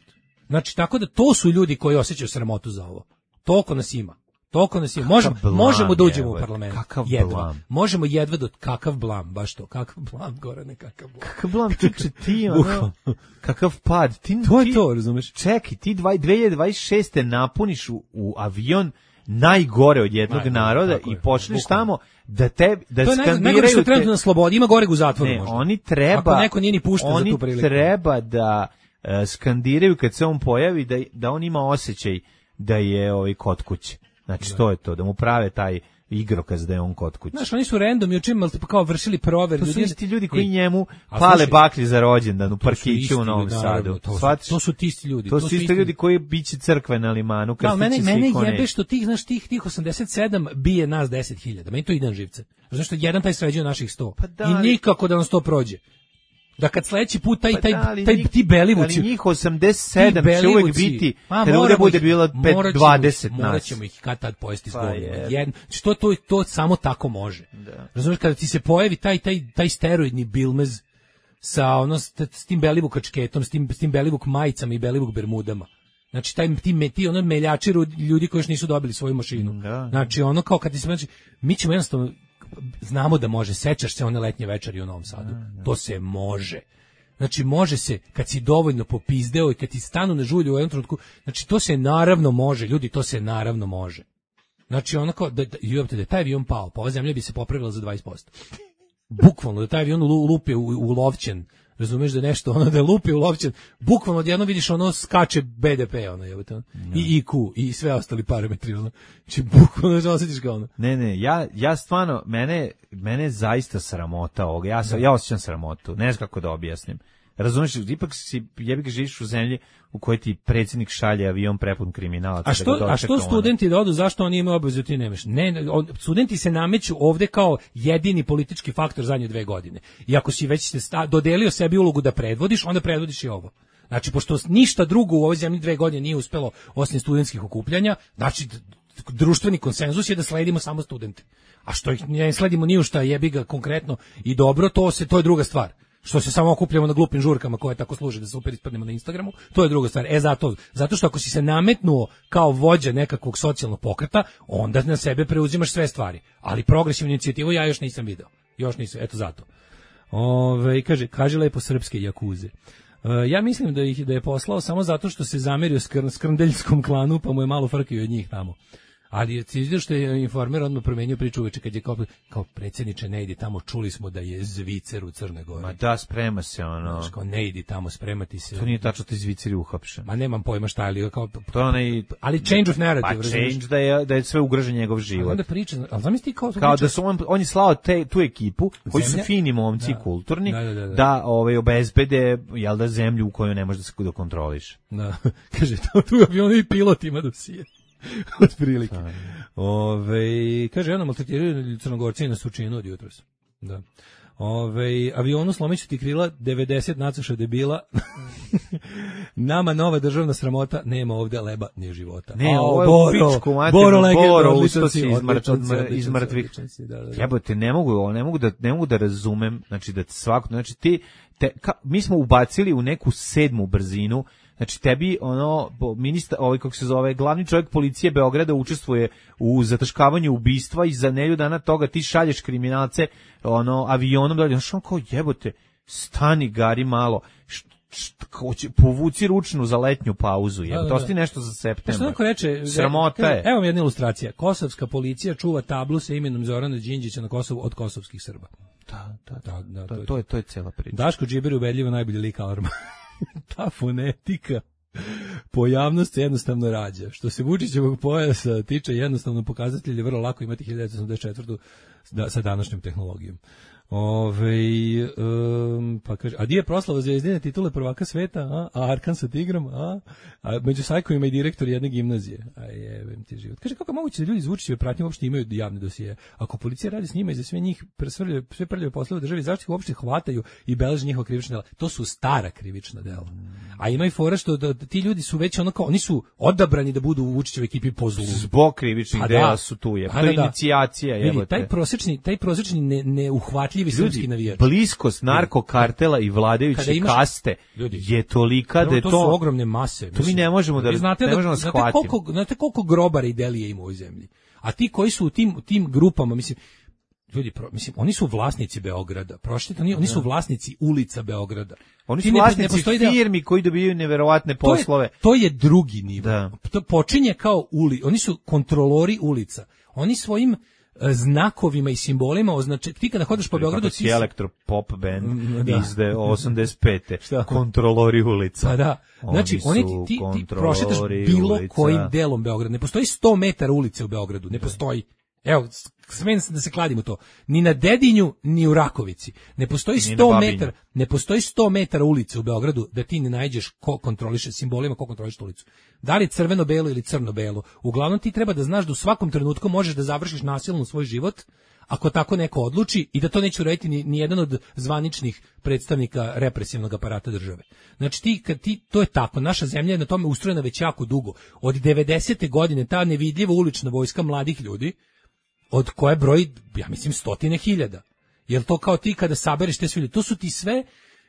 Znači, tako da to su ljudi koji osjećaju sramotu za ovo. Toliko nas ima. Toliko nas ima. Možemo, blam, možemo da uđemo je, u parlament. Kakav jedva. blam. Možemo jedva do kakav blam, baš to. Kakav blam, Gorane, kakav blam. Kakav blam, čeče, ti, ono, kakav pad. Ti, to je ti, to, razumeš? Čekaj, ti dve hiljade dvadeset šeste napuniš u, u avion najgore od jednog Najgore, naroda i počneš tamo da te da to je skandiraju. Najgore što trenutno na slobodi, ima goreg u zatvoru ne, možda. oni treba, ako neko nije ni pušten za tu priliku. Oni treba da uh, skandiraju kad se on pojavi, da, da on ima osjećaj da je ovaj kod kuće. Znači, da. To je to, da mu prave taj igrokaz da je on kod kuće. Znaš, oni su random i učinili, pa kao vršili prover. To su ljudi, isti ljudi koji i, njemu pale baklje za rođendan u parkiću u Novom Sadu. To su, to su ti isti ljudi. To, to su isti ljudi koji biće crkve na limanu. Da, mene, mene jebe što tih, znaš, tih, tih osamdeset sedam bije nas deset hiljada. Meni to ide na živce. Znaš što jedan taj sređuje naših sto. Pa da, i nikako da nas to prođe. Da kad sledeći put taj, pa taj, taj, taj ti Belivuci... Ali njih osamdeset sedam će uvek biti, kada ovdje bude bilo dvadeset nas. Morat ćemo ih kad tad pojesti s govnima. Što to, to samo tako može. Da. Razumiješ, kada ti se pojavi taj, taj, taj steroidni bilmez sa, ono, s, s tim Belivuk kačketom, s tim, s tim Belivuk majicama i Belivuk bermudama. Znači, taj, ti, ti ono meljači ljudi koji još nisu dobili svoju mašinu. Da. Znači, ono kao kad ti se... Znači, mi ćemo jednostavno... Znamo da može, sećaš se one letnje večeri u Novom Sadu. Da, da. To se može. Znači, može se, kad si dovoljno popizdeo i kad ti stanu na žulju u jednom trenutku, znači, to se naravno može, ljudi, to se naravno može. Znači, onako, da, da, da je taj avion pao, pa ova zemlja bi se popravila za dvadeset posto. Bukvalno, da taj avion lupi u, u lovćen, razumeš da nešto, ono da je lupi u lovćen, bukvalno odjedno vidiš ono skače be de pe, ono je, no. I I Q, i sve ostali parametri, ono. Znači, bukvalno da osjetiš kao ono. Ne, ne, ja, ja stvarno, mene, mene je zaista sramota ovoga, ja, sam, ja osjećam sramotu, ne znam kako da objasnim. Razumiješ, ipak si, jebi ga živiš u zemlji u kojoj ti predsjednik šalje avion prepun kriminalaca. A što, da a što studenti da odu, zašto oni imaju obavezu, ti nemaš? Ne, on, studenti se nameću ovde kao jedini politički faktor zadnje dve godine. I ako si već se sta, dodelio sebi ulogu da predvodiš, onda predvodiš i ovo. Znači, pošto ništa drugo u ovoj zemlji dve godine nije uspelo osim studentskih okupljanja, znači, društveni konsenzus je da sledimo samo studente. A što ih ne sledimo ni u šta jebi ga konkretno i dobro, to se to je druga stvar. Što se samo okupljamo na glupim žurkama koje tako služe da se opet ispadnemo na Instagramu, to je druga stvar. E zato, zato što ako si se nametnuo kao vođa nekakvog socijalnog pokreta, onda na sebe preuzimaš sve stvari. Ali progresivnu inicijativu ja još nisam video. Još nisam, eto zato. Ove, kaže, kaže lepo srpske jakuze. Uh, ja mislim da ih da je poslao samo zato što se zamerio skr, skrndeljskom klanu, pa mu je malo frkio od njih tamo. Ali ti vidiš što je Informer odmah promenio priču uveče kad je kao, kao predsjedniče ne idi tamo, čuli smo da je Zvicer u Crnoj Gori. Ma da, sprema se ono. Znaš, kao ne idi tamo, spremati se. To nije tačno, ti Zvicer je uhapšen. Ma nemam pojma šta, ali kao... To onaj... Ali change of narrative. Pa change da je, da je sve ugrožen njegov život. Onda priča, ali zamisli kao... Kao priča, da su on, on je slao te, tu ekipu, koji su fini momci, da, kulturni, da, da, da, da. da ovaj, obezbede, jel da, zemlju u kojoj ne može da se da kontroliš. Da, kaže, tu je ono i pilot ima dosije. Od prilike. Ove, kaže, ono maltretiraju Crnogorci na Sučinu od jutros. Da. Ove, avionu slomiću ti krila, devedeset nacuša debila. Nama nova državna sramota, nema ovde leba ni života. Ne, ovo je Boro, pičku, mater, Boro, Boro ustoci iz mrtvih. Jebote, ne mogu, ne mogu da, ne mogu da razumem, znači da svako, znači ti, te, ka, mi smo ubacili u neku sedmu brzinu. Znači tebi ono ministar, ovaj kako se zove, glavni čovjek policije Beograda učestvuje u zataškavanju ubistva i za nedelju dana toga ti šalješ kriminalce ono avionom, da znači on kao jebote, stani gari malo. Št, št, hoće, povuci ručnu za letnju pauzu, jebote, ostavi nešto za septembar. Što neko reče, sramota je. Evo mi jedna ilustracija. Kosovska policija čuva tablu sa imenom Zorana Đinđića na Kosovu od kosovskih Srba. Da, da, da, da, to, to, to je to je cela priča. Daško Džiber ubedljivo najbolji lik alarma. Ta fonetika pojavnost se jednostavno rađa. Što se Vučićevog pojasa tiče, jednostavno pokazatelj je vrlo lako imati hiljadu devetsto osamdeset četvrtu da, sa današnjom tehnologijom. Ove, um, pa kaže, a di je proslava Zvezdine titule prvaka sveta, a, a Arkan sa Tigrom, a, a među sajkovima i direktor jedne gimnazije. A jebem ti život. Kaže, kako je moguće da ljudi iz Vučićeve pratnje uopšte imaju javne dosije? Ako policija radi s njima i za sve njih presvrljaju, sve prljave poslove u državi, zašto ih uopšte hvataju i beleže njihova krivična dela? To su stara krivična dela. A ima i fora što da, da ti ljudi su već ono kao, oni su odabrani da budu u Vučićevoj ekipi po zlu. Zbog krivičnih da, dela su tu je. To je da, inicijacija, vidi, jebote. taj prosječni, taj prosječni ne, neuhvatljivi srpski navijač. Bliskost narkokartela i vladajuće imaš, kaste ljudi, je tolika da je to... To su ogromne mase. To mi ne možemo da, znate ne da, možemo da znate shvatimo. koliko, znate koliko grobara i delije ima u ovoj zemlji. A ti koji su u tim, u tim grupama, mislim, ljudi, pro, mislim, oni su vlasnici Beograda. Prošljite, oni, oni su vlasnici ulica Beograda. Oni ti su ne, vlasnici ne firmi koji dobijaju neverovatne poslove. To je, to je drugi nivo. Da. To počinje kao uli, oni su kontrolori ulica. Oni svojim znakovima i simbolima označe, ti kada hodeš po Beogradu ti si elektro pop band da. Iz osamdeset pete kontrolori ulica. Pa da, znači oni ti, ti, ti prošetaš bilo ulica. Kojim delom Beograda, ne postoji sto metara ulice u Beogradu, ne postoji. Evo, smijem da se kladim u to. Ni na Dedinju, ni u Rakovici. Ne postoji sto metara, ne postoji sto metara ulice u Beogradu da ti ne nađeš ko kontroliše simbolima, ko kontroliše ulicu. Da li crveno-belo ili crno-belo. Uglavnom ti treba da znaš da u svakom trenutku možeš da završiš nasilno svoj život, ako tako neko odluči, i da to neće uraditi ni, ni jedan od zvaničnih predstavnika represivnog aparata države. Znači ti, kad ti, to je tako, naša zemlja je na tome ustrojena već jako dugo. Od devedesete godine ta nevidljiva ulična vojska mladih ljudi, od koje broji, ja mislim, stotine hiljada. Jel to kao ti kada sabereš te sve ljudi? To su ti sve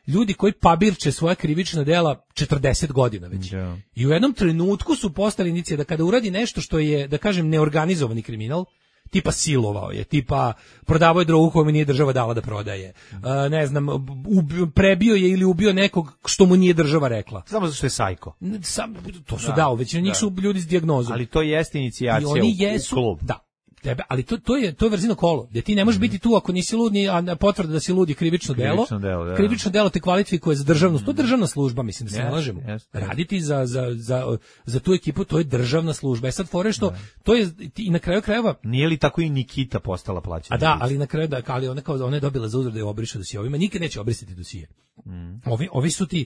ljudi koji pabirče svoja krivična dela četrdeset godina već. Yeah. I u jednom trenutku su postali indicije da kada uradi nešto što je, da kažem, neorganizovani kriminal, tipa silovao je, tipa prodavao je drogu koju mu nije država dala da prodaje, uh, ne znam, ubio, prebio je ili ubio nekog što mu nije država rekla. Samo zato što je sajko. Sam, to su da, dao, većina njih su ljudi s dijagnozom. Ali to jeste inicijacija I oni u, jesu, u klub. Da. Tebe, ali to, to je to je vrzino kolo, gdje ti ne možeš biti tu ako nisi lud, ni a potvrda da si lud je krivično delo. Krivično delo, da. Krivično delo te kvalifikuje za državnost. To je državna služba, mislim da se yes, ne lažemo. Yes, yes. Raditi za, za, za, za tu ekipu, to je državna služba. E sad fore što, da. To je i na kraju krajeva. Nije li tako i Nikita postala plaćena? A da, ali na kraju da, ali ona kao ona je dobila za uzvrat da je obriše dosije. Ovima nikad neće obrisati dosije. Mm. Ovi, ovi su ti,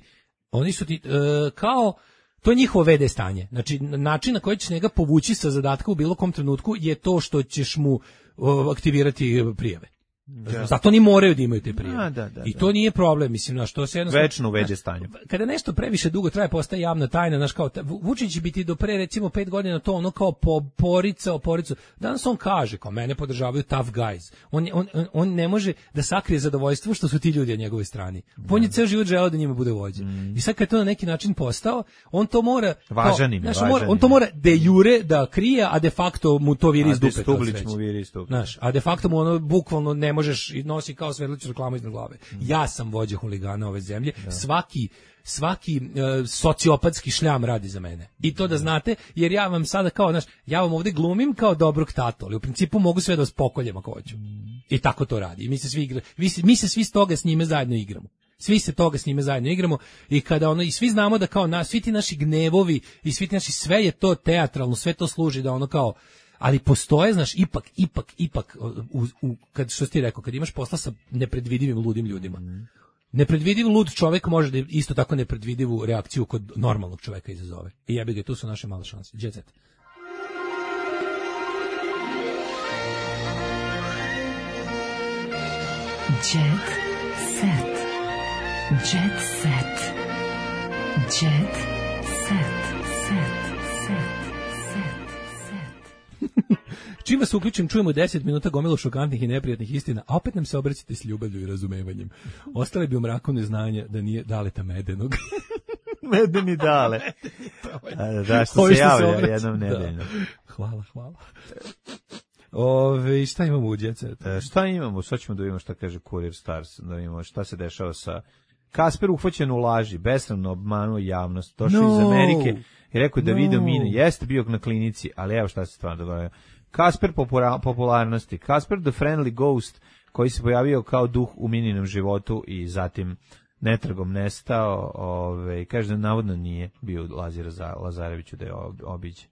oni su ti uh, kao to je njihovo ve de stanje. Znači, način na koji ćeš njega povući sa zadatka u bilo kom trenutku je to što ćeš mu uh, aktivirati prijave. Da. Zato oni moraju da imaju te prijave. Da, da, I to da. Nije problem, mislim, na što se jednostavno večno u ve de stanju. Kada nešto previše dugo traje, postaje javna tajna, znaš, kao Vučić će biti do pre recimo pet godina to ono kao po porica, oporicu. Danas on kaže, kao mene podržavaju tough guys. On, on, on ne može da sakrije zadovoljstvo što su ti ljudi na njegovoj strani. On je ceo život želeo da njima bude vođa. Mm. I sad kad to na neki način postao, on to mora važan im, znaš, važan mora, on to mora de jure da krije, a de facto mu to viri iz dupe. Mu viri iz dupe. Znaš, a de facto mu ono bukvalno ne možeš i nosi kao svetličnu reklamu iznad glave. Mm. Ja sam vođa huligana ove zemlje. Da. Svaki svaki uh, sociopatski šljam radi za mene. I to da znate, jer ja vam sada kao, znaš, ja vam ovde glumim kao dobrog tatu, ali u principu mogu sve da vas pokoljem ako hoću. Mm. I tako to radi. I mi se svi igra, mi, se, mi se svi s toga s njime zajedno igramo. Svi se toga s njime zajedno igramo i kada ono i svi znamo da kao na, svi ti naši gnevovi i svi ti naši, sve je to teatralno, sve to služi da ono kao, ali postoje, znaš, ipak, ipak, ipak, u, u, kad, što ti rekao, kad imaš posla sa nepredvidivim ludim ljudima, mm. nepredvidiv lud čovjek može da isto tako nepredvidivu reakciju kod normalnog čovjeka izazove. I jebi ga, tu su naše male šanse. Jet set. Jet set. Jet set. Jet set. Set. Set. Čim vas uključim, čujemo deset minuta gomilu šokantnih i neprijatnih istina, a opet nam se obraćate s ljubavlju i razumevanjem. Ostale bi u mraku neznanja da nije Daleta Medenog. Medeni Dale. A, da, što se javlja jednom nedeljno. Da. Hvala, hvala. Ove, šta imamo u Jet Setu? E, šta imamo? Sad ćemo da vidimo šta kaže Courier Stars, da vidimo šta se dešava sa Kasper uhvaćen u laži, besramno obmanuo javnost, došao no. iz Amerike i rekao da no. video mine, jeste bio na klinici, ali evo šta se stvarno događa. Kasper popularnosti, Kasper the Friendly Ghost, koji se pojavio kao duh u Mininom životu i zatim netragom nestao, ove, kaže da navodno nije bio Lazira Lazareviću da je obiđe.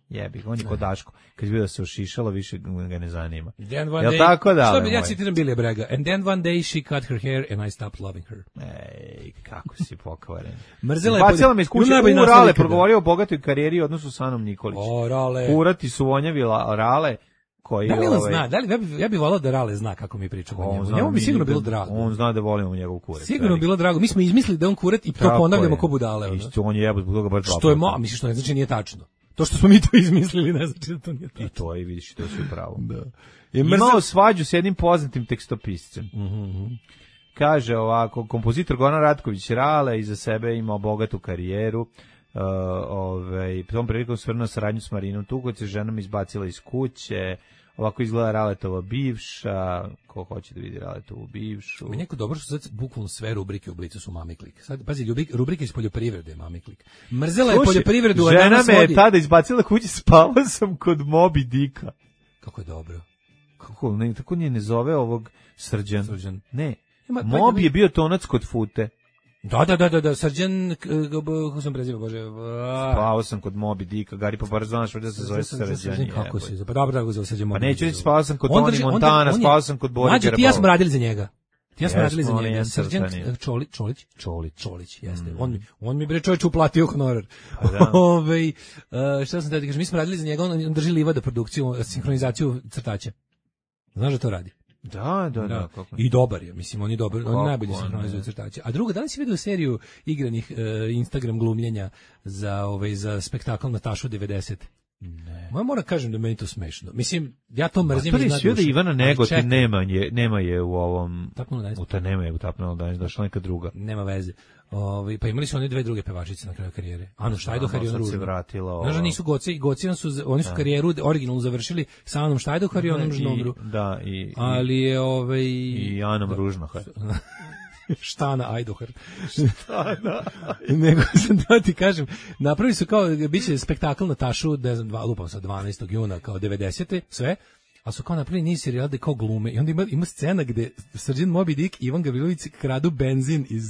Jebi, on je kod Daško. Kad je bio da se ošišalo, više ga ne zanima. Then one Jel day, tako da? Što bi ja citiram Billy Bragga? And then one day she cut her hair and I stopped loving her. Ej, kako si pokvaren. Mrzela je Bacila me iz kuće, najbolji u naslov Rale ikada. progovorio o bogatoj karijeri u odnosu sa Anom Nikolić. O, Rale. Kurati su vonjavi la- Rale, koji... Da li on ovaj, zna? Da li, ja bih ja bi volao da Rale zna kako mi pričamo o on njemu. zna, Njemu bi mi- sigurno bilo drago. On zna da volimo njegov kurac. Sigurno veliki. bilo drago. Mi smo izmislili da on kurat i to Tako ponavljamo je. ko budale. ono. Isto, on je jebot zbog toga baš dva Što je puta. mo, misliš što ne znači nije tačno. To što smo mi to izmislili ne znači da to nije tačno. I to je, vidiš, to je sve pravo. Da. Je imao svađu s jednim poznatim tekstopiscem. Mm-hmm. Kaže ovako, kompozitor Goran Ratković Rale iza sebe imao bogatu karijeru. Uh, ovaj, tom prilikom svrnuo saradnju s Marinom Tuković, se ženom izbacila iz kuće. Ovako izgleda Raletova bivša. Ko hoće da vidi Raletovu bivšu? Mi neko dobro što sad bukvalno sve rubrike u Blicu su Mami Klik. Sad, pazi, ljubi, rubrike iz poljoprivrede je Mami Klik. Mrzela je Slušaj, poljoprivredu, a žena danas me je vodi... tada izbacila kući, spavao sam kod Moby Dicka. Kako je dobro. Kako, ne, tako nije ne zove ovog Srđan. Srđan. Ne, Ima- Moby je bio tonac kod Fute. Da, da, da, da, da, Srđan, k- k- kako sam preziva, bože, a- Spavao sam kod Moby Dicka, Gari pa bar znaš da se zove Srđan. Kako se, pa dobro da ga zove Srđan Pa Moby. neću reći spavao sam kod On Toni drži- on Montana, drži- on je- spavao sam kod Bore Mlađe, ti ja smo Gerbova. radili za njega. Ti ja smo Jesmo, radili za on je njega. jedan Srđan crtani. Čolić, Čolić, Čolić. Čolić, jeste. On mi, on mi bre čovjek uplatio honorar. Pa da. Ovaj, e, šta sam da ti kažem, mi smo radili za njega, on, on drži livada produkciju, sinhronizaciju crtača. Znaš da to radi? Da, da, da. Da. Kako? I dobar je, mislim, on je dobar, on Kako je najbolji ne? sinhronizuje crtače. A drugo, da li si vidio seriju igranih e, Instagram glumljenja za ovaj za spektakl Natašu devedeset? Ne. Ma moram kažem da meni to smešno. Mislim, ja to mrzim Pa to je iznad sve da duše. Ivana Ali Negotin čekaj, nema je, nema je u ovom... Tapnulo danas. U ta nema je u Tapnulo danas, došla neka druga. Nema veze. Ovaj pa imali su oni dve druge pevačice na kraju karijere. Anu Štajdohar i Sad Anu se Ružnu. vratila ova. Znaš da nisu Goci i Goci su oni su karijeru originalno završili sa Anom Štajdohar i onom Žnobru. Da, i, i, Ali je ovaj i Anom Ružnohar. Štana Ajdohar. Štana. Nego sam da ti kažem, napravili su kao, biće spektakl Natašu, ne znam, dva, lupam sa dvanaestog juna, kao devedesete, sve, ali su kao napravili niz serijala da kao glume. I onda ima, ima scena gde Srđan Moby Dick i Ivan Gavrilović kradu benzin iz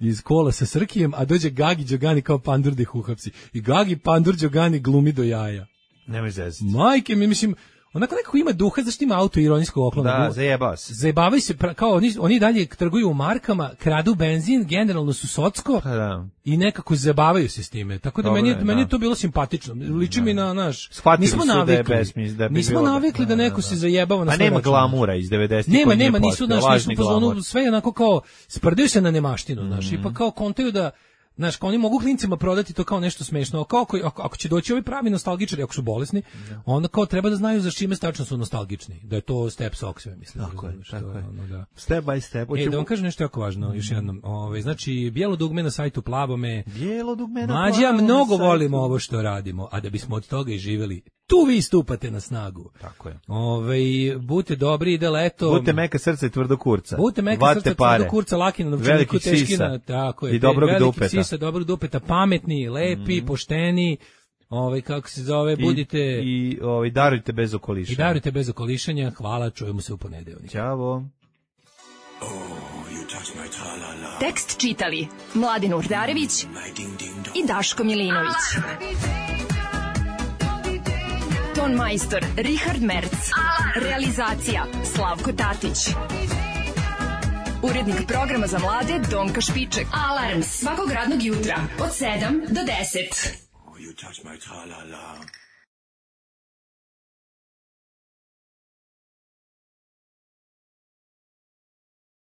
iz kola sa Srkijem, a dođe Gagi Đogani kao Pandur da ih uhapsi. I Gagi Pandur Đogani glumi do jaja. Nemoj zezati. Majke mi, mislim, onako nekako ima duha, zašto ima auto ironijskog oklona. Da, zajebao se. Zajebavaju se, pra- kao oni, oni dalje trguju u markama, kradu benzin, generalno su socko Pa da. i nekako zabavaju se s time. Tako da Dobro meni, je- je, meni je da. to bilo simpatično. Liči mi na naš... Shvatili nismo su da je navikli, besmis- da bi nismo bilo da- navikli da, da, neko da, se da. zajebava na Pa svoj nema račun. glamura iz devedesetih. Nema, koji nije nema, nisu, postojao, znaš, nisu lažni u fazonu, glamur. sve je onako kao, sprdaju se na nemaštinu, znaš, Mhm. i pa kao kontaju da, znaš, kao oni mogu klincima prodati to kao nešto smešno, a kao ako, ako, ako će doći ovi pravi nostalgičari, ako su bolesni, onda kao treba da znaju za čime tačno su nostalgični, da je to Step Socks, ja mislim. Tako je, razumeš, to tako je. ono, da. Step by step. E, Hoćemo- da vam kažem nešto jako važno, još jednom. Ove, znači, bijelo dugme na sajtu Plavome. Bijelo dugme na Mlađi, ja plavom mnogo sajtu. volimo ovo što radimo, a da bismo od toga i živjeli, tu vi stupate na snagu. Tako je. Ove, budite dobri, ide leto. Budite meka srca i tvrdo kurca. Budite meka Vate srca, pare. tvrdo kurca, laki na novčaniku, Velikih teški sisa. na, tako je, I dobrog velikih dupeta. sisa, dobrog dupeta, pametni, lepi, pošteni, ovaj kako se zove, I- budite i, I ovaj, darujte bez okoliša. darujte bez okolišanja. Hvala, čujemo se u ponedeljak. Ćao. Tekst čitali Mladin Urdarević i Daško Milinović. Ton majstor Richard Merc. Realizacija Slavko Tatić. Urednik programa za mlade Donka Špiček. Alarms svakog radnog jutra od sedam do deset. You touch my tra-la-la.